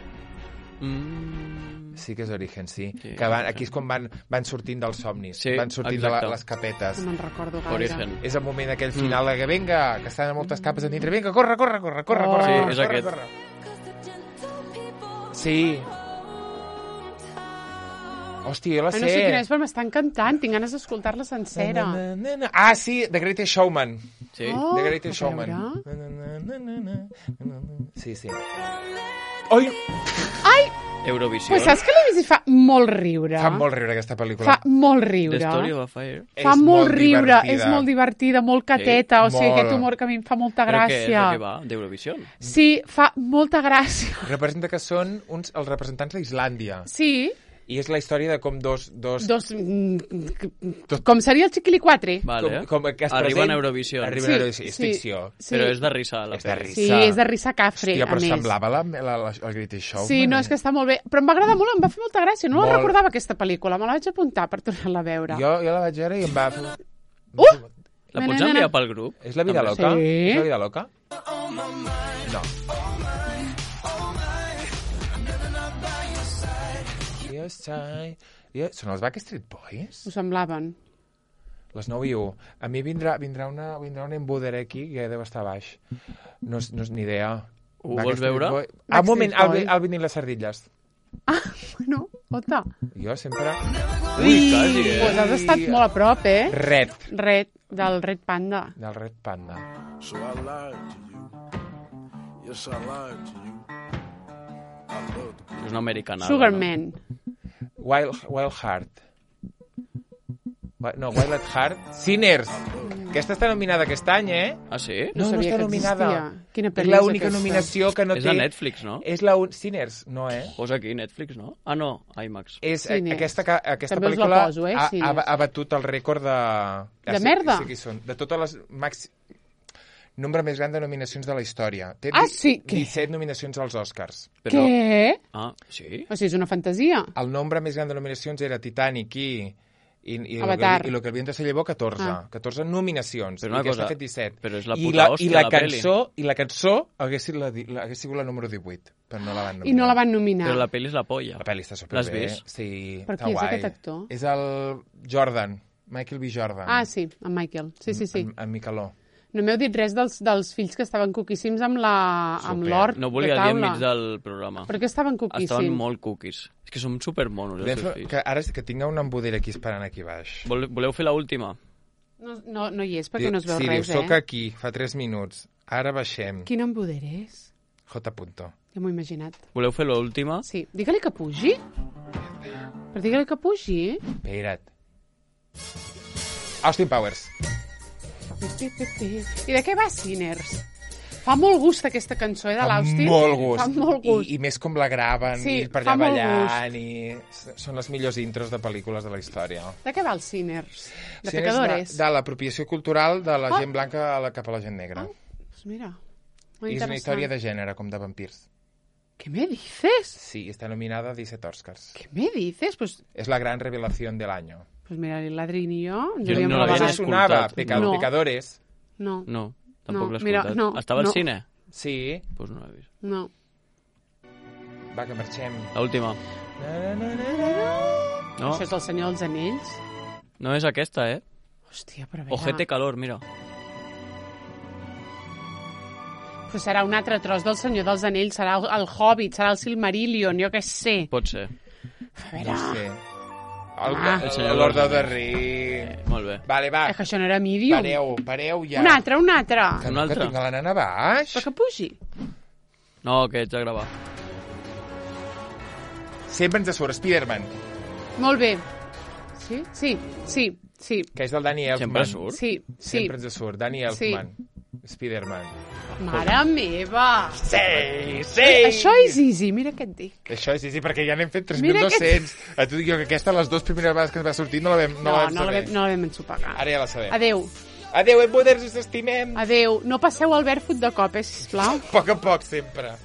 Speaker 3: Mm,
Speaker 2: Sí que és Origen, sí.
Speaker 3: Sí,
Speaker 2: que van,
Speaker 3: Origen.
Speaker 2: aquí és quan van, van sortint dels somnis.
Speaker 3: Sí,
Speaker 2: van sortint de
Speaker 3: exacte.
Speaker 2: la, les capetes.
Speaker 1: No me'n recordo gaire.
Speaker 3: Origen.
Speaker 2: És el moment aquell final de que venga, que estan a moltes capes a dintre. Vinga, corre, corre, corre, corre,
Speaker 1: Oh.
Speaker 2: corre,
Speaker 1: Sí,
Speaker 2: corre,
Speaker 3: és
Speaker 2: corre,
Speaker 3: aquest.
Speaker 2: corre. Sí. Hòstia, jo la
Speaker 1: Ah,
Speaker 2: sé.
Speaker 1: no sé quina és, però m'està encantant. Tinc ganes d'escoltar-la sencera.
Speaker 2: Na, na, na. Ah, sí, The Greatest Showman.
Speaker 3: sí.
Speaker 1: Oh,
Speaker 2: The Greatest
Speaker 1: a
Speaker 2: Showman.
Speaker 1: veure.
Speaker 2: Na, na, na, na, na, na, na. Sí, sí. Oi,
Speaker 3: Eurovisió.
Speaker 1: Pues saps que l'he vist i fa molt riure?
Speaker 2: fa molt riure aquesta pel·lícula.
Speaker 1: Fa molt
Speaker 3: The
Speaker 1: riure.
Speaker 3: Story of a Fire.
Speaker 1: Fa
Speaker 2: És
Speaker 1: molt
Speaker 2: molt
Speaker 1: riure,
Speaker 2: divertida.
Speaker 1: és molt divertida, molt cateta, o sigui,
Speaker 2: molt.
Speaker 1: aquest humor que a mi em fa molta
Speaker 3: Però què és
Speaker 1: gràcia.
Speaker 3: el que va? D'Eurovisió?
Speaker 1: Sí, fa molta gràcia.
Speaker 2: Representa que són uns, els representants d'Islàndia.
Speaker 1: Sí,
Speaker 2: I és la història de com dos... dos,
Speaker 1: dos... mm, Com seria el Chiquilicuatre?
Speaker 3: Vale.
Speaker 2: com, com que es
Speaker 3: Arriben
Speaker 2: present-
Speaker 3: a Eurovisió.
Speaker 2: Arriben
Speaker 1: Sí,
Speaker 2: a Eurovisió. És
Speaker 1: sí.
Speaker 2: ficció.
Speaker 1: Sí.
Speaker 3: Però és de risa, la
Speaker 2: És de
Speaker 3: pel·li.
Speaker 2: risa.
Speaker 1: Sí, és de risa cafre,
Speaker 2: Hòstia,
Speaker 1: a
Speaker 2: però
Speaker 1: més.
Speaker 2: semblava la, la, la, el Greatest Showman.
Speaker 1: Sí, no, és que està molt bé. Però em va agradar molt, em va fer molta gràcia. No
Speaker 2: Molt.
Speaker 1: la recordava, aquesta pel·lícula. Me la vaig apuntar per tornar-la a veure.
Speaker 2: Jo, jo la vaig veure i em va... fer-
Speaker 1: Uh!
Speaker 3: La
Speaker 1: Na,
Speaker 3: pots
Speaker 1: na, na,
Speaker 3: enviar
Speaker 1: na.
Speaker 3: pel grup?
Speaker 2: És la vida
Speaker 3: També.
Speaker 2: loca?
Speaker 1: Sí.
Speaker 2: És la vida loca? No. Yes, I... Yeah. Són els Backstreet Boys?
Speaker 1: Ho semblaven.
Speaker 2: Les nou i u. A mi vindrà, vindrà, una, vindrà un embuder aquí que deu estar baix. No, és- no és ni idea.
Speaker 3: Ho
Speaker 2: Backstreet
Speaker 3: vols veure?
Speaker 2: Boy- Ah, un moment,
Speaker 1: Backstreet
Speaker 2: Alvin,
Speaker 1: Boy.
Speaker 2: Alvin i les sardilles.
Speaker 1: Ah, bueno, ota.
Speaker 2: Jo sempre...
Speaker 3: Ui, quasi, eh?
Speaker 1: Pues has estat molt a prop, eh?
Speaker 2: Red,
Speaker 1: Red, del Red Panda.
Speaker 2: del Red Panda.
Speaker 5: So I lied to you. Yes, I lied to you. I loved the
Speaker 3: És una americanada.
Speaker 1: Sugarman.
Speaker 2: Wild, Wild Heart. Wi- No, Wild at Heart. Sinners. Aquesta està nominada aquest any, eh?
Speaker 3: No? Ah, sí?
Speaker 1: No
Speaker 2: No, no
Speaker 1: sabia
Speaker 2: està
Speaker 1: que
Speaker 2: nominada.
Speaker 1: existia. Quina
Speaker 2: És
Speaker 1: pel·li és
Speaker 2: l'única
Speaker 1: aquesta?
Speaker 2: nominació que no
Speaker 3: És
Speaker 2: té...
Speaker 3: de Netflix, no?
Speaker 2: És la un... Sinners, no, eh?
Speaker 3: Posa aquí, Netflix, no? Ah, no, IMAX.
Speaker 2: És
Speaker 1: Sinners.
Speaker 2: aquesta, ca- aquesta
Speaker 1: També us la
Speaker 2: pel·lícula
Speaker 1: poso, eh,
Speaker 2: ha, ha,
Speaker 1: Sinners.
Speaker 2: ha batut el rècord de...
Speaker 1: De
Speaker 2: sí,
Speaker 1: merda?
Speaker 2: Sí que hi són. De totes les... Max... Nombre més gran de nominacions de la història. Té
Speaker 1: Ah,
Speaker 2: di-
Speaker 1: sí? Què?
Speaker 2: disset nominacions als Oscars.
Speaker 3: Però...
Speaker 1: Què?
Speaker 3: Ah, sí?
Speaker 1: O sigui, és una fantasia.
Speaker 2: El nombre més gran de nominacions era Titanic i... I, i, lo que,
Speaker 1: Avatar.
Speaker 2: i lo que el viento se llevó, catorze.
Speaker 1: Ah.
Speaker 2: catorze nominacions.
Speaker 3: Però una
Speaker 2: I aquesta
Speaker 3: cosa,
Speaker 2: ha fet disset.
Speaker 3: però és la
Speaker 2: I
Speaker 3: puta
Speaker 2: la,
Speaker 3: hòstia,
Speaker 2: i la,
Speaker 3: la
Speaker 2: cançó, I la cançó hagués, sigut la, di- la, hagués sigut la número divuit, però no la van nominar.
Speaker 1: I no la van nominar.
Speaker 3: Però la pel·li és la polla.
Speaker 2: La pel·li està
Speaker 3: L'has
Speaker 2: superbé.
Speaker 3: vist?
Speaker 2: Sí,
Speaker 1: Per
Speaker 2: està
Speaker 1: qui és
Speaker 2: guai.
Speaker 1: aquest actor?
Speaker 2: És el Jordan, Michael B. Jordan.
Speaker 1: Ah, sí, en Michael. Sí, sí, sí.
Speaker 2: En, en Micheló.
Speaker 1: No m'heu dit res dels, dels fills que estaven cuquíssims amb la amb
Speaker 2: Super.
Speaker 1: l'hort
Speaker 3: No
Speaker 1: de
Speaker 3: volia dir
Speaker 1: taula.
Speaker 3: enmig del programa.
Speaker 1: Per què estaven cuquíssims?
Speaker 3: Estaven molt cookies. És que som supermonos, els
Speaker 2: Podem
Speaker 3: seus
Speaker 2: fer-
Speaker 3: fills.
Speaker 2: Que ara és que tinga un embuder aquí esperant aquí baix.
Speaker 3: Vol, voleu fer l'última?
Speaker 1: No, no, no hi és, perquè no es veu
Speaker 2: sí,
Speaker 1: res,
Speaker 2: diu, soc
Speaker 1: eh?
Speaker 2: aquí, fa tres minuts. Ara baixem.
Speaker 1: Quin embuder és?
Speaker 2: J. Punto.
Speaker 1: Ja m'ho he imaginat.
Speaker 3: Voleu fer l'última?
Speaker 1: Sí, digue-li que pugi. Per digue-li que pugi.
Speaker 2: Espera't. Austin Powers.
Speaker 1: I de què va Sinners? Fa molt gust aquesta cançó, eh, de l'Austin.
Speaker 2: Molt gust.
Speaker 1: Fa molt gust.
Speaker 2: I, I més com la graven,
Speaker 1: Sí,
Speaker 2: i per
Speaker 1: fa
Speaker 2: allà
Speaker 1: molt
Speaker 2: ballant, i són les millors intros de pel·lícules de la història.
Speaker 1: De què va el Sinners? De
Speaker 2: Sí, és
Speaker 1: pecadores?
Speaker 2: De, de l'apropiació cultural de la
Speaker 1: Ah.
Speaker 2: gent blanca a la, cap a la gent negra.
Speaker 1: Pues mira, molt
Speaker 2: I és una
Speaker 1: interessant.
Speaker 2: història de gènere, com de vampirs.
Speaker 1: ¿Qué me dices?
Speaker 2: Sí, està nominada a disset Oscars.
Speaker 1: ¿Qué me dices? Pues,
Speaker 2: És la gran revelació de l'any.
Speaker 1: pues mira, el Ladrín i jo... ens
Speaker 3: Jo
Speaker 1: hauríem
Speaker 3: no
Speaker 1: de
Speaker 3: l'havia
Speaker 1: vagar.
Speaker 2: Us sonava
Speaker 3: escoltat.
Speaker 2: Peca,
Speaker 1: No.
Speaker 2: Pecadores?
Speaker 1: No,
Speaker 3: No, tampoc
Speaker 1: No,
Speaker 3: l'he
Speaker 1: mira,
Speaker 3: escoltat.
Speaker 1: no,
Speaker 3: Estava al
Speaker 1: no.
Speaker 3: cine?
Speaker 2: Sí.
Speaker 3: Doncs pues no l'he vist.
Speaker 1: no.
Speaker 2: Va, que marxem.
Speaker 3: L'última.
Speaker 2: Na, na, na, na, na.
Speaker 3: No,
Speaker 1: Això és el Senyor dels Anells?
Speaker 3: no és aquesta, eh?
Speaker 1: Hòstia, però a veure...
Speaker 3: Ojete calor, mira.
Speaker 1: Però serà un altre tros del Senyor dels Anells, serà el, el Hobbit, serà el Silmarillion, jo què sé.
Speaker 3: Pot ser.
Speaker 1: A veure...
Speaker 2: No sé. El,
Speaker 1: Ah.
Speaker 2: el,
Speaker 3: El senyor
Speaker 2: Lord
Speaker 3: dels
Speaker 2: of the
Speaker 3: Anells.
Speaker 2: Rings.
Speaker 3: Eh, molt bé.
Speaker 2: Vale, va.
Speaker 1: És que això no era Medium.
Speaker 2: Pareu, pareu ja.
Speaker 1: Un altre, un altre.
Speaker 2: Que,
Speaker 3: Un
Speaker 2: no,
Speaker 3: altre.
Speaker 2: que tinc la nana baix.
Speaker 1: Però que pugi.
Speaker 3: No, que ets a gravar.
Speaker 2: Sempre ens surt Spider-Man,
Speaker 1: Molt bé. Sí? Sí, sí, sí.
Speaker 2: que és del Danny Elfman.
Speaker 3: Sempre surt?
Speaker 1: Sí, sí.
Speaker 2: Sempre ens surt. Danny Elfman. Spider-Man.
Speaker 1: Mare meva.
Speaker 2: Sí, sí!
Speaker 1: Això és easy, mira què et dic.
Speaker 2: Això és easy, perquè ja n'hem fet tres mil
Speaker 1: Mira
Speaker 2: dos-cents. A tu dic jo que aquesta, les dues primeres vegades que ens va sortir, no la vam, no
Speaker 1: No,
Speaker 2: la vam
Speaker 1: no la
Speaker 2: saber.
Speaker 1: vam, no la vam ensopegar.
Speaker 2: Ara ja la sabem.
Speaker 1: Adéu.
Speaker 2: Adéu, em poders, us estimem.
Speaker 1: Adéu. No passeu al Barefoot de cop, eh, sisplau.
Speaker 2: A poc a poc, sempre.